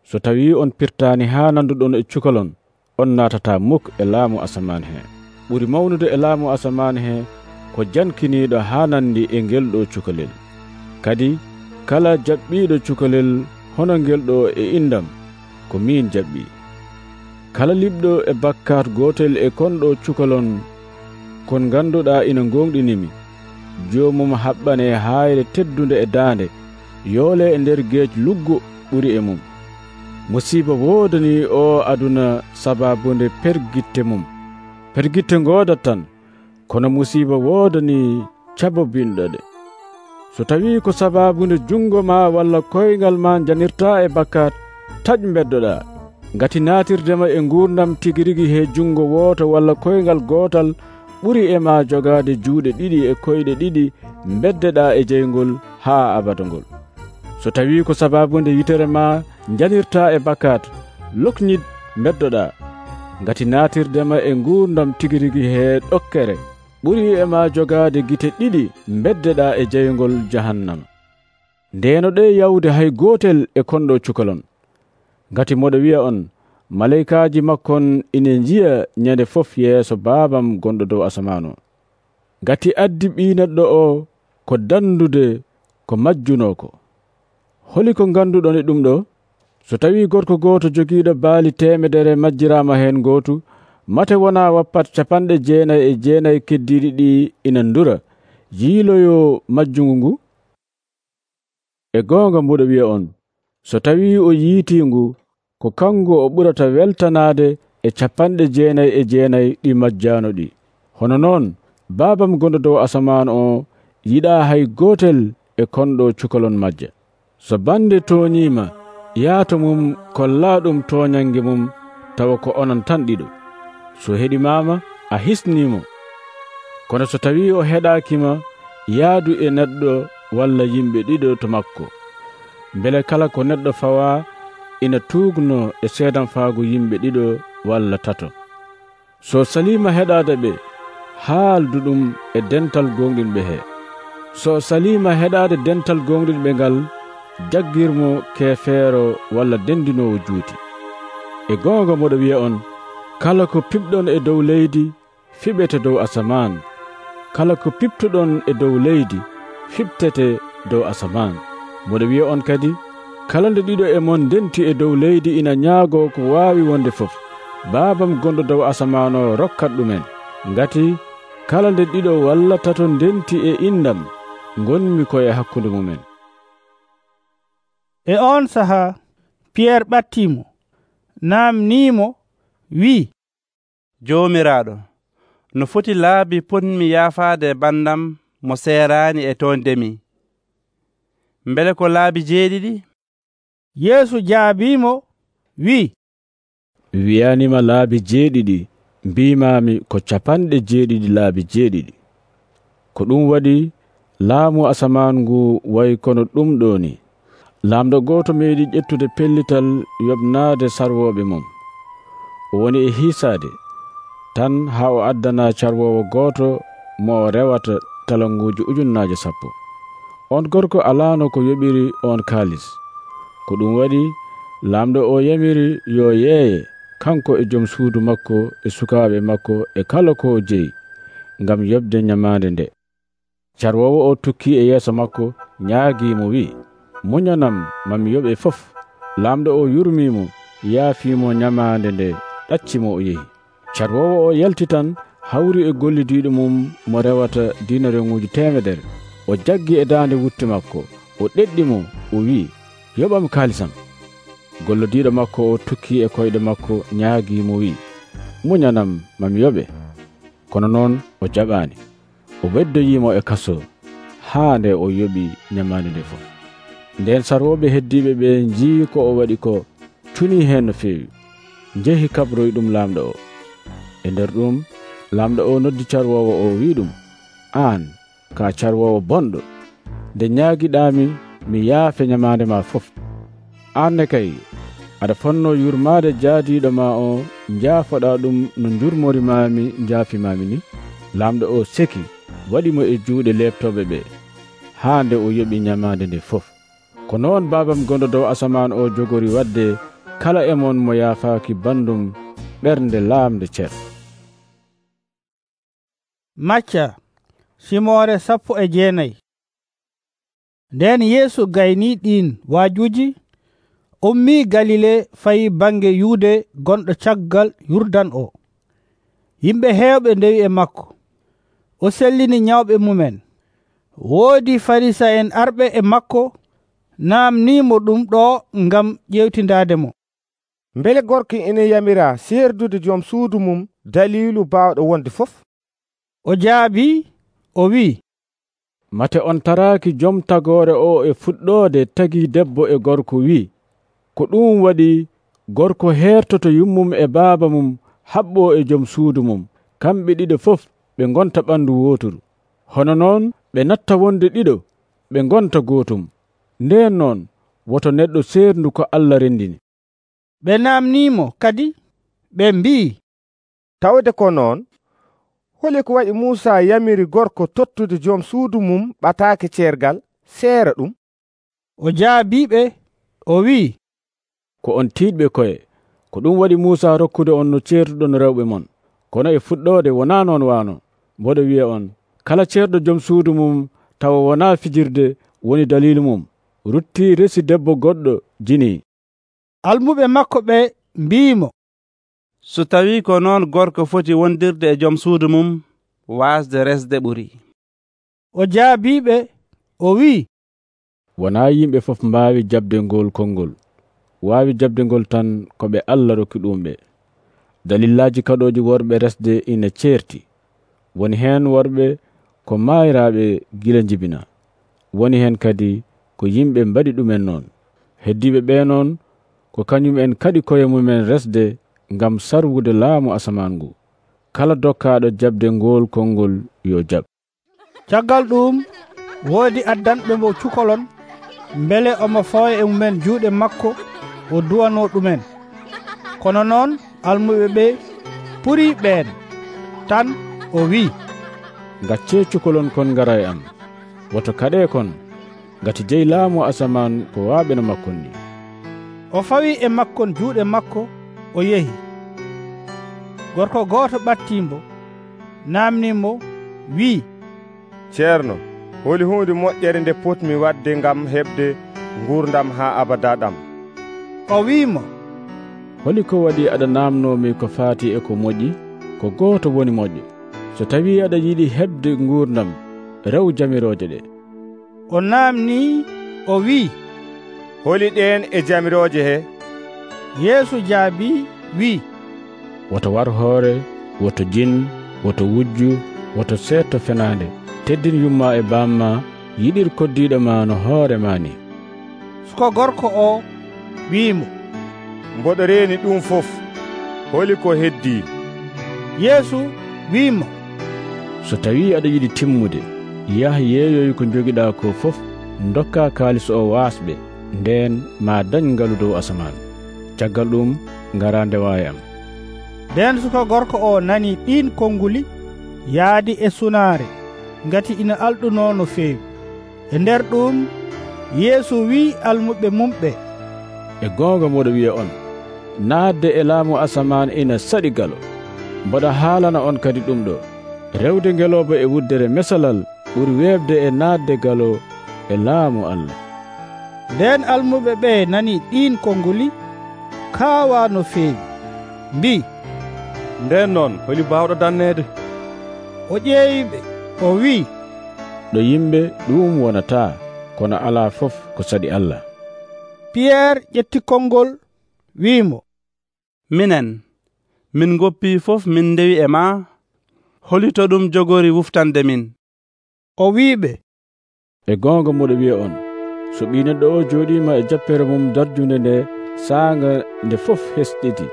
so tawi on pirtani ha nanduɗon e cukalon, on natata muk e laamu asaman he. ɓuri mawnude e laamu asaman he ko jankiniɗo ha nandi e ngel ɗo cukalel. Kadi kala jaɓɓiɗo cukalel hono ngel ɗo e indam, ko min jaɓɓi. Kala liɓɗo e bakkat gotel e konɗo cukalon kon ganduɗa ina gonɗinimi, jomum haɓɓane hayre teddunde e daande, yoole e nder geej luggo ɓuri e mum. Musiba wodani o aduna sababunde pergitte mum. Pergitte ngodat tan, kono musiba wodani cabobinɗoɗe. So tawi ko sababunde jungo ma walla koyngal ma janirta e bakkat, taƴ beddoɗa, ngati natirdema e gurdam tigirigi he jungo woto walla koyngal gotal ɓuri e ma jogade juuɗe ɗiɗi e koyɗe ɗiɗi beddeɗa e jeygol ha abadangol. So tawi ko sababunde yitere ma janirta e bakkat, loknid beddoɗa, ngati natirdema e gurdam tigirigi he ɗokkere ɓuri e ma jogade gite ɗiɗi beddeɗa e jeygol jahannama. Ndeno ɗe yawde hay gotel e konɗo cukalon, ngati moɗo wiya on, malaikaji makkon ine jiya ñande fof yeeso babam gonɗo dow asamano. Ngati addi ɓi neɗɗo o ko dandude ko majjunoko. Holi ko ganduɗon e ɗum ɗo? So tawi gorko goto jogiiɗo baali temedere majjirama hen gotu, mate wona wappat capanɗe jeenayi e jeenayi keddiɗi ɗi ina ndura, yiiloyo majjungu ngu? E gonga mbuɗo wiya on, so tawi o yiitingu, ko kango o ɓurata weltanade e capanɗe jeenayi e jeenayi ɗi majjano ɗi. Hono noon babam gonɗo dow asaman o yiɗa hay gotel e konɗo cukalon majja. So bande toñima, yaato mum kolla ɗum toñange mum, tawa ko onon tan ɗiɗo. So heɗimama, a hisnimo. Kono so tawi o heɗakima, yaadu e neɗɗo walla yimɓe ɗiɗo to makko, beele kala ko neɗɗo fawa ina tugno e seedan faago yimɓe ɗiɗo walla tato. So salima heɗade ɓe, haaldu ɗum e dental gonɗinɓe he. So salima heɗade dental gonɗinɓe ngal, jaggirmo kefeero walla dendinowo juuti. E gonga moɗo wiya on, kala ko pipɗon e dow leydi fiɓete dow asaman, kala ko piptoɗon e dow leydi fiɓtete dow asaman. Moɗo wiya on kadi, kala nde ɗiɗo e mon denti e dow leydi ina ñaago ko waawi wonde fof, baabam gonɗo dow asaman o rokkat ɗumen, ngati kala nde ɗiɗo walla tato ndenti e indam gonmi koye hakkunde mumen. E on sahaa Piyerre ɓattimo, namnimo, wi'i, Joomiraaɗo, no foti laabi potmi yaafaade bandam mo seeraani e to ndemi? Mbele ko laabi jeeɗiɗi? Yeesu jaabimo, wi'i, wiyanima laabi jeeɗiɗi, mbimami ko capanɗe jeeɗiɗi laabi jeeɗiɗi. Ko ɗum waɗi laamu asaman ngu wayi kono ɗum ɗo ni. Laamɗo gooto meeɗi ƴettude pellital yoɓnaade sarwoɓe mum. O woni e hiisaade tan haa o addana carwowo gooto mo o rewata talanguuji ujunnaaje sappo. On gorko alaano ko yoɓiri on kaalis. Ko ɗum waɗi laamɗo o yamiri yo yeeye kanko e joom suudu makko e sukaaɓe makko e kala ko o jeyi ngam yoɓde nyamaande nde. Carwowo o tukki e yeeso makko ñaagiimo wi'i, muñanam mami yoɓe fof. Laamɗo o yurmimo, yaafimo nyamaande nde, ɗaccimo o yehi. Carwowo o yalti tan hawri e gollidiiɗo mum mo rewata dinareŋuuji temedere. O jaggi e daande wutte makko, o ɗeɗɗi mo, o wi'i, yoɓam kaalisam. Gollodiiɗo makko o tukki e koyɗe makko ñaagiimo wi'i, muñanam mami yoɓe. Kono noon o jaɓaani. O weddoyiimo e kaso haa nde o yoɓi nyamaande nde fof. Nden sarwoɓe heddiɓe ɓe njii ko o waɗi ko, tuni heen no feewi, njehi kabroy ɗum laamɗo o. E nder ɗum laamɗo o noddi carwowo o wi ɗum, aan ka carwowo bonɗo, nde ñaagiɗaami mi yaafe nyamaande ma fof. Aan ne kay aɗa fonno yurmaade jaadiiɗo ma o njaafoɗa ɗum no njurmorimaami njaafimami ni. Laamɗo o seki, waɗimo e juuɗe leeftoɓe ɓe haa nde o yoɓi nyamaande nde fof. Ko noon baabam gonɗo dow asaman o jogori wadde kala e mon mo yaafaaki bandum ɓernde laamde cer. Macca simore sappo e jeenayi. Nden Yeesu gayni ɗin waajuji, ummi Galile fayi bange Yuude gonɗo caggal Yurdan o. Yimɓe heewɓe ndewi e makko. O sellini nyawɓe mumen. Woodi Farisa'en arɓe e makko namnimo ɗum ɗo ngam ƴewtindaade mo. Mbele gorko ene yamira serdude joom suudu mum dalilu baawɗo wonde fof? O jaabi, o wi'i, mate on taraaki joom tagore o e fuɗɗoode tagi debbo e gorko wi'i, ko ɗum waɗi gorko hertoto yummum e baaba mum haɓɓo e joom suudu mum, kamɓe ɗiɗo fof ɓe gonta ɓandu woturu. Hono noon ɓe natta wonde ɗiɗo ɓe gonta gootum. Nden noon woto neɗɗo seerndu ko Allah rendini. Ɓe namnimo kadi ɓe mbi'i, tawde ko noon, holi ko waɗi Muusa yamiri gorko tottude joom suudu mum ɓataake ceergal seera ɗum? O jaabiɓe, o wi'i, ko on tiiɗɓe koye, ko ɗum waɗi Muusa rokkude on no ceertuɗon rewɓe mon. Kono e fuɗɗode wona noon wano, mboɗo wiya on, kala ceerɗo joom suudu mum tawa wona fijirde woni dalilu mum, rutti resi debbo goɗɗo jini. Almuɓe makko ɓe mbimo, so tawi ko noon gorko foti wondirde e joom suudu mum, wasde resde ɓuri. O jaabiɓe, o wi'i, wona yimɓe fof mbaawi jabde ngol konngol, waawi jabde ngol tan ko ɓe Allah rokki ɗum ɓe. Dalillaji kaɗoji worɓe resde ina ceerti. Woni heen worɓe ko maayiraaɓe gila jibina, woni heen kadi ko yimɓe mbaɗi ɗumen noon. Heddiɓe ɓe noon ko kañum en kadi koye mumen resde ngam sarwude laamu asaman ngu. Kala dokkaaɗo jabde ngol konngol yo jab. Caggal ɗum woodi addanɓe mo cukolon, mbele omo fawa e mumen juuɗe makko o duwano ɗumen. Kono noon almuɓe ɓe puri ɓeen tan o wi'i, gacce cukolon kon ngara e am, woto kaɗe kon, ngati jeyi laamu asaman ko waaɓe no makkon ni. O fawi e makkon juuɗe makko o yehi. Gorko gooto ɓattimbo namnimo wi'i, ceerno, holi hunde moƴƴere nde potmi wadde ngam heɓde gurdam haa abada ɗam? O wi'imo, holi ko waɗi aɗa namnomi ko faati e ko moƴƴi? Ko gooto woni moƴƴo. So tawi aɗa yiɗi heɓde nguurdam, rew jamirooje ɗe. O naamni o wi'i, holi ɗen e jamirooje he? Yeesu jaabi wi'i, woto war hoore, woto jin, woto wujju, woto seetto fenaande, teddin yumma e bamma, yiɗir koddiɗo ma no hoore ma ni. Suka gorko o wi'imo, mboɗo reeni ɗum fof, holi ko heddi? Yeesu wi'imo, so tawi aɗa yiɗi timmude, yaha yeeyoy ko jogiɗa ko fof, dokka kaalis o waasɓe, nden ma dañ ngalu dow asaman. Caggal ɗum ngara ndewaye am. Nden suka gorko o nani ɗin konguli, yaadi e sunaare, ngati ina alɗuno no feewi. E nder ɗum Yeesu wi'i almuɓe mumɓe, e goonga moɗo wiya on, naatde e laamu asaman ina saɗi galo. Mboɗa haalana on kadi ɗum ɗo, rewde ngeloba e wuddere mesalal ɓuri weebde e naatde galo e laamu Allah. Nden almuɓe ɓe nani ɗin konguli, kaawa no feewi, mbi, nden noon holi bawɗo danneede? O ƴeewiɓe o wi'i, ɗo yimɓe ɗum wonata, kono alaa fof ko saɗi Allah. Piyerre ƴetti kongol wi'imo, minen min goppi fof min ndewi e ma, holito ɗum jogori wuftande min? O wi'iɓe, e goonga moɗo wiya on, so ɓi neɗɗo o jooɗima e jappere mum darjunde nde saanga nde fof hesɗiti,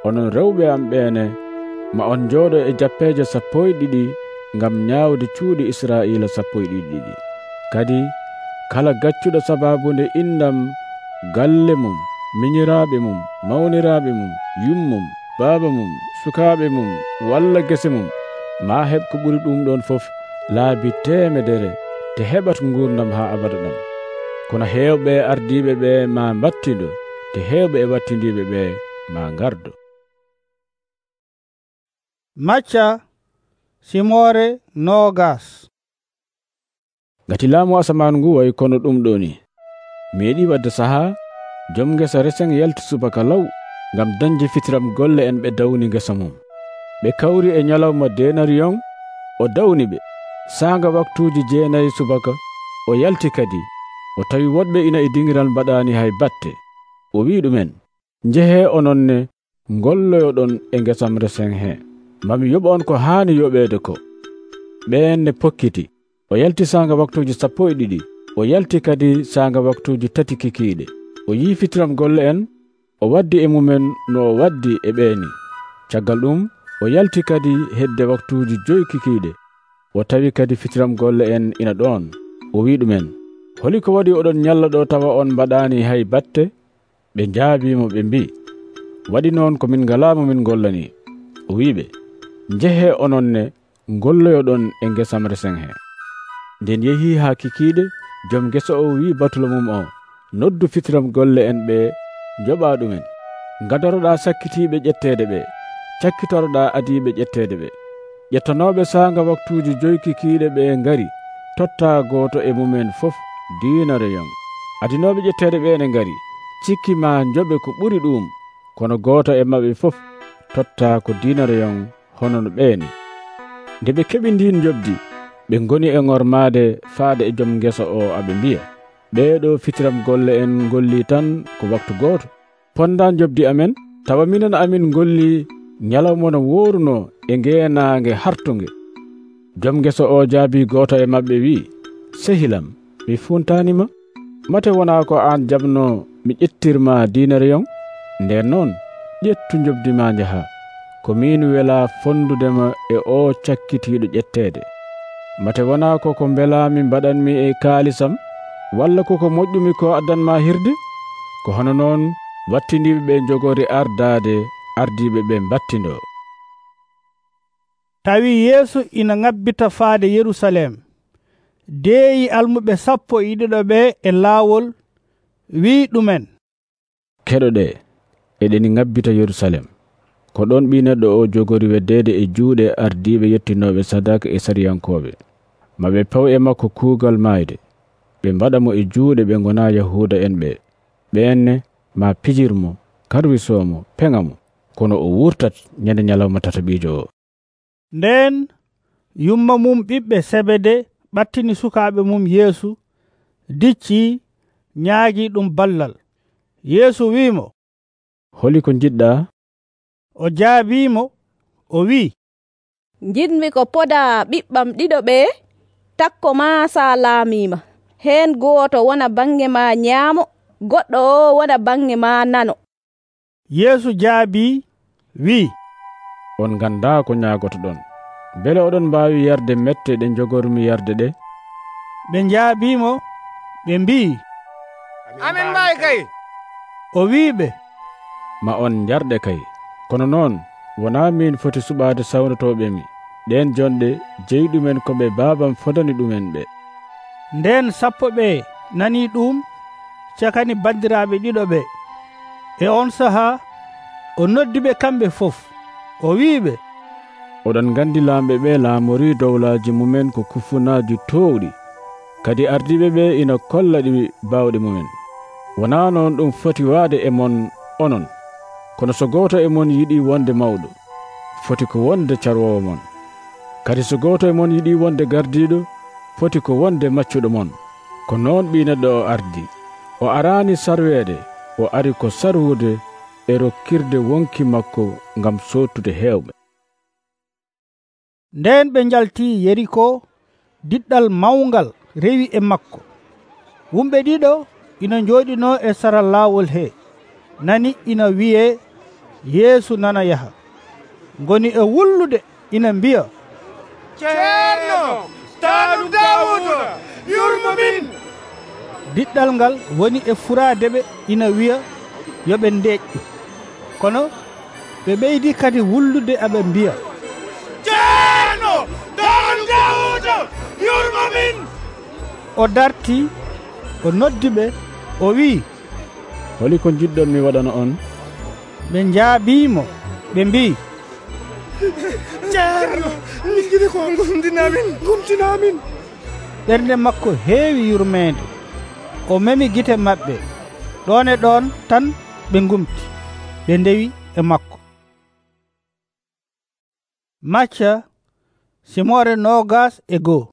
onon rewɓe am ɓeene, ma on jooɗo e jappeje sappo e ɗiɗi ngam ñaawde cuuɗi Israila sappo e ɗiɗi ɗiɗi. Kadi kala gaccuɗo sababunde indam, galle mum, miñiraaɓe mum, mawniraaɓe mum, yummum, baaba mum, sukaaɓe mum, walla gese mum, ma heɓ ko ɓuri ɗum ɗon fof laabi temedere te heɓat nguurdam haa abada ɗam. Kono heewɓe ardiiɓe ɓe ma mbattindo, te heewɓe e wattindiiɓe ɓe ma ngardo. Macca simore nogas. Ngati laamu asaman ngu way kono ɗum ɗo ni, meeɗi wadde sahaa jom ngesa resen yalti subaka law ngam dañde fitiram golle en ɓe dawni ngesa mum. Ɓe kawri e ñalawma denariyon, o dawni ɓe. Saanga waktuuji jeenayi subaka, o yalti kadi, o tawi woɗɓe ina e dingiral mbaɗaani hay batte. O wi ɗumen, njehe ononne ngolloyoɗon e ngesam resen he, mami yoɓa on ko haani yoɓeede ko. Ɓeen ne pokkiti. O yalti saanga waktuuji sappo e ɗiɗi, o yalti kadi saanga waktuuji tati kikiiɗe. O yii fitiram golle en, o waddi e mumen no o waddi e ɓeeni. Caggal ɗum o yalti kadi hedde waktuuji joyi kikiiɗe, o tawi kadi fitiram golle en ina ɗoon. O wi ɗumen, holi ko waɗi oɗon ñalla ɗo tawa on mbaɗaani hay batte? Ɓe njaabiimo ɓe mbi, waɗi noon ko min ngalaamo min ngollani. O wiɓe, njehe ononne ngolloyoɗon e ngesam resen he. Nden yehi haa kikiiɗe, joom ngesa o wi batulo mum o, noddu fitiram golle en ɓe, joɓa ɗumen. Gadoroɗa sakkitiiɓe ƴetteede ɓe, cakkitoroɗa adiiɓe ƴetteede ɓe. Ƴettanooɓe saanga waktuuji joyi kikiiɗe ɓe ngari, totta gooto e mumen fof diinareyon. Adinooɓe ƴetteede ɓe ne ngari, cikki ma njoɓe ko ɓuri ɗum, kono gooto e maɓɓe fof totta ko diinareyon hono no ɓeeni. Nde ɓe keɓi ndin jobdi, ɓe ngoni e ŋormaade faade e joom ngesa o aɓe mbiya, ɓeeɗo fitiram golle en ngolli tan ko waktu gooto. Pondan jobdi amen, tawa minen amin ngolli ñalawma no wooruno e ngeenaange hartunge. Joom ngesa o jaabi gooto e maɓɓe wi, sehilam, mi funtanima, mate wona ko an jabno mi ƴettirma diinareyon? Nden noon ƴettu jobdi ma njaha, ko min wela fondudema e o cakkitiiɗo ƴetteede. Mate wona ko ko mbelami mbaɗanmi e kaalisam, walla koko moƴƴumi ko addanma hirde? Ko hono noon wattindiɓe ɓe jogori ardaade, ardiɓe ɓe mbattindo. Tawi Yeesu ina ngabbita faade Yerusalem, deeyi almuɓe sappo e ɗiɗo ɓe e laawol, wi ɗumen, keɗoɗe, eɗeni ngabbita Yerusalem, ko ɗon ɓi neɗɗo o jogori weddeede e juuɗe ardiɓe yettinoɓe sadaka e sariyankoɓe. Maɓe paw e makko kuugal mayde, ɓe mbaɗa mo e juuɗe ɓe gona Yahuda en ɓe. Ɓeenne ma pijirmo karwisoomo peŋamo kono o wurtat nyande nyalawma tataɓiijo o. Nden yumma mum ɓiɓɓe Sebede ɓattini sukaaɓe mum Yeesu, dicci nyaagi ɗum ballal. Yeesu wiimo, holi ko jiɗɗaa? O jaabiimo o wi'i, jiɗmi ko poda ɓiɓɓam ɗiɗo ɓe takko ma sa laamima. Heen gooto wona bange ma nyaamo, goɗɗo o wona bange ma nano. Yeesu jaabi wi'i, on ganda ko nyaagoto ɗon. Bele oɗon mbaawi yarde mette ɗe jogormi yarde ɗe? Ɓe njaabimo ɓe mbi'i, amin mbaawi kay. O wi'iɓe, ma on jarɗe kay. Kono noon wonaa min foti suɓaade sawnotoɓemi ɗen jonɗe jeyɗumen ko ɓe baabam fodani ɗumen ɓe. Nden sappo ɓe nani ɗum cakani bandiraaɓe ɗiɗo ɓe. E on sahaa o noddiɓe kamɓe fof, o wi'iɓe, oɗon gandi laamɓe ɓe laamori dowlaaji mumen ko kufunaaji towɗi, kadi ardiɓe ɓe ina kolla ɗi bawɗe mumen. Wonaa noon ɗum foti waade e mon onon, kono so gooto e mon yiɗi wonde mawɗo, foti ko wonde carwowo mon. Kadi so gooto e mon yiɗi wonde gardiiɗo, foti ko wonde maccuɗo mon. Ko noon Ɓii Neɗɗo o ardi. O araani sarweede, o ari ko sarwude e rokkirde wonki makko ngam sottude heewɓe. Nden ɓe njaltii Yeriko, diɗɗal mawngal rewi e makko. Wumɓe ɗiɗo ina njooɗino e sara laawol he, nani ina wi'e Yeesu nana yaha. Ngoni e wullude ina mbiya, Ceerno, taanu Daawuda, yurmo min. Diɗɗal ngal woni e furaadeɓe ina wi'a yo ɓe ndeeƴƴu. Kono ɓe ɓeydi kadi wullude aɓe mbiya, Ceerno, taanu Daawuda, yurmo min. O darti, o noddi ɓe, o wi'i, holi ko jiɗɗon mi waɗana on? Ɓe njaabiimo, ɓe mbi'i, Ceerno, min jiɗi ko gumtinamin, gumtinamin. Ɓernde makko heewi yurmeende. O memi gite maɓɓe. Ɗon e ɗon tan ɓe ngumti, ɓe ndewi e makko. Macca simore nogas e goo.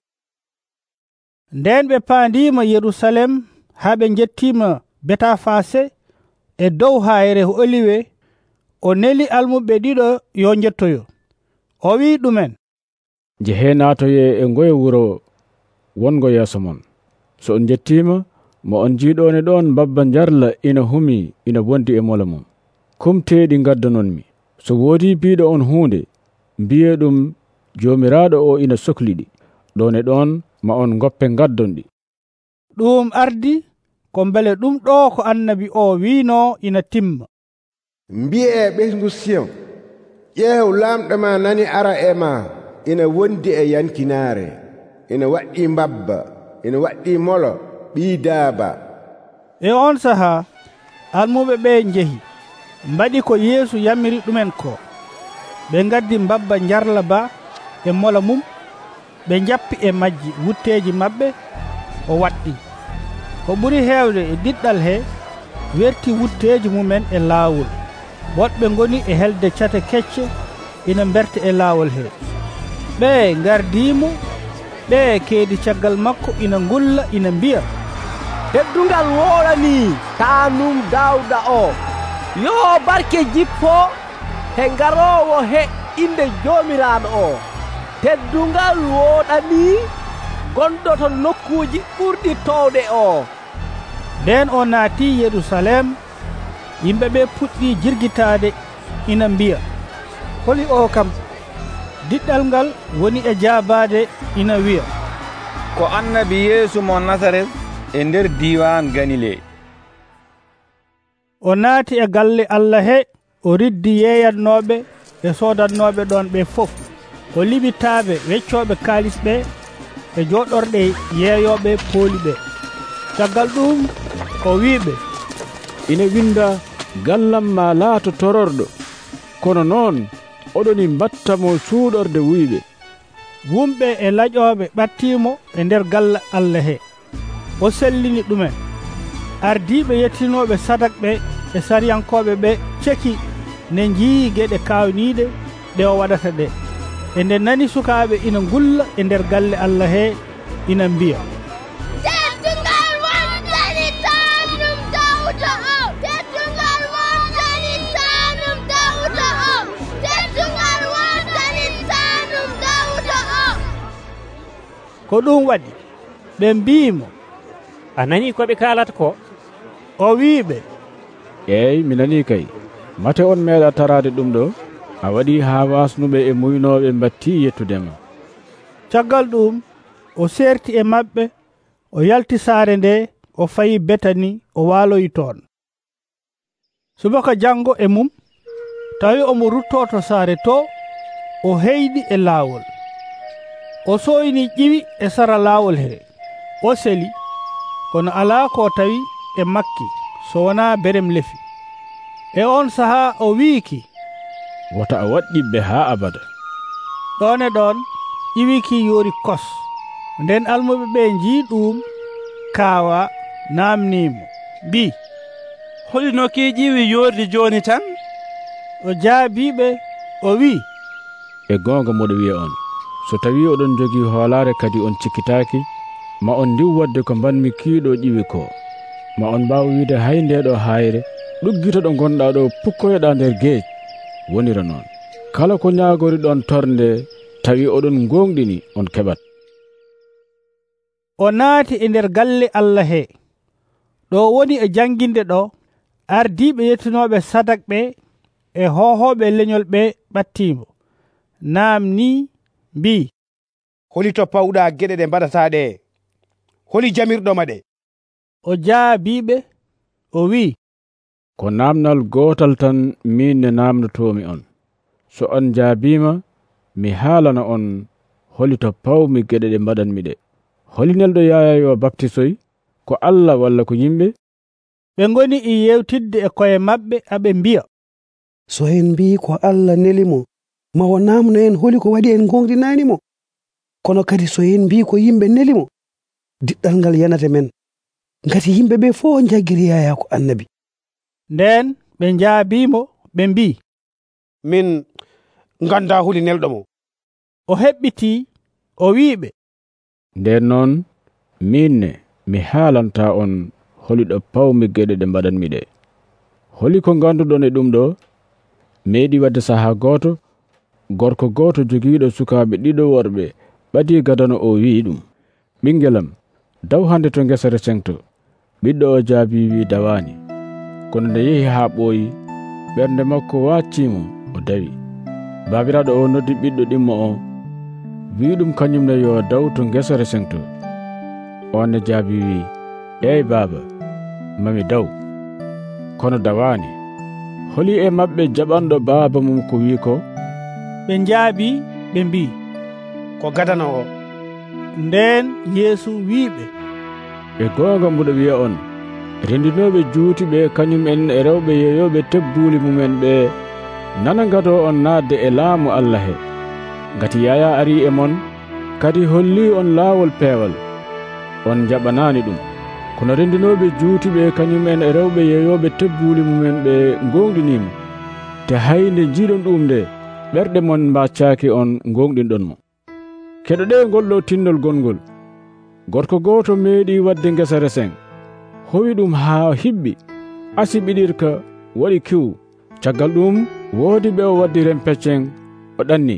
Nden ɓe paandima Yerusalem haa ɓe jettima Betafase e dow hayre Oliwe. O neli almuɓe ɗiɗo yo jettoyo. O wi ɗumen, jehe naatoye e ngoye wuro wongo yeeso mon. So on jettima, mo on jiiɗone ɗon babba jarla ina humi ina wondi e mola mum. Kumteɗi gaddanonmi. So woodi biiɗo on hunde, mbiye ɗum jomiraɗo o ina sohliɗi. Ɗon e ɗon ma on goppe gaddonɗi. Ɗum ardi ko mbele ɗum ɗo ko annabi o wiino ina timma. Mbi'e ɓesngu Siyon, ƴeew lamɗo ma nani ara e ma, ina wondi e yankinaare, ina waɗɗi mbabba, ina waɗɗi molo ɓii daaba. E on sahaa almuɓe ɓe njehi mbaɗi ko Yeesu yamiri ɗumen ko. Ɓe ngaddi mbabba jarla ba e mola mum, ɓe jappi e majji wutteeji maɓɓe, o waɗɗi. Ko ɓuri heewde e diɗɗal he werti wutteeji mumen e laawol. Woɗɓe ngoni e helde cate kecce ina berta e laawol he. Ɓe ngardiimo, ɓe keedi caggal makko ina ngulla ina mbiya, teddungal wooɗani taanum Daawuda o, yo barke jippo he ngarowo he inde joomiraaɗo o. Teddungal wooɗani gonɗo to nokkuuji ɓurɗi towɗe o. Nden o naati Yerusalem, yimɓe ɓe puɗɗi jirgitaade ina mbiya, holi o kam? Diɗɗal ngal woni e jaabaade ina wiya, ko annabi Yeesu mo Nasaret e nder diwan Galile. O naati e galle Allah he, o riddi yeeyatnooɓe e soodatnooɓe ɗon ɓe fof. O liɓitaaɓe weccooɓe kaalis ɓe e jooɗorɗe yeeyooɓe pooli ɓe. Caggal ɗum o wiiɓe, ina winda gallam ma laato tororɗo, kono noon oɗoni mbattamo suuɗorde wuyɓe. Wumɓe e laƴooɓe ɓattiimo e nder galle Allah he. O sellini ɗumen. Ardiiɓe yettinooɓe sadak ɓe e sariyankooɓe ɓe ceki ne njii geɗe kawniiɗe ɗe o waɗata ɗe. E nde nani sukaaɓe ina ngulla e nder galle Allah he, ina mbiya, teddungal wondani tanum Dawda o, teddungal wondani tanum Dawda o, teddungal wondani tanum Dawda o. Ko ɗum waɗi ɓe mbiimo, a nani ko ɓe kaalata ko? O wiiɓe, eeyi mi nani kay. Mate on meeɗa tarade ɗum ɗo? A waɗi haa wasnuɓe e muynoɓe batti yettudema. Caggal ɗum o serti e maɓɓe, o yalti saare nde, o fayi Betani, o waaloyi toon. Subaka jango e mum tawi omo ruttoto saare to, o heyɗi e laawol. O soyni ƴiwi e sara laawol he, o seli, kono alaa ko tawi e makki so wonaa berem lefi. E on sahaa o wiiki, wota a waɗɗiɓe haa abada. ɗon e ɗon ƴiwiki yoori kos. Nden almuɓe ɓe njii ɗum, kaawa, naamniimo, mbi, holino ki ƴiwi yoordi jooni tan? O jaabiɓe, o wi, e goonga moɗo wiya on, so tawi oɗon jogii hoolaare kadi on cikkitaaki, ma on ndiw wadde ko mbanmi kiiɗo ƴiwi ko, ma on mbaaw wiide hay ndeɗo hayre ɗuggito ɗo gonɗa ɗo pukkoyoɗa nder geej. Wonira noon, kala ko ñaagori ɗon tornde tawi oɗon gonɗini on keɓat. O naati e nder galle Allah he. Ɗo woni e janginde ɗo, ardiiɓe yettunoɓe sadak ɓe e hohoɓe leñol ɓe ɓattimo, naamni mbi, holi to pawɗa geɗe ɗe mbaɗata ɗe? Holi jamirɗoma ɗe? O jaabiɓe, o wi, ko namnal gotal tan min ne namnotomi on. So on jaabima, mi haalana on holi to pawmi geɗe ɗe mbaɗanmi ɗe. Holi nelɗo yaya yo baptisoy, ko Allah walla ko yimɓe? Ɓe ngoni e yewtidde e koye maɓɓe aɓe mbiya, so en mbi ko Allah nelimo, ma o namno en holi ko waɗi en gonɗinanimo. Kono kadi so en mbi ko yimɓe nelimo, diɗɗal ngal yanata men, ngati yimɓe ɓe fof jaggiri yaya ko annabi. Nden ɓe njaabimo ɓe mbi, min ganda huli nelɗomo. O heɓɓiti, o wiiɓe, nden noon minne mi haalanta on holiɗo pawmi geɗe ɗe mbaɗanmi ɗe. Holi ko ganduɗon e ɗum ɗo, meeɗi wadde saha goto, gorko goto jogiiɗo sukaaɓe ɗiɗo worɓe ɓadi gadano o wi ɗum, ɓingelam, daw hande to ngesere sengto. Ɓiɗɗo o jaabi wi dawani. Kono nde yehi haa ɓooyi, ɓernde makko waccimo, o dawi. Baabiraɗo o noddi ɓiɗɗo ɗimmo o, wi ɗum kañumne yo daw to ngesere sengto. On ne jaabi wi, eyi baaba, mami daw. Kono dawani. Holi e maɓɓe jaɓanɗo baaba mum ko wi ko? Ɓe njaabi ɓe mbi, ko gadano o. Nden Yeesu wiiɓe, e goonga mbuɗo wiya on, rendinoɓe juuti ɓe kañum en e rewɓe yeeyoɓe tebbuuli mumen ɓe nana gado on naatde e laamu Allah he. Ngati Yaya ari e mon, kadi holli on laawol peewal, on jaɓanaani ɗum. Kono rendinoɓe juuti ɓe kañum en e rewɓe yeeyoɓe tebbuuli mumen ɓe gonɗinimo, te hayde jiiɗon ɗum nde ɓerɗe mon mbaccaaki on gonɗinɗon mo. Keɗoɗe ngolɗo tinnol gongol, gorko gooto meeɗi wadde ngesa reseng, howi ɗum haa hiɓɓi, asi ɓiɗirka waɗi kiw. Caggal ɗum woodi ɓe o waddi rempeccen, o ɗanni.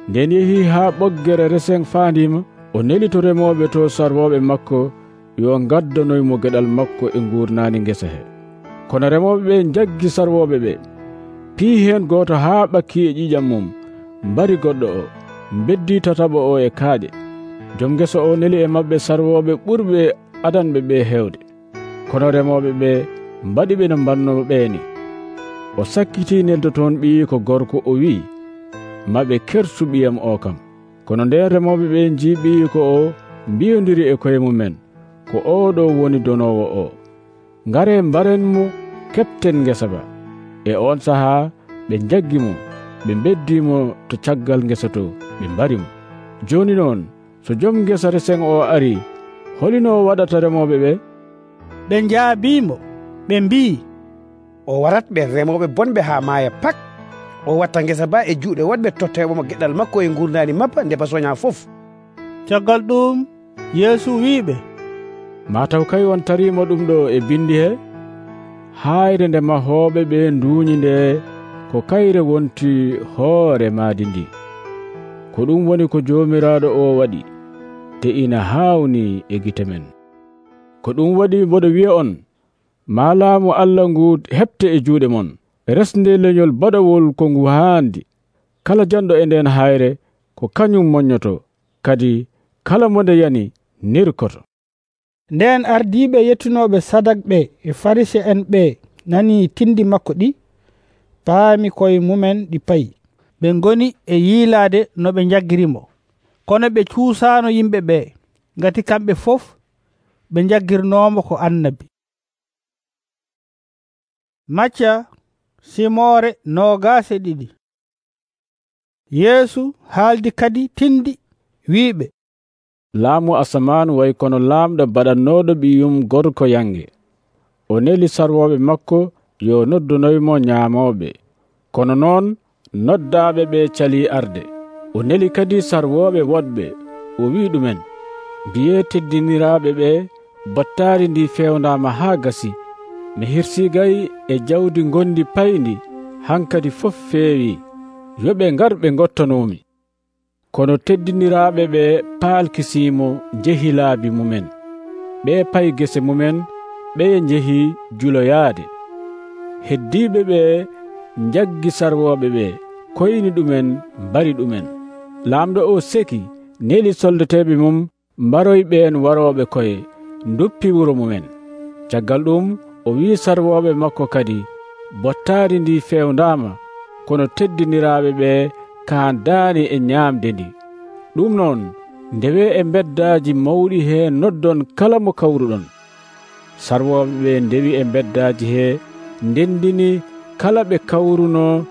Nden yehi haa ɓoggere reseng faandima, o neli to remoɓe to sarwoɓe makko yo ngaddanoymo geɗal makko e nguurnaani ngesa he. Kono remoɓe ɓe jaggi sarwoɓe ɓe, pii heen gooto haa ɓakki e ƴiƴam mum, mbari goɗɗo o, beddi tataɓo o e kaaƴe. Joom ngesa o neli e maɓɓe sarwoɓe ɓurɓe adanɓe ɓe hewde. Kono remoɓe ɓe mbaɗi ɓe no mbanno ɓeeni. O sakkiti neldo toon ɓiyi ko gorko, o wi, maɓe kersu ɓiyam o kam. Kono nden remoɓe ɓe njii ɓiyi ko o mbiyodiri e koye mumen, ko oɗo woni donowo o. Ngare mbaren mo kepten ngesa ba. E on sahaa ɓe jaggi mo, ɓe beddimo to caggal ngesa to, ɓe mbari mo. Joni noon so joom ngesa reseng o ari, holino waɗata remoɓe ɓe? Ɓe njaabimo ɓe mbi, o waratɓe remoɓe bonɓe haa maaya pak. O watta ngesa ba e juuɗe woɗɓe totteɓomo geɗal makko e gurdani mappa nde basoña fof. caggal ɗum Yeesu wiɓe, mataw kay on tarimo ɗum ɗo e bindi he, hayre nde mahoɓe ɓe nduñi nde ko kayre wonti hoore maadi ndi. Ko ɗum woni ko jomiraɗo o waɗi, te ina hawni e gite men. Ko ɗum waɗi mboɗo wi'a on, ma laamu Allah ngu heɓte e juuɗe mon, resnde leñol baɗawol ko ngu haandi. Kala janɗo e nden hayre ko kañum moññoto, kadi kala mo nde yani nirkoto. Nden ardiɓe yettunoɓe sadak ɓe e farise en ɓe nani tindi makko ɗi, paami koye mumen ɗi payi. Ɓe ngoni e yiilade no ɓe jaggirimo, kono ɓe cuusano yimɓe ɓe, ngati kamɓe fof ɓe jaggirnomo ko annabi. Macca simore noogas e ɗiɗi. Yeesu haaldi kadi tindi wiiɓe, laamu asaman way kono laamɗo baɗannoɗo ɓiyum gorko yange. O neli sarwoɓe makko yo noddunoymo ñaamoɓe, kono noon noddaɓe ɓe cali arde. O neli kadi sarwoɓe woɗɓe, o wi ɗumen, mbiye teddiniraɓe ɓe, battari ndi fewnama haa gasi. Mi hirsigay e jawdi gondi payndi, hankadi fof feewi, yoɓe ngar ɓe gottonomi. Kono teddiniraɓe ɓe paalkisimo jehi laabi mumen. Ɓe payi gese mumen, ɓe jehi juloyaade. Heddiɓe ɓe jaggi sarwoɓe ɓe, koyni ɗumen mbari ɗumen. Laamɗo o seki, neli soldateɓe mum mbaroyɓeen waroɓe koye, duppi wuro mumen. Caggal ɗum o wi sarwoɓe makko kadi, bottaari ndi fewndama, kono teddiniraɓe ɓe kaandaani e ñaamde ndi. Ɗum noon ndewe e beddaji mawɗi he noddon kala mo kawruɗon. Sarwoɓe ɓe ndewi e beddaji he, ndendini kala ɓe kawruno,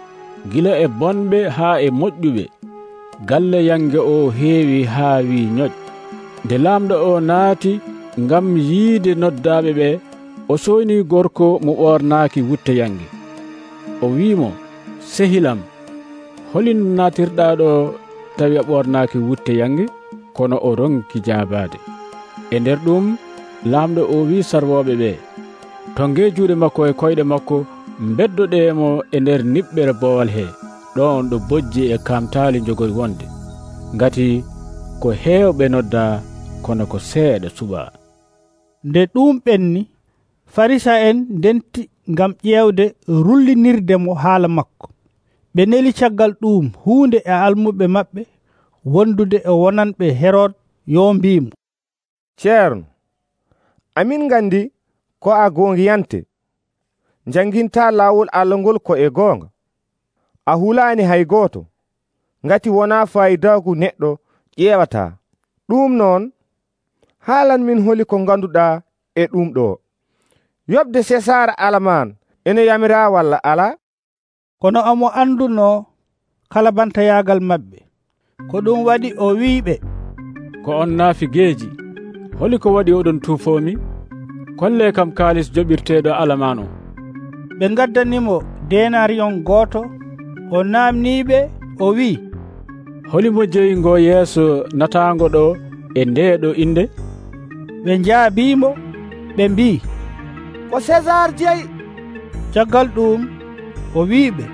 gila e bonɓe haa e moƴƴuɓe. Galle yange o heewi haa wi ñoƴ. Nde laamɗo o naati ngam yiide noddaɓe ɓe, o soyni gorko mo ɓornaaki wutte yange. O wiimo, sehilam, holino naatirɗa ɗo tawi a ɓornaaki wutte yange? Kono o ronki jaabaade. E nder ɗum laamɗo o wi sarwoɓe ɓe, tonge juuɗe makko e koyɗe makko, beddoɗemo e nder niɓɓere boowal he, ɗon ɗo bojji e kamtaali jogoy wonde. Ngati ko heewɓe nodda, kono ko seeɗa suɓa. Nde ɗum ɓenni, farisa en ndenti ngam ƴeewde rullinirdemo haala makko. Ɓe neli caggal ɗum huunde e almuɓe maɓɓe wondude e wonanɓe Herod yo mbimo, ceerno, amin gandi ko a gongiyante, janginta laawol Allah ngol ko e goonga. A hulaani hay gooto, ngati wona fayidaagu neɗɗo ƴeewata. Ɗum noon haalan min holi ko ganduɗa e ɗum ɗo. Yoɓde Sesar alaman ene yamira walla ala? Kono omo anduno kala bantayagal maɓɓe. Ko ɗum waɗi o wiiɓe, ko on naafi geeji, holi ko waɗi oɗon tuufomi? Kolle kam kaalis joɓirteɗo alaman o. Ɓe gaddanimo denariyon gooto. O namniɓe, o wi, holimo jeyingo yeeso natango ɗo e ndeɗo inde? Ɓe jaabimo, ɓe mbi, ko César jeyi. Caggal ɗum o wiiɓe,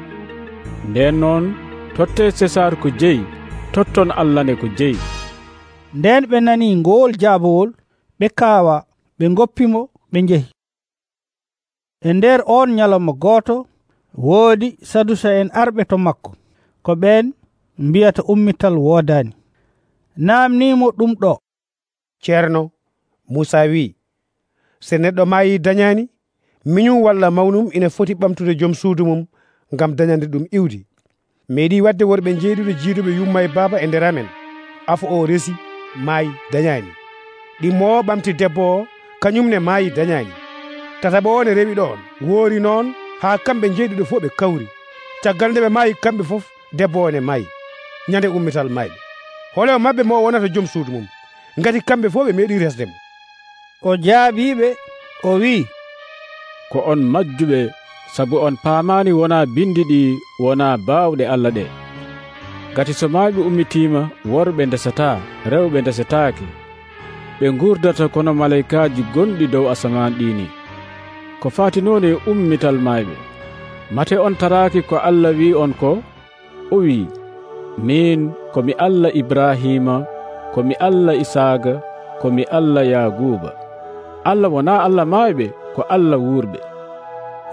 nden noon totte César ko jeyi, totton Allah ne ko jeyi. Nden ɓe nani ngol jaabowol, ɓe kaawa, ɓe goppimo, ɓe njehi. E nder on nyalawma gooto, woodi sadusa en arɓe to makko, ko ɓen mbiyata ummital woodani. Namnimo ɗum ɗo, ceerno, Musa wi, se neɗɗo maayi dañani, miñum walla mawnum ina foti ɓamtude joom suudu mum ngam dañande ɗum iwdi. Meeɗi wadde worɓe jeeɗuɗo jiiduɓe yumma e baaba e nder amen. Afo o resi, maayi dañani. Ɗimmo o ɓamti debbo o, kañumne maayi dañani. Tataɓo o ne rewi ɗon, woori noon haa kamɓe jeeɗuɗo fof ɓe kawri. Caggal nde ɓe maayi kamɓe fof, debbo o ne maayi ñande ummital mayɓe. Hole o mabɓe mo wonata joom suudu mum, ngati kamɓe fof ɓe meeɗi resdemo. O jaabiɓe, o wi, ko on majjuɓe sabu on paamani wona bindi ɗi wona baawɗe Allah ɗe. Gati so mayɓe ummitima, worɓe ndesata, rewɓe ndesetaaki, ɓe gurdata kono malaykaaji gonɗi dow asaman ɗini. Ko faatinooni e ummital mayɓe, mate on taraaki ko Allah wi on ko? O wi, min komi Allah Ibrahima, komi Allah Isaaga, komi Allah Yaguba. Allah wona Allah mayɓe, ko Allah wuurɓe.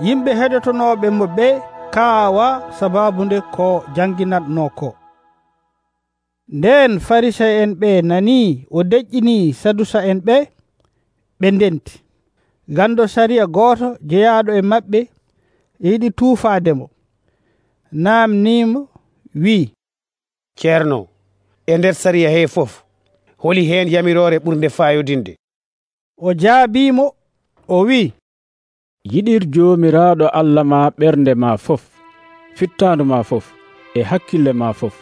Yimɓe heɗotonoɓe mo ɓe kaawa sababu nde ko janginatno ko. Nden farisa en ɓe nani o deƴƴini sadusa en ɓe, ɓe ndenti. Gando sariya goto jeyaɗo e maɓɓe yiɗi tuufademo, namnimo wi, ceerno, e nder sariya he fof holi hen yamirore ɓurde fayodinde? O jaabimo o wi, yiɗir jomiraɗo Allah ma ɓernde ma fof, fittandu ma fof, e hakkille ma fof.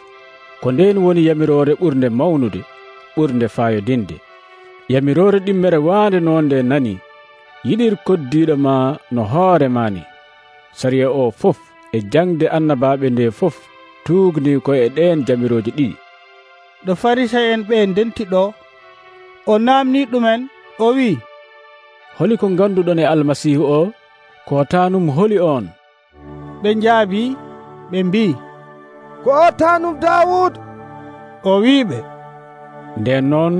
Ko nden woni yamirore ɓurde mawnude, ɓurde fayodinde. Yamirore ɗimmere waande noon nde nani, yiɗir koddiɗo ma no hoore ma ni. Sariya o fof e jangde annabaɓe nde fof tuugni ko e ɗen jamiroje ɗiɗi. ɗo farisa en ɓe ndenti ɗo, o namni ɗumen o wi, holi ko ganduɗon e almasihu o? Ko tanum holi on? ɓe njaabi ɓe mbi, ko o tanum Dawud. O wiɓe, nden noon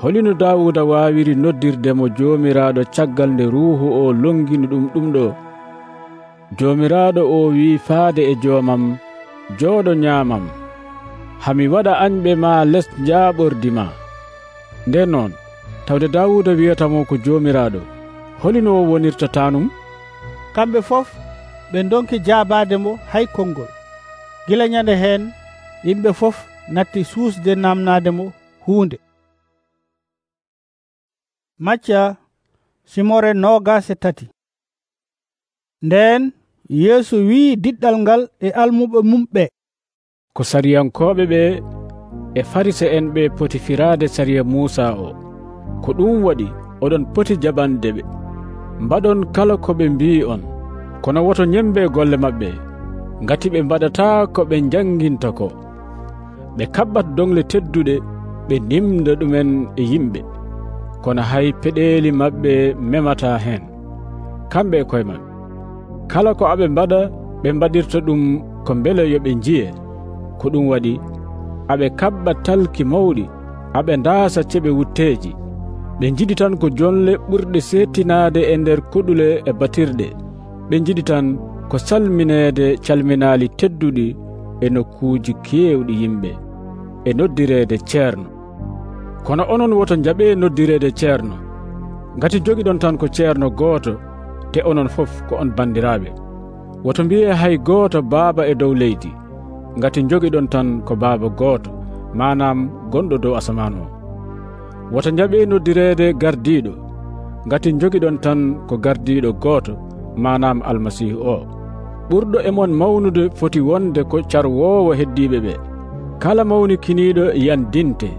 holino Dawuda wawiri noddirdemo jomiraɗo caggal nde ruuhu o longini ɗum ɗum ɗo? Jomiraɗo o wi faade e joomam, jooɗo ñaamam, hami waɗa añɓe ma les jaaɓordi ma. Nden noon tawde Dawuda wiyatamo ko jomiraɗo, holino o wonirta tanum? Kamɓe fof ɓe donki jaabademo hay konngol. Gila ñande hen yimɓe fof natti suusde namnademo huunde. Macca simore nogas e tati. Nden Yeesu wi diɗɗal ngal e almuɓe mum ɓe, ko sariyankoɓe ɓe e farisa en ɓe poti firade sariya Musa o. Ko ɗum waɗi oɗon poti jaɓande ɓe, mbaɗon kala ko ɓe mbi on, kono woto ñembe golle maɓɓe, ngati ɓe mbaɗata ko ɓe janginta ko. Ɓe kaɓɓat dongle tedduɗe, ɓe nimda ɗumen e yimɓe, kono hay peɗeli maɓɓe memata hen. Kamɓe e koye maɓɓe, kala ko aɓe mbaɗa ɓe mbaɗirta ɗum ko beele yo ɓe jiye. Ko ɗum waɗi aɓe kaɓɓa talki mawɗi, aɓe ndaasa ceɓe wutteji. Ɓe jiɗi tan ko jonle ɓurɗe settinade e nder kuɗule e batirɗe. Ɓe jiɗi tan ko salminede calminali tedduɗi e nokkuji kewɗi yimɓe, e noddirede ceerno. Kono onon woto jaɓe noddirede ceerno, ngati jogiɗon tan ko ceerno gooto, te onon fof ko on bandiraɓe. Woto mbiye hay gooto baaba e dow leydi, ngati jogiɗon tan ko baaba gooto, manam gonɗo dow asaman o. Woto jaɓe noddirede gardiɗo, ngati jogiɗon tan ko gardiɗo gooto, manam almasihu o. Ɓurɗo e mon mawnude foti wonde ko carwowo heddiɓe ɓe. Kala mawnikiniɗo yandinte,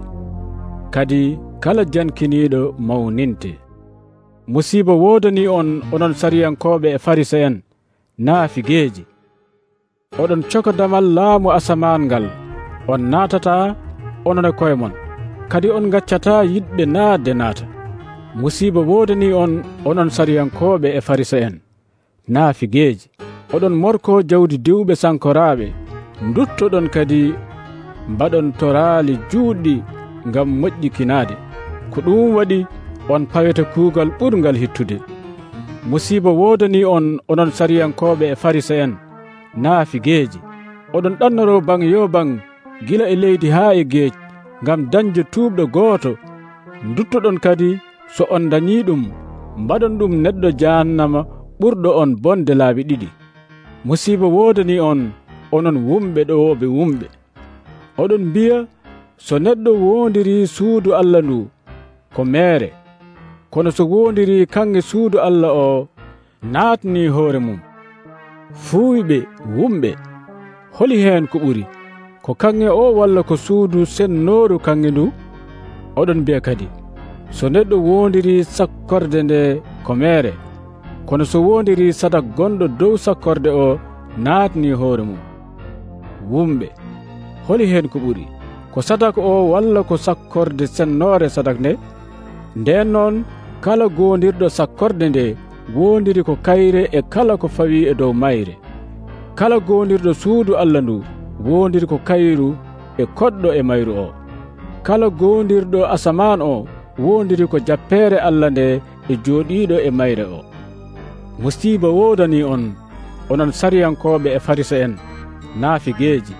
kadi kala jankiniɗo mawninte. Musiba wodani on onon sariyankoɓe e farisa en, naafigeeji! Oɗon coko damal laamu asaman ngal, on naatata onon e koye mon, kadi on gaccata yiɗɓe naatde naata. Musiba wodani on onon sariyankoɓe e farisa en, naafigeeji! Oɗon morko jawdi diwɓe sankoraɓe, duttoɗon kadi mbaɗon toraali juuɗɗi ngam moƴƴikinade. Ko ɗum waɗi on paweta kuugal ɓurgal hittude. Musiba wodani on onon sariyankoɓe e farisa en, naafigeeji! Oɗon ɗannoro bang yo bang gila e leydi haa e geej ngam dañde tuubɗo gooto. Duttoɗon kadi so on dañi ɗum, mbaɗon ɗum neɗɗo jahannama ɓurɗo on bonde laabi ɗiɗi. Musiba wodani on onon wumɓe ɗowoɓe wumɓe! Oɗon mbiya so neɗɗo wondiri suudu Allah ndu ko meere, kono so wondiri kanŋe suudu Allah o naatni hoore mum. Fuuyɓe wumɓe, holi heen ko ɓuri, ko kanŋe o walla ko suudu sennooru kanŋe ndu? Oɗon mbiya kadi so neɗɗo wondiri sakkorde nde ko meere, kono so wondiri sadak gonɗo dow sakkorde o naatni hoore mum. Wumɓe, holi hen ko ɓuri, ko sadak o walla ko sakkorde sennoore sadak nde? Nden noon kala gondirɗo sakkorde nde wondiri ko kayre e kala ko fawi e dow mayre. Kala gondirɗo suudu Allah ndu wondiri ko kayru e koɗɗo e mayru o. Kala gondirɗo asaman o wondiri ko jappeere Allah nde e jooɗiiɗo e mayre o. Musiiba woodani on, onon sariyankoɓe e farisa en naafigeeji!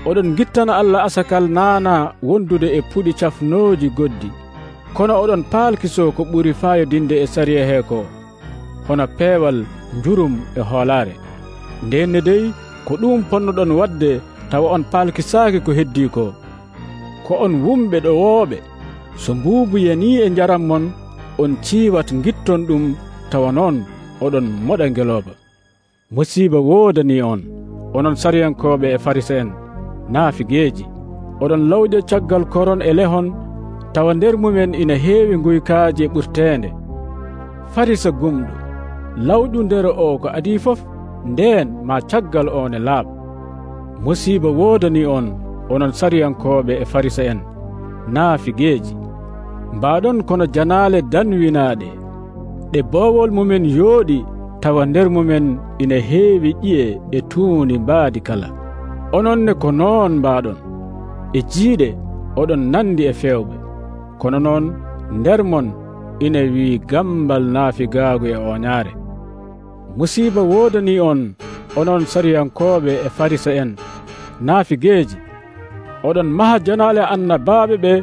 Oɗon gittana Allah asakal naana wondude e puɗi cafnooji goddi, kono oɗon paalkiso ko ɓuri faayodinde e sariya he ko, hono peewal, njurum e hoolaare. Ndenne dey ko ɗum ponnoɗon wadde tawa on paalkisaaki ko heddii ko. Ko on wumɓe ɗowooɓe, so mbuubu yanii e njaram mon, on ciiwat gitton ɗum tawa noon oɗon moɗa ngelooba. Musiiba woodani on, onon sariyankoɓe e farisa en naafigeeji! Oɗon lawƴa caggal koron e lehon, tawa nder mumen ina heewi nguykaaji e ɓurteende. Farisa gumɗo, lawƴu nder o ko adii fof, ndeen ma caggal o ne laaɓa. Musiiba woodani on, onon sariyankoɓe e farisa en naafigeeji! Mbaɗon kono janaale danwinaaɗe, ɗe boowol mumen yooɗi, tawa nder mumen ina heewi ƴiye e tuuni mbaadi kala. Ononne ko noon mbaɗon, e jiiɗe oɗon nandi e fewɓe, kono noon nder mon ina wii gambal naafigaagu e oñaare. Musiiba woodani on, onon sariyankoɓe e farisa en naafigeeji! Oɗon maha janaale annabaaɓe ɓe,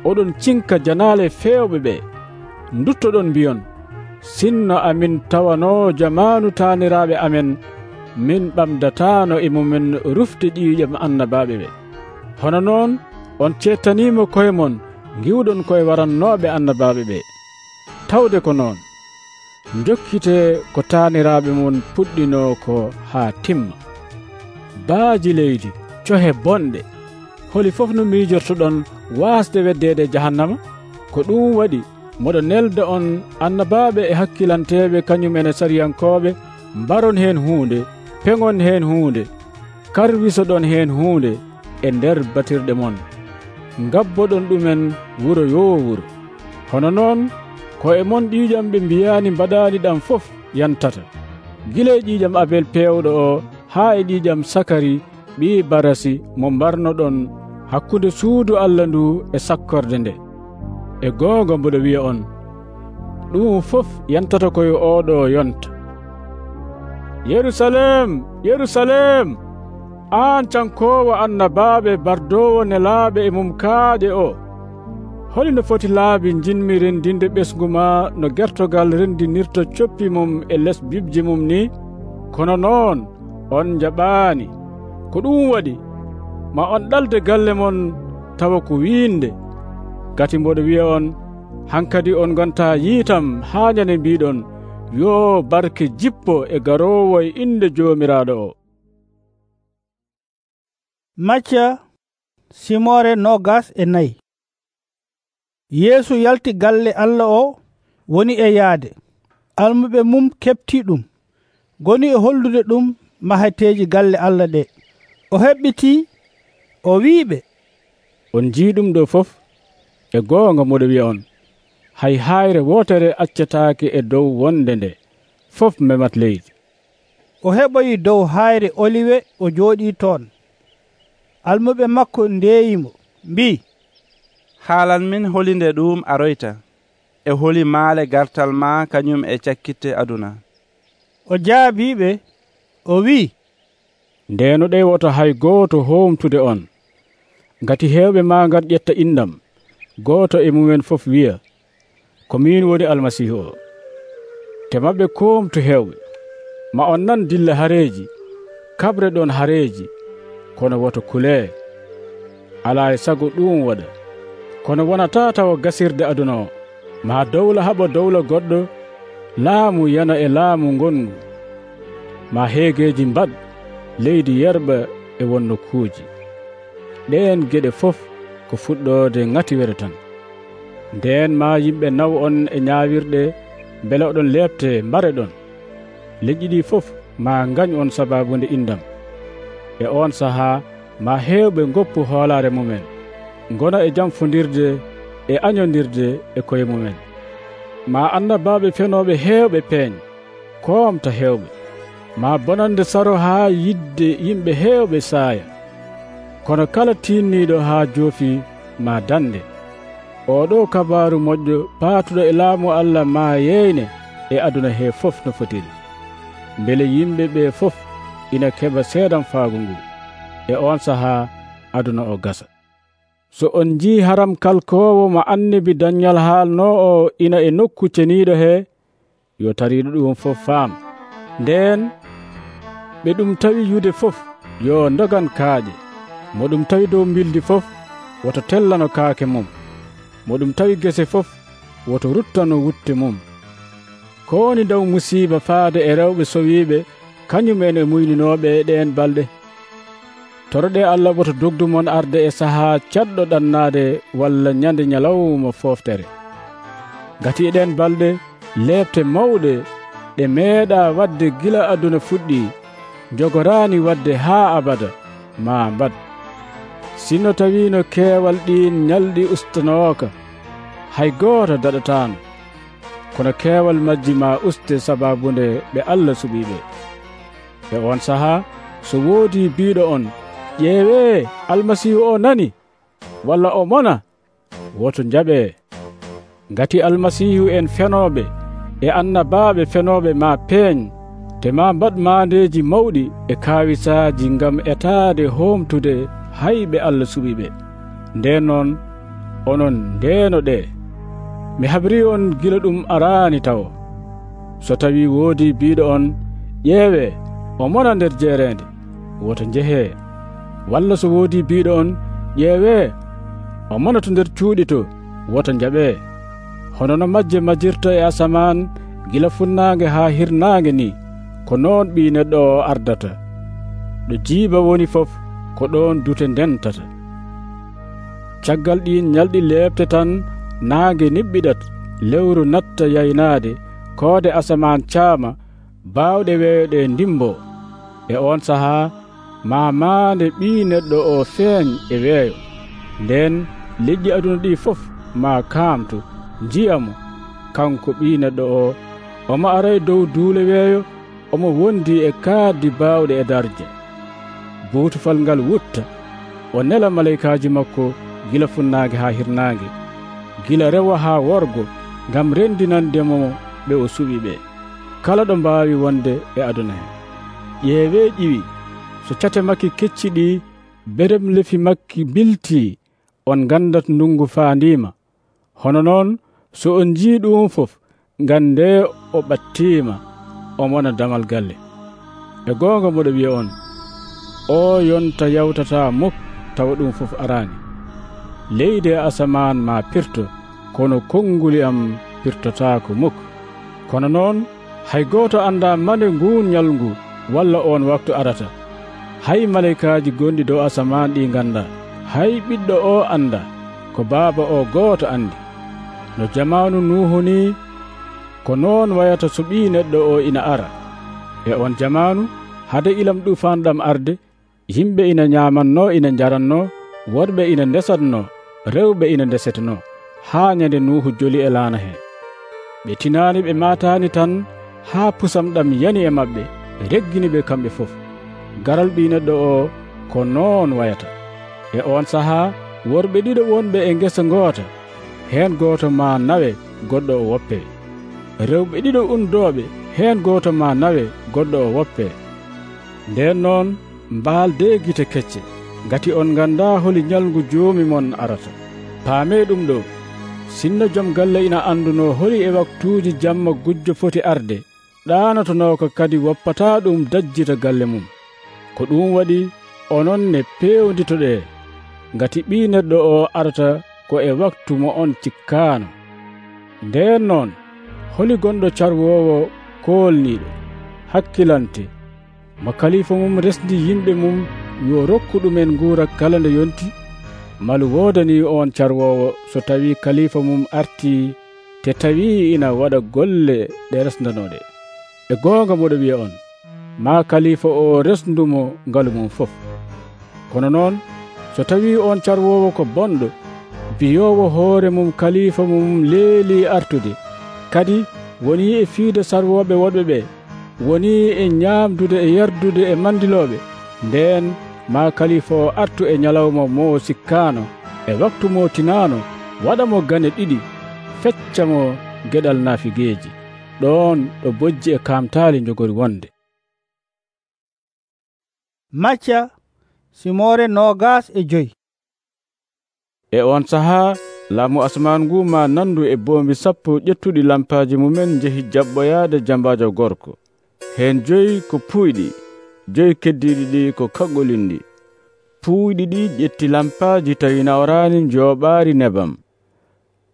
oɗon cinka janaale fewɓe ɓe. Duttoɗon mbiyon, sinno amin tawano jamaanu taaniraaɓe amen, min ɓamdataano e mumen rufde ƴiiƴam annabaaɓe ɓe. Hono noon on cettaniima koye mon ngiwɗon koye warannooɓe annabaaɓe ɓe. Tawde ko noon, jokkite ko taaniraaɓe mon puɗɗinoo ko haa timma. Baaji leydi, cohe bonɗe, holi fof no miijortoɗon waasde weddeede jahannama? Ko ɗum waɗi moɗo nelda on annabaaɓe e hakkilanteeɓe kañum ene sariyankooɓe, mbaron heen huunde, peŋon heen huunde, karwisoɗon heen huunde e nder batirɗe mon, ngabboɗon ɗumen wuro yoo wuro. Hono noon ko e mon ƴiiƴam ɓe mbiyaani mbaɗaani ɗam fof yantata, gila e ƴiiƴam Abel peewɗo o haa e ƴiiƴam Sakari ɓii Barasi mo mbarnoɗon hakkunde suudu Allah ndu e sakkorde nde. E goonga mboɗo wiya on, ɗum fof yantata koye oɗo yonta. Yerusalem, Yerusalem, an cankoowo annabaaɓe bardoowo nelaaɓe e mum kaaƴe o, holino foti laabi jinmi rendinde ɓesgu ma no gertogal rendinirta coppi mum e les bibji mum ni? Kono noon on jaɓaani. Ko ɗum waɗi ma on ɗalde galle mon tawa ko wiinde. Gati mboɗo wiya on, hankadi on gonta yiitam haa ñande mbiɗon, yo barke jippo e garoowo e inde joomiraaɗo o. Macca simore nogas e nayi. Yeesu yalti galle Allah o woni e yaade. Almuɓe mum kepti ɗum, goni e hollude ɗum mahateeji galle Allah ɗe. O heɓɓiti o wiiɓe, on jii ɗum ɗo fof. E goonga moɗo wiya on, hay hayre wotere accataake e dow wonde nde, fof memat leydi. O heɓoyi dow hayre Oliwe o jooɗii toon. Almuɓe makko ndeeyimo mbi, haalan min holinde ɗum aroyta e holi maale gartal ma kañum e cakkitte aduna. O jaabiɓe o wi, ndeno ɗewoto hay gooto homtude on, ngati heewɓe ma ngat ƴetta indam, gooto e mumen fof wiya, ko min woni almasihu o. Te maɓɓe komtu heewɓe, ma on nan dilla hareeji, kabre ɗon hareeji, kono woto kulee. Alaa e sago ɗum waɗa, kono wonata tawa gasirde aduna o. Ma dowla haɓa dowla goɗɗo, laamu yana e laamu ngongu. Ma heegeji mbad, leydi yerɓa e wonno kuuji. Ɗeen geɗe fof ko fuɗɗoode ŋatiwere tan. Ndeen ma yimɓe naw on e ñaawirɗe, mbele oɗon leɓte mbare ɗon. leƴƴi ɗi fof ma ngañ on sababunde indam. E on sahaa ma heewɓe ngoppu hoolaare mumen, ngona e jamfondirde e añondirde e koye mumen. Ma annabaaɓe fenooɓe heewɓe peeñ, koomta heewɓe. Ma bonande saro haa yidde yimɓe heewɓe saaya. Kono kala tiinniiɗo haa joofi ma dande. Oɗo kabaaru moƴƴo paatuɗo e laamu Allah ma yeyne e aduna he fof no fotiri, mbele yimɓe ɓe fof ina keɓa seedan faagu ngu. E on sahaa aduna o gasa. So on jii haram kalkoowo mo annabi Dañal haalnoo o ina e nokku ceniiɗo he, yo tariiɗo ɗum fof faam. Ndeen ɓe ɗum tawi yude fof yo ndogan kaaƴe, mo ɗum tawi dow mbildi fof woto tellano kaake mum, mo ɗum tawi gese fof woto ruttano wutte mum. Ko woni dow musiiba faade e rewɓe sowiiɓe kañumen e muyninooɓe e ɗeen balɗe. Toroɗe Allah woto dogdumon arde e sahaa caɗɗo ɗannaade walla ñande ñalawma fooftere. Ngati e ɗeen balɗe leɓte mawɗe ɗe meeɗa wadde gila aduna fuɗɗi, jogoraani wadde haa abada ma mbad. Sinno tawiino keewal ɗiin ñalɗi ustanooka, hay gooto daɗataano, kono keewal majji ma uste sababunde ɓe Allah suɓiiɓe. E on sahaa so woodi biiɗo on, ƴeewee almasiihu o nani walla o mona, woto njaɓee. Ngati almasiihu en fenooɓe e annabaaɓe fenooɓe ma peeñ, te ma mbad maandeeji mawɗi e kaawisaaji ngam etaade hoomtude hayɓe Allah suɓiɓe. Nden noon onon ndeeno ɗe. Mi haɓrii on gila ɗum araani taw. So tawi woodi biiɗo on, ƴeewee o mona nder jeereende, woto njehee. Walla so woodi biiɗo on, ƴeewee o mona to nder cuuɗi to, woto njaɓee. Hono no majje majjirta e asamaan gila funnaange haa hirnaange ni, ko noon ɓii neɗɗo o ardata. ɗo jiiba woni fof ko ɗon dute ndentata. Caggal ɗin ñalɗi leɓte tan naange niɓɓiɗat, lewru natta yaynaade, koode asaman caama, baawɗe weeyoɗe ndimbo. E on sahaa ma maande ɓii neɗɗo o feeñ e weeyo. Nden leƴƴi aduna ɗi fof ma kaamtu njiyamo kanko ɓii neɗɗo o, omo ara e dow duule weeyo, omo wondi e kaaddi baawɗe e darje. Buutufal ngal wutta, o nela malaykaaji makko gila funnaange haa hirnaange, gila rewa haa worgo, ngam rendinandemo ɓe o suɓi ɓe, kala ɗo mbaawi wonde e aduna he. Ƴeewee ƴiwi, so cate makki kecci ɗi, berem lefi makki biltii, on gandat ndungu faandiima. Hono noon so on njii ɗum fof, ngande o ɓattiima, o mona damal galle. E goonga moɗo wiya on, o yonta yawtata muk tawa ɗum fof araani. Leydi e asamaan ma pirto, kono konnguli am pirtotaako muk. Kono noon hay gooto annda mande nguun ñalngu walla on waktu arata. Hay malaykaaji gonɗi dow asamaan ɗi ngannda, hay ɓiɗɗo o annda, ko baaba o gooto anndi. No jamaanu Nuuhu ni, ko noon wayata so ɓii neɗɗo o ina ara. E on jamaanu hade ilam ɗufaan ɗam arde, yimɓe ina ñaamanno ina njaranno, worɓe ina ndesatno, rewɓe ina ndesetno, haa ñande Nuuhu joli e laana hee. Ɓe tinaani ɓe maataani tan haa pusam ɗam yani e maɓɓe, reggini ɓe kamɓe fof. Garal ɓii neɗɗo o ko noon wayata. E on sahaa worɓe ɗiɗo wonɓe e ngesa ngoota, heen gooto ma nawe, goɗɗo o woppee. Rewɓe ɗiɗo undooɓe, heen gooto ma nawe, goɗɗo o woppee. Nden noon mbaaldee gite kecce, ngati on nganndaa holi ñalngu joomi mon arata. Paamee ɗum ɗo, sinno jom galle ina annduno holi e waktuuji jamma gujjo foti arde, ɗaanotonooka kadi woppataa ɗum dajjita galle mum. Ko ɗum waɗi onon ne peewnditoɗee, ngati ɓii neɗɗo o arata ko e waktu mo on cikkaano. Nden noon holi gonɗo carwoowo koolniiɗo, hakkilante, mo kalifa mum resdi yimɓe mum yo rokku ɗumen nguura kala nde yonti, malu woodani on carwoowo so tawi kalifa mum artii te tawi ina waɗa golle ɗe resdanooɗe. e goonga moɗo wiya on maa kalifa o resndumo ngalu mum fof. Kono noon so tawi on carwowo ko bonɗo biyowo hoore mum kalifa mum leeli artude, kadi woni e fiide sarwoɓe woɗɓe ɓe, woni e ñaamdude e yardude e mandiloɓe, nden ma kalifa o artu e ñalawma mo sikkano e waktu mo tinano, waɗa mo gane ɗiɗi, fecca mo geɗal naafigeeji. ɗon ɗo bojji e kamtaali jogori wonde. Macca simore nogas e joyi. E on sahaa laamu asman ngu ma nandu e boombi sappo ƴettuɗi lampaaji mumen jehi jaɓɓoyaade jambajo gorko. Heen joyi ko puyɗi, joyi keddiiɗi ɗi ko kaggolindi. Puyɗi ɗi ƴetti lampaaji tawi nawraani njooɓaari nebam.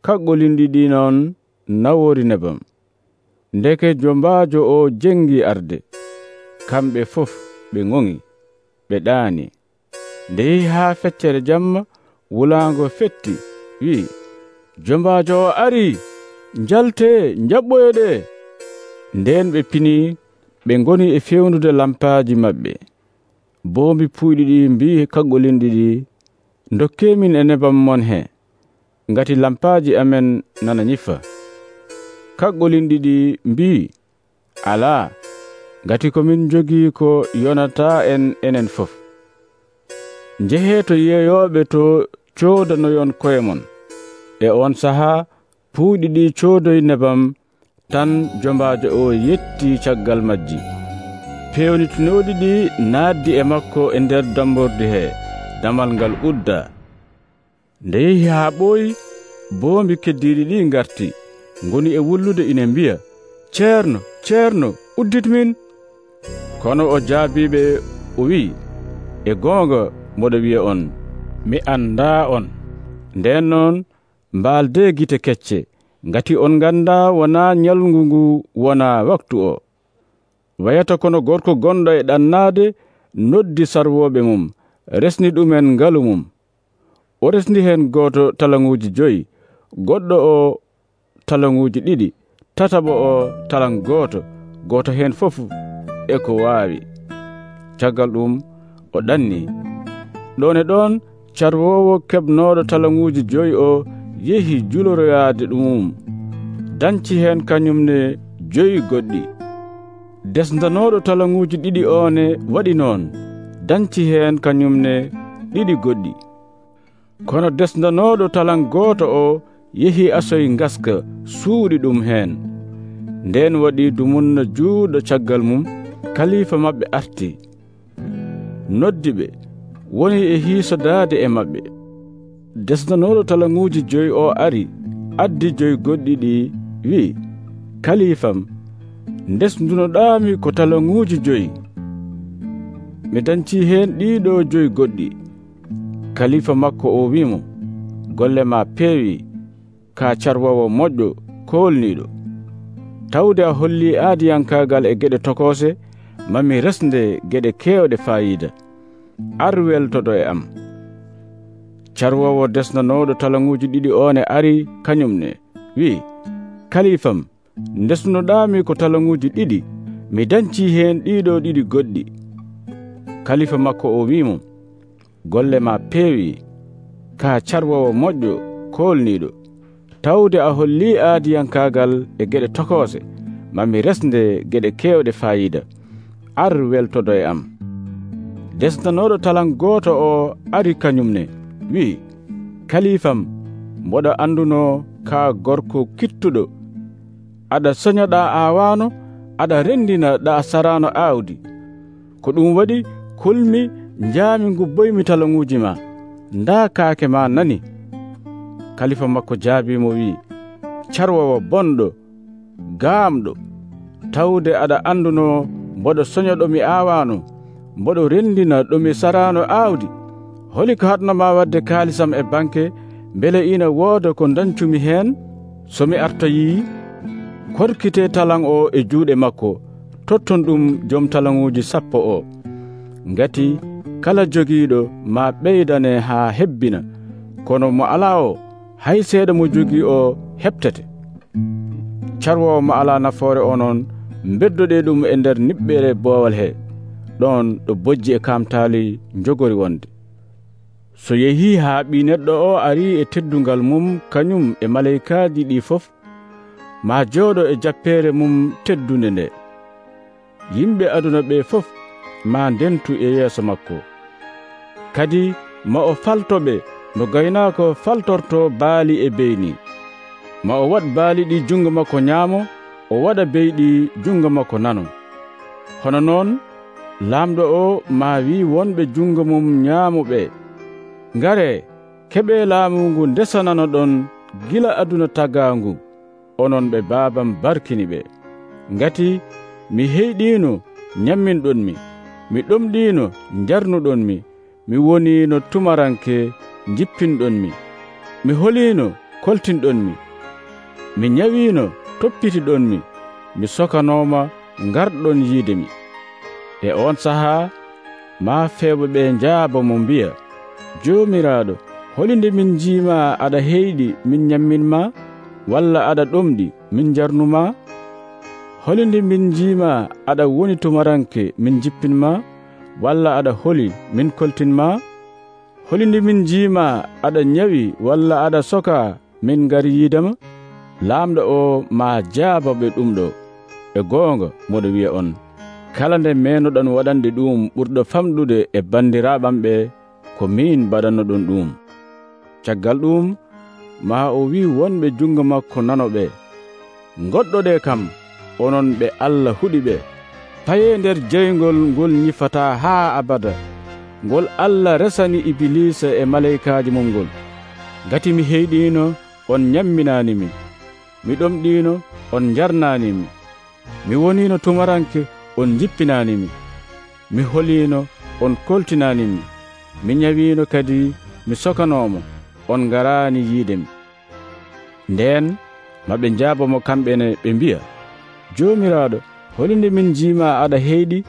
Kaggolindi ɗi noon nawori nebam. Ndeke jombaajo o jengi arde, kamɓe fof ɓe ŋoŋi, ɓe ɗaani. Nde yehi haa feccere jamma, wulaango fetti, wi'i, jombaajo o arii, njalte njaɓɓoyoɗe. Nden ɓe pinii, ɓe ngoni e fewndude lampaaji maɓɓe. Boombi puyɗi ɗi mbii kaggolindi ɗi, dokkeemin e nebam mon he, ngati lampaaji amen nana nyifa. Kaggolindi ɗi mbii, alaa, ngati komin jogii ko yonataa en enen fof. Njehee to yeeyooɓe to coodanoyon koye mon. E on sahaa puyɗi ɗi coodoyi nebam, tan jombaajo o yetti caggal majji. Pewnitinooɗi ɗi naaddi e makko e nder damborde hee, damal ngal udda. Nde yehi haa ɓooyi, boombi keddiiɗi ɗi ngarti, ngoni e wullude ine mbiya, ceerno, ceerno, uddit min. Kono o jaabiɓe o wi'i, e goonga moɗo wiya on, mi anndaa on. Nden noon mbaalde gite kecce, ngati on nganndaa wonaa ñalngu ngu wonaa waktu o. Wayata kono gorko gonɗo e ɗannaade noddi sarwooɓe mum, resni ɗumen ngalu mum. O resni heen gooto talaŋuuji joyi, goɗɗo o talaŋuuji ɗiɗi, tataɓo o talaŋ gooto, gooto heen fof e ko waawi. Caggal ɗum o ɗannii. Ɗon e ɗon carwoowo keɓnooɗo talaŋuuji joyi o yehi juloroyaade ɗumum, danci heen kañumne joyi goɗɗi. Desdanooɗo talaŋuuji ɗiɗi oone waɗi noon, danci heen kañumne ɗiɗi goɗɗi. Kono desdanooɗo talaŋ gooto o yehi asoy ngaska suuɗi ɗum heen. Nden waɗi dumunna juuɗo caggal mum, kalifa maɓɓe arti. Noddi ɓe woni e hiisodaade e maɓɓe. Desdanooɗo talaŋuuji joyi o ari, addi joyi goɗɗi ɗi, wi'i, kalifam, ndesdunoɗaami ko talaŋuuji joyi. Mi dancii heen ɗiɗo joyi goɗɗi. Kalifa makko o wi'imo, golle ma peewi, ka carwowo moƴƴo koolniiɗo. Tawde a hollii aadiyankaagal e geɗe tokoose, mami resnde geɗe keewɗe faayiida. Ar weltoɗo e am. Carwowo desdanooɗo talaŋuuji ɗiɗi oone ari kañumne, wi'i, kalifam, ndesdunoɗaami ko talaŋuuji ɗiɗi, mi dancii heen ɗiɗo ɗiɗi goɗɗi. Kalifa makko o wi'imo, golle ma peewi, ka carwowo moƴƴo koolniiɗo. Tawde a hollii aadiyankaagal e geɗe tokoose, mami resnde geɗe keewɗe faayiida. Ar weltoɗo e am. Desdanooɗo talaŋ gooto o ari kañumne, wi'i, kalifam, mboɗo annduno ka gorko kittuɗo. Aɗa soñaɗa aawaano, aɗa renndina ɗa saraano aawdi. Ko ɗum waɗi kulmi njaami ngubboymi talaŋuuji ma, ndaa kaake ma nani. Kalifa makko jaabiimo wi'i, carwowo bonɗo, gaamɗo, tawde aɗa annduno mboɗo soñoɗo mi aawaano, mboɗo renndina ɗomi saraano aawdi. Holi ko haɗnoma wadde kaalisam e banke, mbele ina wooda ko dancumi heen? So mi artoyii, korkite talaŋ o e juuɗe makko, totton ɗum jom talaŋuuji sappo o. Ngati kala jogiiɗo ma ɓeydane haa hebbina, kono mo alaa o, hay seeɗa mo jogii o heɓtete. Carwowo mo alaa nafoore onon beddoɗe ɗum e nder niɓɓere boowal he ɗon ɗo bojji e kamtaali jogori wonde. So yehii haa ɓii neɗɗo o arii e teddungal mum kañum e maleykaaji ɗi fof, ma jooɗo e jappeere mum teddunde nde. Yimɓe aduna ɓe fof ma ndentu e yeeso makko. Kadi ma o faltoɓe no gaynaako faltorto baali e beyni. Ma o waɗ baali ɗi jungo makko nyaamo, o waɗa beyɗi jungo makko nano. Hono noon laamɗo o ma wi wonɓe jungo mum nyaamoɓe, ngare keɓe laamu ngu ndesanano ɗon gila aduna tagaangu, onon ɓe baabam barkini ɓe. Ngati mi heyɗiino nyamminɗonmi, mi ɗomɗiino njarnuɗonmi, mi woniino tumaranke jippinɗonmi, mi holiino koltinɗonmi, mi nyawiino toppitiɗonmi, mi sokanooma ngarɗon yiidemi. E on sahaa ma fewɓe ɓe njaaba mo mbiya, Joomiraaɗo, holinde min jiima aɗa heyɗi min nyamminma, walla aɗa ɗomɗi min jarnuma? Holinde min jiima aɗa woni tumaranke min jippinma, walla aɗa holi min koltinma? Holinde min jiima aɗa nyawi walla aɗa soka min ngari yiidama? Laamɗo o ma jaabaɓe ɗum ɗo. E goonga moɗo wiya on, kala nde menoɗon waɗande ɗum ɓurɗo famɗude e bandiraɓam ɓe, ko min mbaɗanno ɗon ɗum. Caggal ɗum ma o wi wonɓe jungo makko nanoɓe, goɗɗoɗe kam onon ɓe Allah huɗiɓe, paye nder jeygol ngol ñifata haa abada, ngol Allah resani Ibilisa e maleykaaji mum ngol. Gati mi heyɗiino on nyamminanimi, mi ɗomɗiino on jarnanimi, mi woniino tumaranke on jippinanimi, mi holiino on koltinanimi, mi nyawiino kadi mi sokanomo on ngaraani yiidemi. Nden maɓe njaabamo kamɓene ɓe mbiya, Joomiraaɗo, holinde min jiima aɗa heyɗi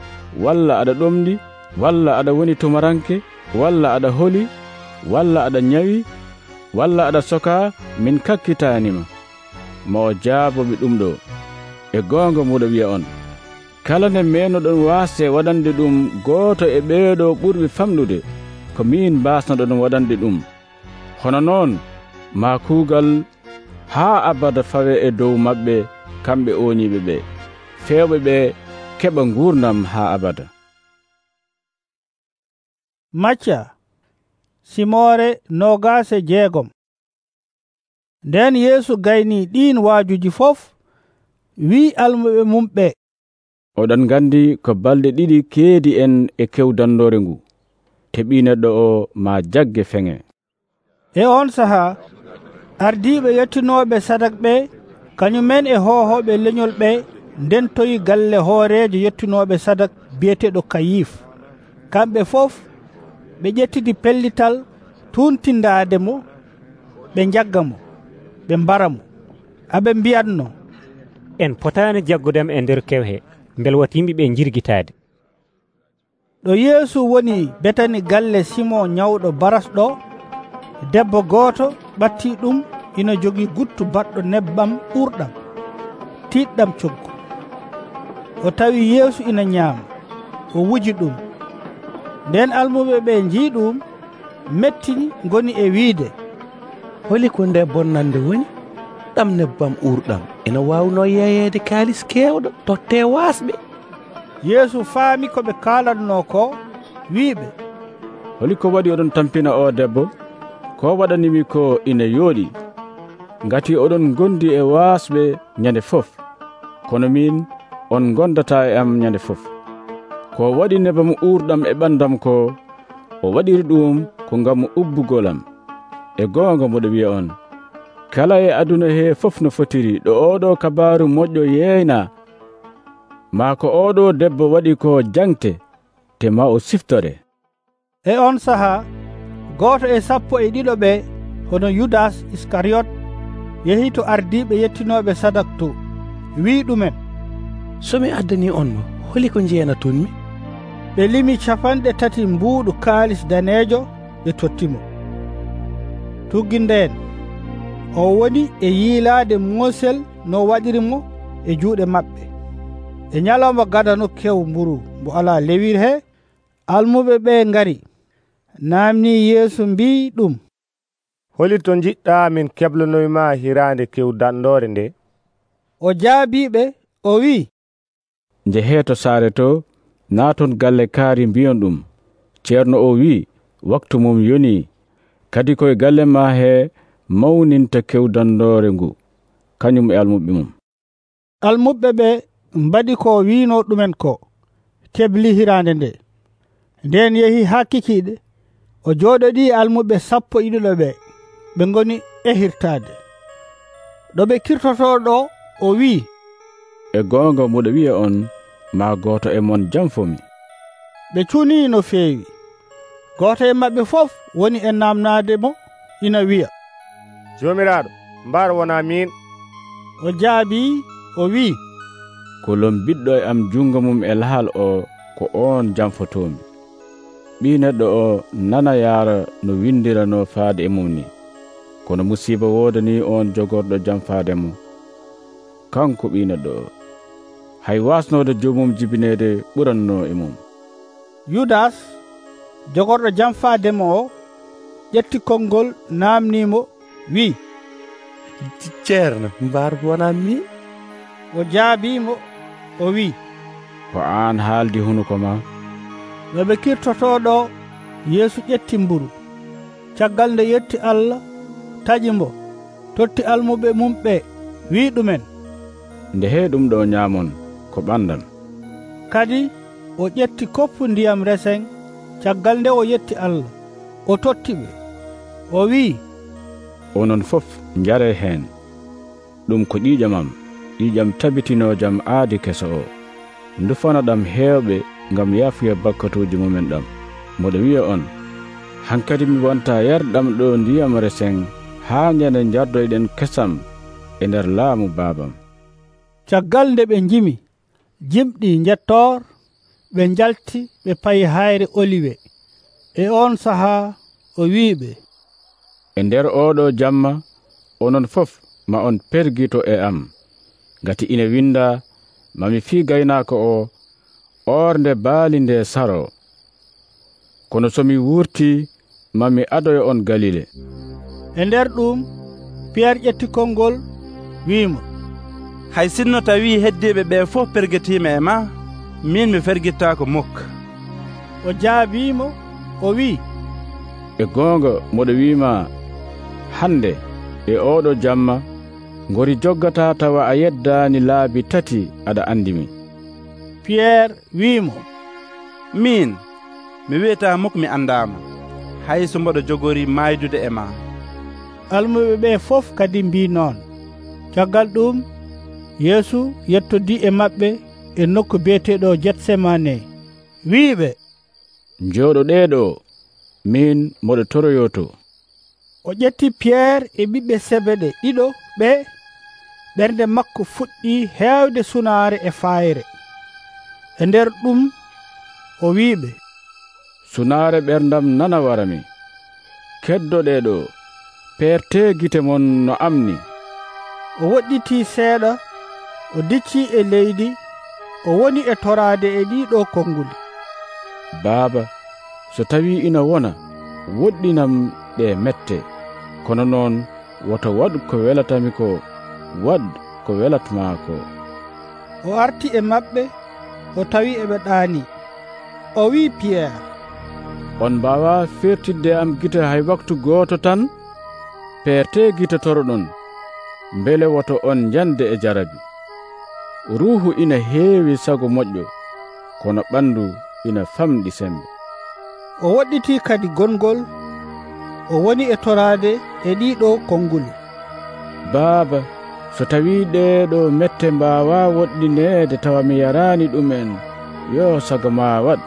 walla aɗa ɗomɗi walla aɗa woni tumaranke walla aɗa holi walla aɗa nyawi walla aɗa soka min kakkitanima? Ma o jaaboɓe ɗum ɗo. E goonga muɗo wiya on, kala nde menoɗon waasde waɗande ɗum gooto e ɓeeɗo ɓurɓe famɗude, ko min mbasnoɗon waɗande ɗum. Hono noon ma kuugal haa abada fawe e dow maɓɓe kamɓe ooniiɓe ɓe, fewɓe ɓe keɓa nguurdam haa abada. Macca Simoore nogaase jeegom. Nden Yeesu gayni ɗiin waajuji fof, wi almuɓe mum ɓe, oɗon gandi ko balɗe ɗiɗi keedi en e kewdandore ngu, te ɓii neɗɗo o ma jagge feŋe. E on sahaa ardiiɓe yettinooɓe sadak ɓe kañumen e hoohooɓe leñol ɓe ndentoyi galle hooreejo yettinooɓe sadak biyeteɗo Kayif. Kamɓe fof ɓe ƴettidi pellital tuntindaade mo, ɓe jagga mo, ɓe mbara mo, aɓe mbiyatno, en potaani jaggudem e nder kewhe, mbel wata yimɓe ɓe jirgitaade. Ɗo Yeesu woni betani galle Simon nyawɗo baras ɗo, debbo gooto ɓatti ɗum ina jogii guttu baɗɗo nebbam ɓurɗam tiiɗɗam coggu. O tawi Yeesu ina nyaama, o wuji ɗum. Nden almuɓe ɓe njii ɗum, mettini ngoni e wiide, holi ko nde bonnande woni? Ɗam nebbam urɗam ina waawno yeeyeede kaalis keewɗo totte waasɓe. Yeesu faami ko ɓe kaalatno ko, wiiɓe, holi ko waɗi oɗon tampina o debbo? Ko waɗanimi ko ina yooɗi, ngati oɗon gondi e waasɓe nyande fof, kono min on gondata e am nyande fof. Ko waɗi nebam urɗam e ɓandam ko, o waɗiri ɗum ko ngam ubbugolam. E goonga moɗo wiya on, kala e aduna he fof no fotiri ɗo oɗo kabaaru moƴƴo yeeyna, ma ko oɗo debbo waɗi ko jangte, te ma o siftore. E on sahaa gooto e sappo e ɗiɗo ɓe, hono Yudas Iskariyot, yehi to ardiiɓe yettinooɓe sadak to, wii ɗumen, so mi addani on mo, holi ko jeenatonmi? Ɓe limi capanɗe tati mbuuɗu kaalis daneejo, ɓe tottimo. Tuggi ndeen o woni e yiilaade moosel no waɗiri mo e juuɗe maɓɓe. e ñalawma gadano kew mburu mbo ala lewir he, almuɓe ɓe ngari namni Yeesu mbi ɗum, holi to jiɗɗa min keblanoyma hirande kew dandore nde? O jaabiɓe o wi, njehe to saare to, naaton galle kaari mbiyon ɗum, ceerno o wi waktu mum yoni, kadi koye galle ma he mawninta kew dandore ngu, kañum e almuɓe mum. Almuɓe ɓe mbaɗi ko wino ɗumen ko, kebli hirande nde. Nden yehi ha kikiɗe, o jooɗoɗi almuɓe sappo e ɗiɗo ɓe, ɓe ngoni e hirtade. ɗo ɓe kirtoto ɗo o wi, e goonga muɗo wiya on, ma goto e mon jamfomi. ɓe cuni no feewi. Goto e maɓɓe fof woni e namnade mo, ina wiya, jomiraɗo, mbar wona min. O jaabi o wi, kolon biɗɗo e am jungo mum e lahal o, ko on jamfotomi. ɓi neɗɗo o nana yaara no windirano faade e mum ni, kono musiba wodani on jogorɗo jamfaademo. Kanko ɓi neɗɗo o, hay wasnode jomum jibinede ɓuranno e mum. Yudas, jogorɗo jamfaademo o, ƴetti konngol namnimo, wi, ceerno, mbar wona min? O jaabimo o wi, ko an haaldi hunuko ma. no ɓe kirtoto ɗo, Yeesu ƴetti mburu, caggal nde yetti Allah, taƴi mbo, totti almuɓe mum ɓe, wi ɗumen, nde he ɗum ɗo ñaamon ko ɓandam. Kadi o ƴetti koppu ndiyam resen, caggal nde o yetti Allah, o totti ɓe, o wi, onon fof njare heen, ɗum ko ƴiƴamam, ƴiƴam tabitinojam aadi keso o, ndufana ɗam heewɓe ngam yaafuya bakkatuuji mumen ɗam. Moɗo wiya on, hankadi mi wonta yarɗam ɗo ndiyam resen haa ñande jardoyɗen kesam e nder laamu baabam. Caggal nde ɓe njimi, jimɗi jettor, ɓe njalti ɓe payi hayre Oliwe. E on sahaa o wiiɓe, e nder oɗo jamma, onon fof ma on pergito e am, ngati ina winda, mami fii gaynaako o, orde baali nde saro. Kono somi wurti, mami adoyo on Galile. E nder ɗum, Pierre ƴetti konngol, wiimo, hay sinno tawi heddiɓe ɓe fof pergetima e ma, min mi fergittako mukka. O jaabimo o wi, e goonga moɗo wima, hande e oɗo jamma ngori joggata tawa a yeddani laabi tati aɗa andimi. Pierre wiimo, min mi wiyata mukka mi andama, hay so mboɗo jogori maydude e ma. Almuɓe ɓe fof kadi mbi noon. Caggal ɗum, Yeesu yettodi e maɓɓe e nokku biyeteɗo Getsemane, wiiɓe, jooɗoɗeɗo, min moɗo toroyoto. O ƴetti Pierre e ɓiɓɓe Sebede ɗiɗo ɓe, ɓernde makko fuɗɗi heewde sunaare e fayre. E nder ɗum o wiiɓe, sunaare ɓerdam nana warami, keddoɗeɗo, peerte gite mon no amni. O woɗɗiti seeɗa, o dicci e leydi, o woni e toraade e ɗiɗo konnguli. Baaba, so tawi ina wona, woɗɗinam ɗe mette, kono noon woto waɗ ko welatami ko, waɗ ko welatma ko. O arti e maɓɓe, o tawi eɓe ɗaani. O wi Pierre, on mbawa fertidde am gite hay waktu gooto tan? Peerte gite toroɗon, mbele woto on jande e jarabi. Ruuhu ina heewi sago moƴƴo, kono ɓandu ina famɗi sembe. O woɗɗiti kadi gongol, o woni e toraade e ɗiɗo konnguli. Baaba, so tawi ɗeɗo mette mbawa woɗɗineede tawa mi yarani ɗumen, yo sago ma waɗ.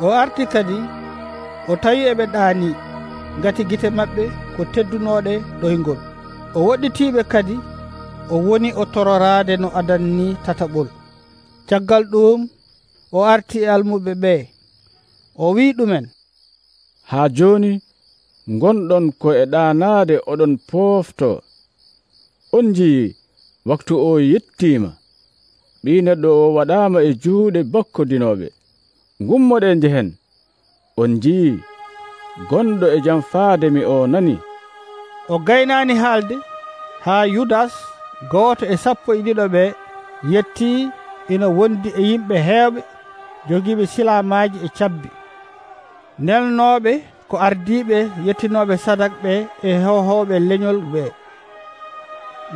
O arti kadi, o tawi eɓe ɗaani, ngati gite maɓɓe ko teddunoɗe ɗoyngol. O woɗɗitiɓe kadi, o woni o tororaade no adanni tataɓol. Caggal ɗum, o arti e almuɓe ɓe, o wi ɗumen, haa joni gonɗon ko e ɗaanaade oɗon poofto. On jii waktu o yettima, ɓii neɗɗo o waɗaama e juuɗe bakkodinooɓe. Ngummoɗen njehen. On njii gonɗo e jam faade mi o nani. O gaynaani haalde haa Yudas gooto e sappo e ɗiɗo ɓe yettii ina wondi e yimɓe heewɓe jogiiɓe silaamaaji e cabbi, nelnooɓe ko ardiiɓe yettinooɓe sadak ɓe e hohooɓe leñol ɓe.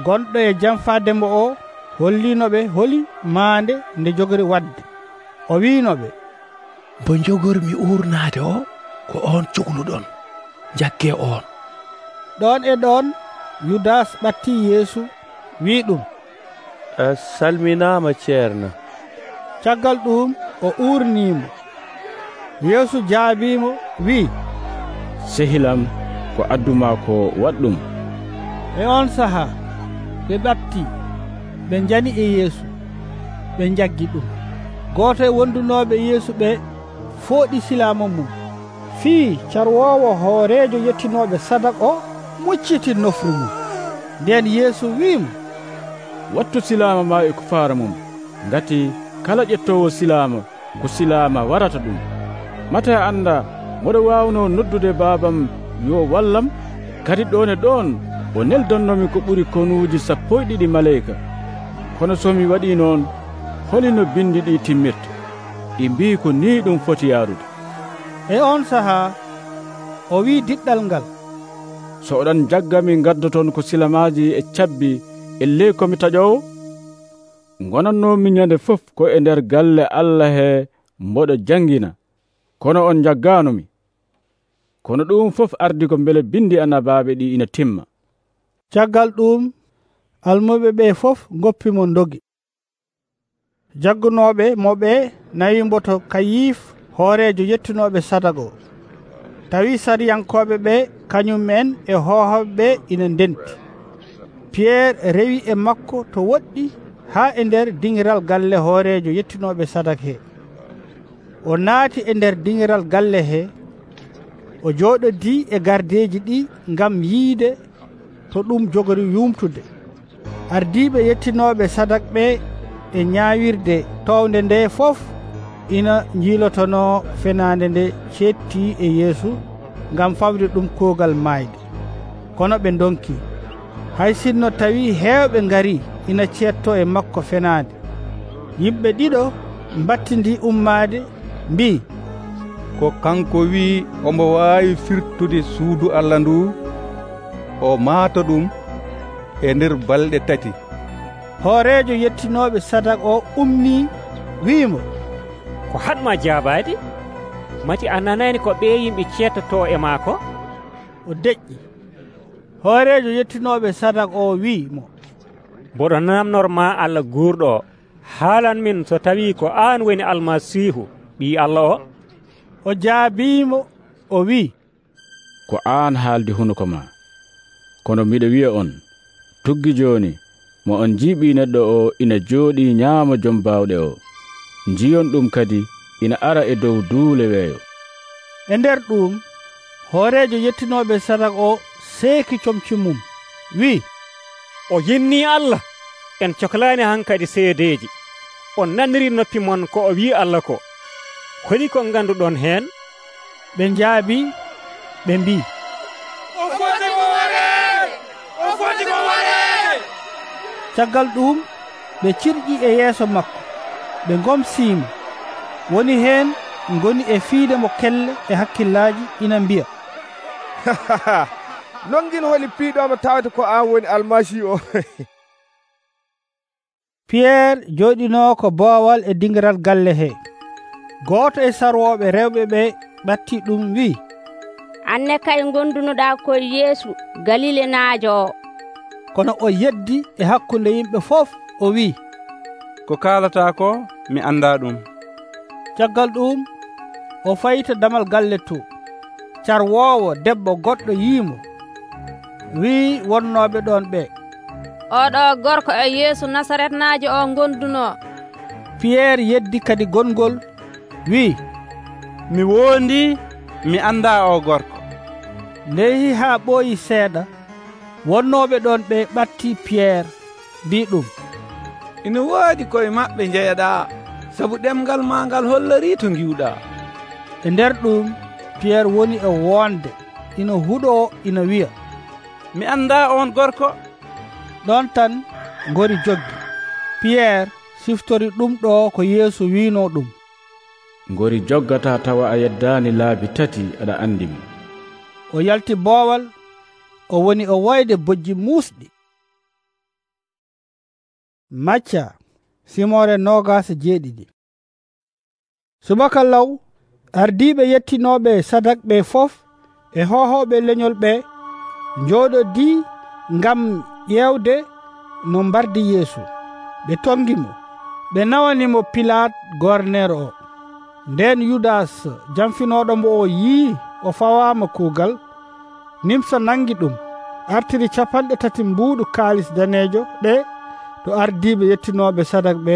Gonɗo e jam faademo o holliinoɓe holi maande nde jogori wadde. O wiinoɓe, mbo jogormi uurnaade o ko on cuhluɗon, jaggee on. Ɗon e ɗon Yudas ɓattii Yeesu wii ɗum, a salminaama ceerno. Caggal ɗum o uurniimo. Yeesu jaabiimo wii, sehilam ko adduma ko waɗɗum. E on sahaa ɓe ɓattii, ɓe njani e Yeesu, ɓe jaggi ɗum. Gooto e wondunooɓe Yeesu ɓe fooɗi silaama mum, fii carwoowo hooreejo yettinooɓe sadak o mucciti nofru mum. Nden Yeesu wiimo, wattu silaama ma e ko faara mum, ngati kala ƴettoowo silaama ko silaama warata ɗum. Mate annda moɗo waawno noddude baabam yo wallam, kadi ɗon e ɗon o neldonnomi ko ɓuri konuuji sappo e ɗiɗi maleyka. Kono so mi waɗii noon, holino bindi ɗi timmirta? Ɗi mbii ko ni ɗum foti yaarude. E on sahaa o wii diɗɗal ngal, so oɗon jaggami gaddoton ko silamaaji e cabbi e ley komi taƴowo, gonannomi ñande fof ko e nder galle Allah he mboɗo jangina, kono on jagganomi. Kono ɗum fof ardi ko mbele bindi annabaaɓe ɗi ina timma. Caggal ɗum almuɓe ɓe fof goppimo dogi. Jaggunooɓe moɓe nayi mboto Kayif hoorejo yettinoɓe sadago. Tawi sariyankoɓe ɓe kañumen e hohoɓe ɓe ina ndenti. Pierre rewi e makko to woɗɗi haa e nder dingiral galle hoorejo yettinoɓe sadak he. O naati e nder dingiral galle he, o jooɗodi e gardeji ɗi ngam yiide to ɗum jogori yumtude. Ardiiɓe yettinoɓe sadak ɓe e ñaawirde towde nde fof ina jiilotono fenaande nde cetti e Yeesu ngam fawde ɗum kuugal maayde. Kono ɓe donki. Hay sinno tawi heewɓe ngari ina cetto e makko fenaande. Yimɓe ɗiɗo mbattindi ummaade mbi, ko kanko wi omo waawi firtude suudu Allah ndu, o maata ɗum e nder balɗe tati. Hoorejo yettinoɓe sadak o ummi wiimo, ko hatma jaabaade? Mati a nanani ko ɓe yimɓe cettoto e maako? O deƴƴi. Hoorejo yettinoɓe sadak o wiimo, mboɗo namnorma Allah guurɗo o, haalan min so tawi ko aan woni Almasihu ɓii Allah o. O jaabiimo o wi, ko aan haaldi hunuko ma. Kono miɗo wiya on, tuggi jooni mo on jiiɓi neɗɗo o ina jooɗi ñaama jom baawɗe o, njiyon ɗum kadi ina ara e dow duule weeyo. E nder ɗum hoorejo yettinoɓe sadak o seeki comci mum wi, o yinni Allah. En cohlaani hankadi seedeji. On naniri noppi mon ko o wi Allah ko. Holi ko ganduɗon heen? Ɓe njaabi ɓe mbi, o foti ko ware, o foti ko ware. Caggal ɗum ɓe cirƴi e yeeso makko, ɓe ngomsiimo. Woni heen ngoni e fiide mo kelle e hakkillaaji ina mbiya, nongin holi piiɗomo tawde ko an woni Almasihu o. Pierre jooɗinoo ko boowal e dingiral galle he. Gooto e sarwooɓe rewɓe ɓe ɓatti ɗum wi'i, anne kay gondunoɗa koye Yeesu Galile naajo o. Kono o yeddi e hakkunde yimɓe fof o wi'i, ko kaalata ko mi annda ɗum. Caggal ɗum o fayita damal galle to. Carwoowo debbo goɗɗo yiimo, wi'i wonnooɓe ɗon ɓe, oɗo gorko e Yeesu Nasaret naajo o gonduno. Pierre yeddi kadi gongol wi'i, mi wondi mi annda o gorko. Ndehi haa ɓooyi seeɗa, wonnooɓe ɗon ɓe ɓatti Pierre mbi ɗum, ina woodi koye maɓɓe jeyaɗaa sabu ɗemgal ma ngal hollori to ngiwɗaa. E nder ɗum Piyerre woni e wonde ina huɗoo ina wiya, mi anndaa on gorko. ɗon tan ngori joggi. Piyerre siftori ɗum ɗo ko Yeesu wiino ɗum. Ngori joggata tawa a yeddaani laabi tati aɗa andimo. O yalti boowal, o woni o woyde bojji muusɗi. Macca simore nogas jeeɗiɗi. Subaka law ardiiɓe yettinooɓe sadak ɓe fof e hohooɓe leñol ɓe njooɗodi ngam ƴeewde no mbardi Yeesu. ɓe tongimo, ɓe nawanimo Pilat gornero o. Nden Yudas jamfinooɗo mo o yii o fawaama kuugal, nimsa nangi ɗum, artiri capanɗe tati mbuuɗu kaalis daneejo ɗe to ardiiɓe yettinooɓe sadak ɓe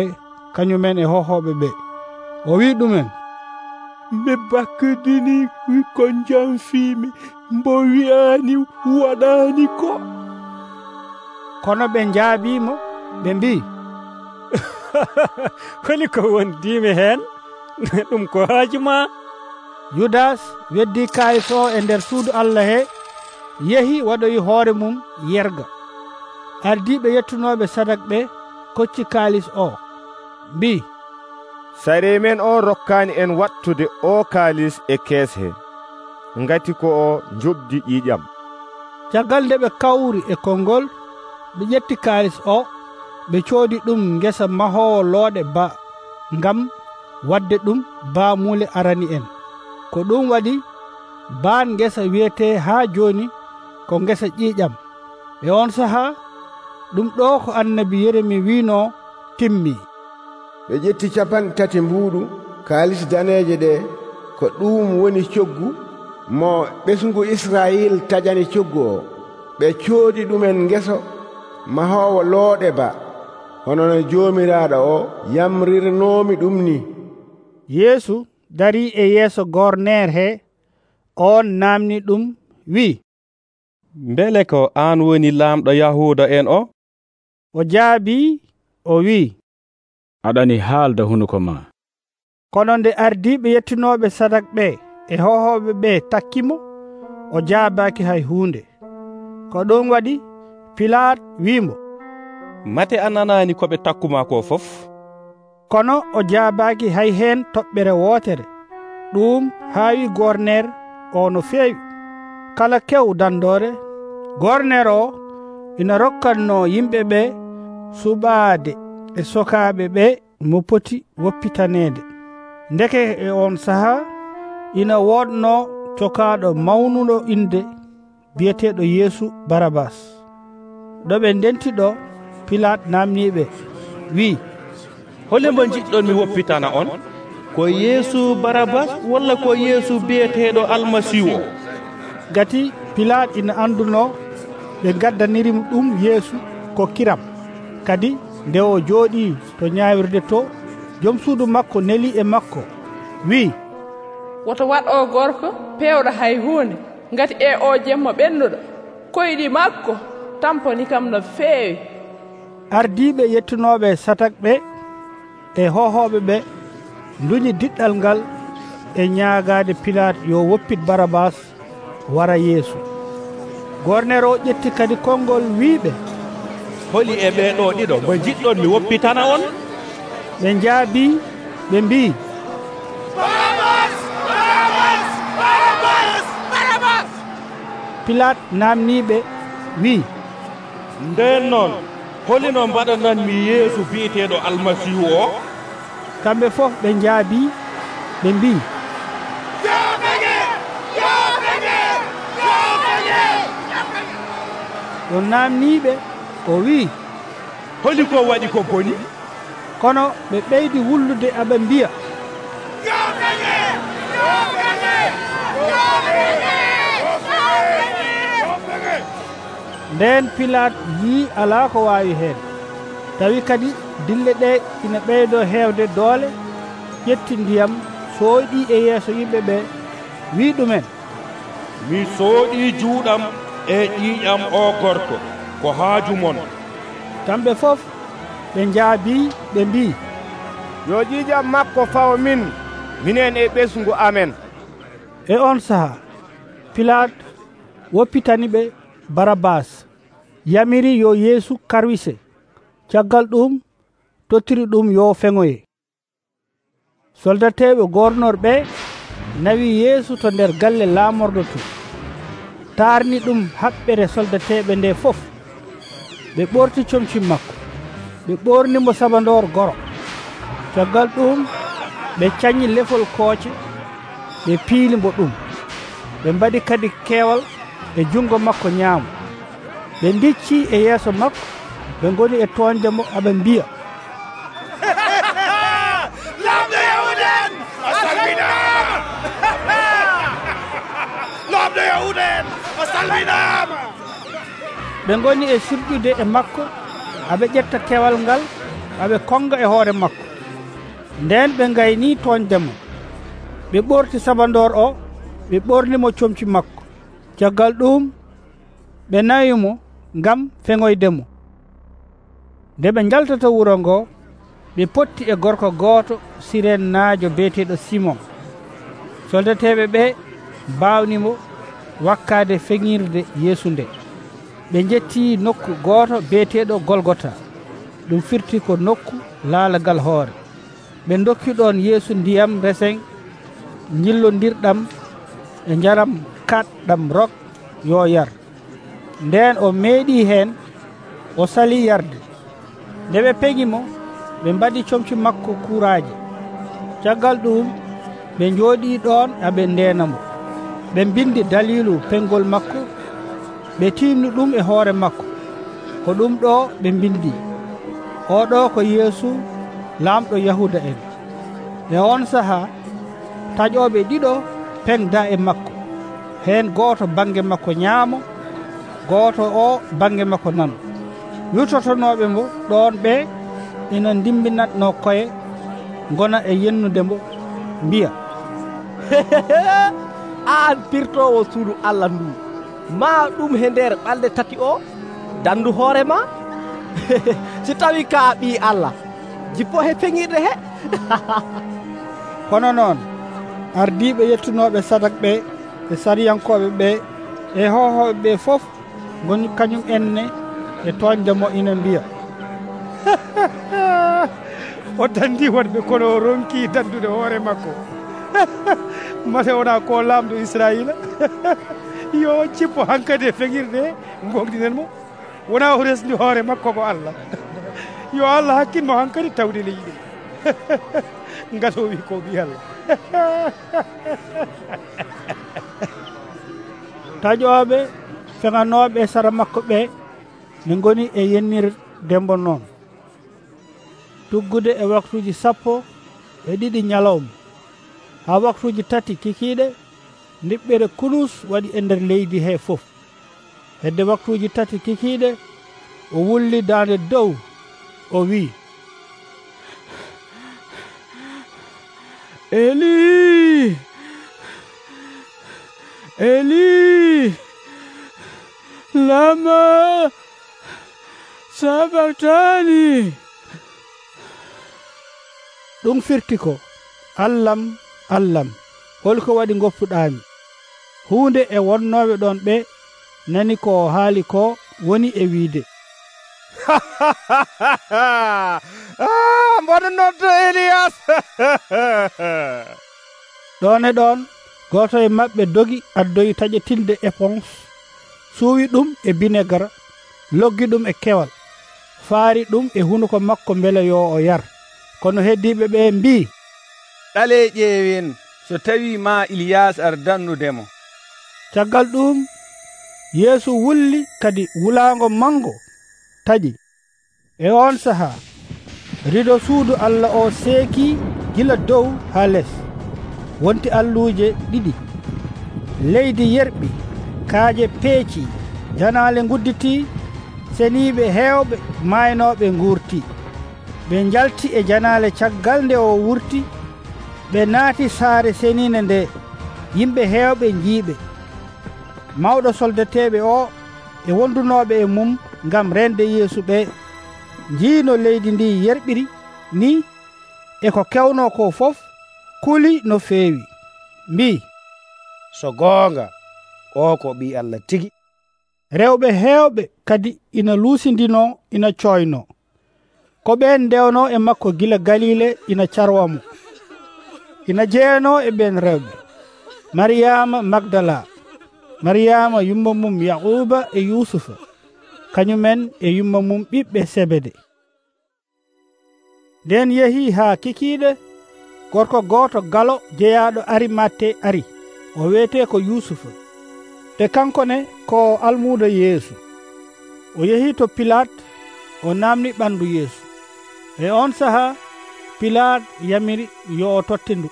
kañumen e hohooɓe ɓe. O wi ɗumen, mi bakkidini ko jamfiimi mbo wi'aani waɗaani ko. Kono ɓe njaabiimo ɓe mbii, holi ko wondiimi heen ɗum ko haaju ma. Yudas weddi kaalis o e nder suudu Allah he, yehi waɗoyi hoore mum yerga. Ardiiɓe yettunooɓe sadak ɓe kocci kaalis o, mbii, sare men o rokkaani en wattude o kaalis e kees he, ngati ko o njobdi ƴiiƴam. Caggal nde ɓe kawri e konngol, ɓe ƴetti kaalis o, ɓe coodi ɗum ngesa mahoowo looɗe ba, ngam wadde ɗum baamuule arani en. Ko ɗum waɗi baan ngesa wiyetee haa jooni ko ngesa ƴiiƴam. E on sahaa ɗum ɗo ko annabi Yeremi wiino timmii. ɓe ƴetti capanɗe tati mbuuɗu kaalis daneeje ɗe, ko ɗum woni coggu mo ɓesngu Israyil tajani coggu o. ɓe coodi ɗumen ngeso mahoowo looɗe ba, hono no joomiraaɗo o yamrirnoomi ɗum ni. Yeesu darii e yeeso gorneer he, on naamni ɗum wi'i, mbele ko aan woni laamɗo Yahuuda en o? O jaabii o wi'i, aɗani haalda hunuko ma. Kono nde ardiiɓe yettinooɓe sadak ɓe e hohooɓe ɓe takkimo, o jaabaaki hay huunde. Ko ɗum waɗi Pilat wiimo, mate a nanaani ko ɓe takkuma ko fof? Kono o jaabaaki hay heen toɓɓere wootere. Ɗum haawi gorneer o no feewi. Kala kew dandoore, gorneer o ina rokkatno yimɓe ɓe suɓaade e sokaaɓe ɓe mo poti woppitaneede. Ndeke e on sahaa ina woodno cokaaɗo mawnuɗo inde biyeteeɗo Yeesu Barabas. ɗo ɓe ndenti ɗo, Pilat naamniiɓe wi'i, hole mbo jiɗɗon mi woppitana on, ko Yeesu Barabas walla ko Yeesu biyeteeɗo Almasihu o? Gati Pilat ina anduno ɓe gaddanirimo ɗum Yeesu ko kiram. Kadi nde o jooɗii to ñaawirde to, jom suudu makko neli e makko, wi'i, woto waɗ o gorko pewɗo hay huunde, ngati e o jemmo ɓennuɗo koyɗi makko tamponi kam no feewi. Ardiiɓe yettunooɓe sadak ɓe e hohooɓe ɓe nduñi diɗɗal ngal e ñaagaade Pilat yo woppit Barabas wara Yeesu. Gorneer o ƴetti kadi konngol wiiɓe, holi e ɓeeɗo ɗiɗo mo jiɗɗon mi woppitana on? Ɓe njaabii ɓe mbii, Barabas! Barabas! Barabas! Barabas! Pilat naamniiɓe wi'i, nden noon holino mbaɗananmi Yeesu biyeteeɗo Almasihu o? Kamɓe fof ɓe njaabii ɓe mbii, o naamniiɓe o wi'i, holi ko waɗi ko boni? Kono ɓe ɓeydi wullude aɓe mbiya, nden Pilat yii alaa ko waawi heen. Tawi kadi dille ɗe ina ɓeydoo heewde doole, ƴetti ndiyam sooyɗii e yeeso yimɓe ɓe, wii ɗumen, mi sooɗii juuɗam e ƴiiƴam o gorko, ko haaju mon. Kamɓe fof ɓe ɓe njaabi ɓe mbi, yo ƴiƴam makko fawo min minen e ɓesngu amen. E on saha Pilat woppitani ɓe Barabas, yamiri yo Yeesu karwise. Caggal ɗum tottiri ɗum yo feŋoye. Soldateɓe gornorɓe nawi Yeesu to nder galle laamorɗo to, taarni ɗum haɓɓere soldateɓe nde fof. ɓe ɓorti comci makko, ɓe ɓornimo sabandor goro. Caggal ɗum ɓe cañi lefol kooce, ɓe piilimbo ɗum. ɓe mbaɗi kadi keewal e jungo makko ñaamo. ɓe ndicci e yeeso makko, ɓe ngoni e toondemo aɓe mbiya, lamɗo yahuden a salminama. lamɗo yahuden a salminama. ɓe ngoni e sirƴude e makko, aɓe ƴetta kewal ngal aɓe konga e hoore makko. nden ɓe ngayni toondemo, ɓe ɓorti sabandor o, ɓe ɓornimo comci makko. Caggal ɗum ɓe nawimo ngam feŋoydemo. nde ɓe jaltata wuro ngo, ɓe potti e gorko gooto Siren naajo beeteɗo Simon. Soldateɓe ɓe mbawnimo wakkaade feŋirde Yeesu nde. ɓe jetti nokku gooto beeteɗo Golgota, ɗum firti ko nokku laalagal hoore. ɓe dokki ɗon Yeesu ndiyam resen jillondirɗam e njaram kaɗɗam rok yo yar. nden o meeɗi heen, o sali yarde. nde ɓe peŋimo, ɓe mbaɗi comci makko kuuraaje. caggal ɗum ɓe njooɗii ɗon aɓe ndeenamo. ɓe mbindi dalilu peŋgol makko, ɓe tiimni ɗum e hoore makko. ko ɗum ɗo ɓe mbindi, oɗo ko Yeesu laamɗo Yahuda en. e on saha taƴoɓe ɗiɗo peŋda e makko, heen gooto bange makko ñaamo, gooto o bange makko nano. wirtotonoɓe mo ɗon ɓe ina dimbinatno koye, gona e yennudemo mbiya, an pirtowo suudu Allah ndu, ma ɗum he nder ɓalɗe tati o dandu hoorema? si tawi ka ɓi Allah, jippo he feŋirde he. kono noon ardiɓe yettunoɓe sadak ɓe e sariyankoɓe ɓe e hohoɓe ɓe fof goni kañum enne e toñdemo ina mbiya, o dandi wonɓe kono o ronki dandude hoore makko. mate wona ko lamɗo Israila. yo cippo hankkadi e feŋirde gongdinen mo, wona o resdi hoore makko ko Allah. yo Allah hakkilmo hankkadi tawde leydi ngati o wi ko ɓi Allah. taƴoɓe feŋanoɓe e sara makko ɓe ne goni e yennirdembo noon. tuggude e waktuji sappo e ɗiɗi ñalawma ha waktuji tati kikiɗe, ndiɓɓere kulus waɗi e nder leydi he fof. hedde waktuji tati kikiɗe, o wulli dande dow, o wi, Eli, Eli, lama sabaktani. ɗum firti ko, Allam, Allam, holko waɗi goppuɗami? hunde e wonnoɓe ɗon ɓe nani ko haali ko woni e wiide, mboɗo noddo Elias. ɗon e ɗon goto e maɓɓe dogi addoyi taƴetinde éponge, suuwi ɗum e binegara, loggi ɗum e kewal, faari ɗum e hunuko makko beele yo o yar. kono heddiɓe ɓe mbi, ɗale ƴeewen so tawi ma Iliyas ardannudemo. caggal ɗum Yeesu wulli kadi wulaango mango taƴi. e on saha rido suudu Allah o seeki gila dow ha les. wonti alluje ɗiɗi, leydi yerɓi, kaaje peeci, janaale gudditi, seniiɓe heewɓe maaynoɓe nguurti. ɓe njalti e janaale caggal nde o wurti, ɓe naati saare seniinde nde, yimɓe heewɓe njiiɓe. mawɗo soldateɓe o e wondunoɓe e mum ngam rende Yeesu ɓe njii no leydi ndi yerɓiri ni e ko kewno ko fof kuli no feewi, mbii, so goonga o ko ɓii Allah tigi. rewɓe heewɓe kadi ina luusindino ina coyno ko ɓen ndewno e makko gila Galile ina carwamo. Ina jeeno e ɓen rewɓe Mariyama Magdala, Mariyama yumma mum Yaquba e Yusufa, kañumen e yumma mum ɓiɓɓe Sebede. nden yehi haa kikiiɗe gorko gooto galo jeyaaɗo Arimatte ari, o wiyetee ko Yusufa, te kankone ko almuudo Yeesu. O yehi to Pilat, o naamni ɓandu Yeesu. E on sahaa Pilat yamiri yo o totte ndu.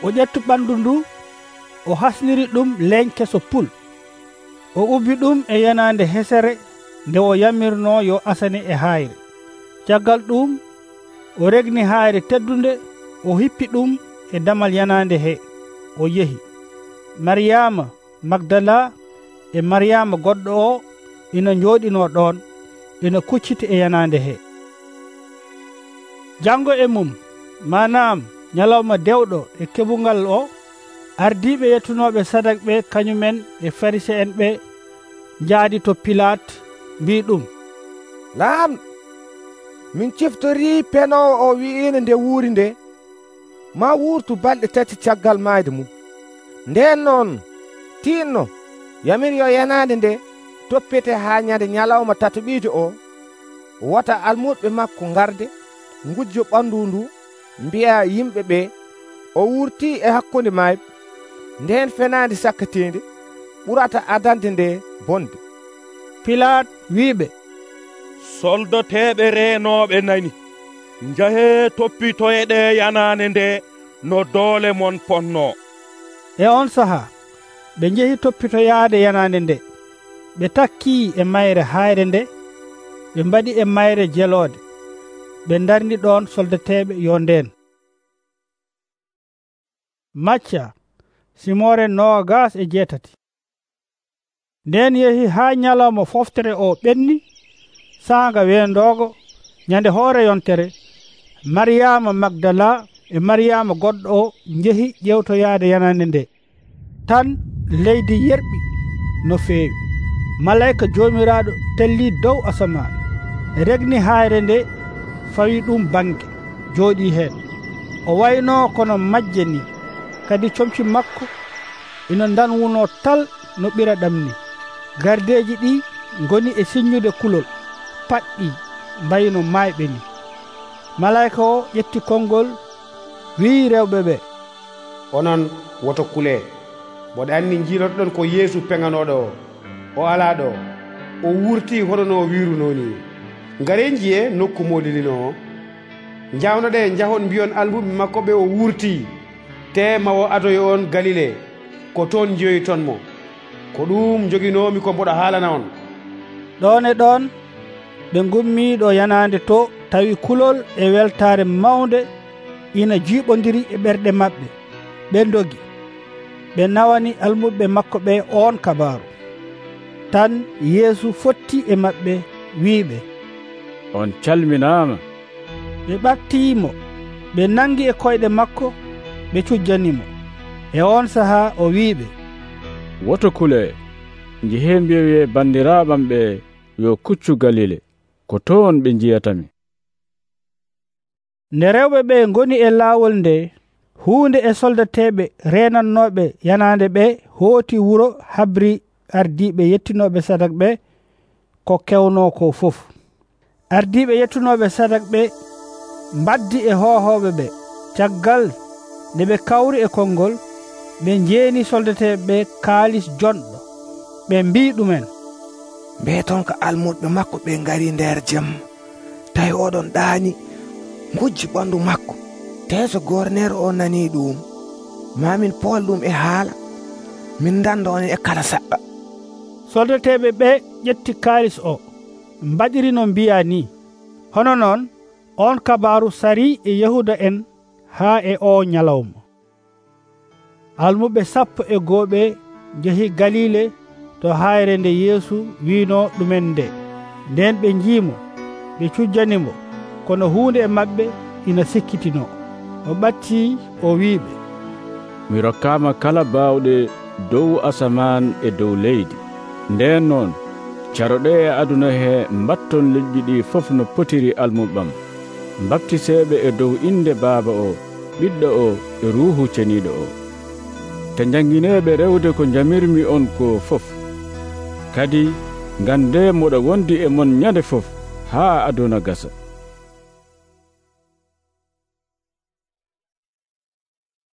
O ƴettu ɓandu ndu, o hasniri ɗum leeñ keso pul. O ubbi ɗum e yanaande hesere nde o yamirno yo asane e hayre. Caggal ɗum o regni hayre teddunde, o hippi ɗum e damal yanaande he, o yehi. Mariyama Magdala e Mariyama goɗɗo o ina njooɗino ɗon, ina kucciti e yanaande he. Jango e mum, manam nyalawma dewɗo e keɓungal o, ardiiɓe yettunoɓe sadak ɓe kañumen e Fariseen ɓe njaadi to Pilat, mbi ɗum, laamɗo, min ciftori penowo o wi'ino nde wuuri nde ma wuurtu balɗe tati caggal mayde mum. Nden noon tinno yamir yo yanade nde toppete haa nyande nyalawma tatoɓiijo o, wota almuɓe makko garde ngujjo ɓandu ndu, mbi'a yimɓe ɓe o wurti e hakkunde mayɓe. Nden fenande sakkatinde ɓurata adande nde bonde. Pilat wiɓe, soldoteɓe renoɓe nani, njahe toppitoyeɗe yanane nde no doole mon ponno. E on saha ɓe njehi toppitoyaade yanande nde. Ɓe takki e mayre hayre nde, ɓe mbaɗi e mayre jelode, ɓe darni ɗon soldateɓe yo nden. Macca simore noogas e jeetati. Nden yehi haa nyalawma foftere o ɓenni, saanga weendogo nyande hoore yontere, Mariyama Magdala e Mariyama goɗɗo o njehi ƴewtoyaade yanande nde. Tan leydi yerɓi no feewi. Malayika jomiraɗo telli dow asaman, regni hayre nde, fawi ɗum bange, jooɗi heen. O wayno kono majje ni, kadi comci makko ina danwuno tal no ɓira ɗamni. Gardeji ɗi ngoni e siññude kulol, paɗɗi mbayno mayɓe ni. Malayika o ƴetti konngol, wii rewɓe ɓe, onon woto kulee, mboɗo anndi jiilotoɗon ko Yeesu peŋanoɗo o. O alaa ɗo, o wurti hono no wiruno ni. Ngare njiye nokku molilino o. Njawnoɗe njahon mbiyon almuɓe makko ɓe o wurti, te mawo adoyo on Galile, ko toon jiyoytonmo. Ko ɗum joginomi ko mboɗo haalana on. Ɗon e ɗon ɓe ngummi ɗo yanande to, tawi kulol e weltare mawnde ina jiiɓodiri e ɓerɗe maɓɓe. Ɓe dogi, ɓe nawani almuɓe makko ɓe on kabaru. Tan Yeesu fotti e maɓɓe wiiɓe, on calminama. Ɓe ɓattimo, ɓe nangi e koyɗe makko, ɓe cujjanimo. E on saha o wiiɓe, woto kule, njehe mbiyoye bandiraɓam ɓe yo kuccu Galile, ko toon ɓe jiyatami. Nde rewɓe ɓe ngoni e laawol nde, huunde e soldateɓe renannoɓe yanande ɓe hooti wuro habri ardiɓe yettinoɓe sadak ɓe ko kewno ko fof. Ardiɓe yettunoɓe sadak ɓe mbaddi e hohoɓe ɓe. Caggal nde ɓe kawri e konngol, ɓe njeeni soldateɓe ɓe kaalis jonɗo. Ɓe mbi ɗumen, mbeeton ko almuɓe makko ɓe ngari nder jam, tawi oɗon ɗaani ngujji ɓandu makko. Te so gornere o nani ɗum, mamin pool ɗum e haala, min danda on e kala saɗɗa. Soldateɓe ɓe ƴetti kaalis o, mbaɗiri no mbiya ni. Hono noon on kabaru sari e Yahuda en haa e o nyalawma. Almuɓe sappo e gooɓe njehi Galile to hayre nde Yeesu wiino ɗumen nde. Nden ɓe njiimo, ɓe cujjanimo kono huunde e maɓɓe ina sikkitino. O ɓatti o wiiɓe, mi rokkama kala baawɗe dow asaman e dow leydi. Nden noon caroɗe e aduna he mbatton leƴƴi ɗi fof no potiri almuɓam. Baptiseɓe e dow inde Baaba o, Ɓiɗɗo o e Ruuhu Ceniiɗo o. Te jangineɓe rewde ko jamirmi on ko fof. Kadi gande moɗo wondi e mon nyande fof haa aduna gasa.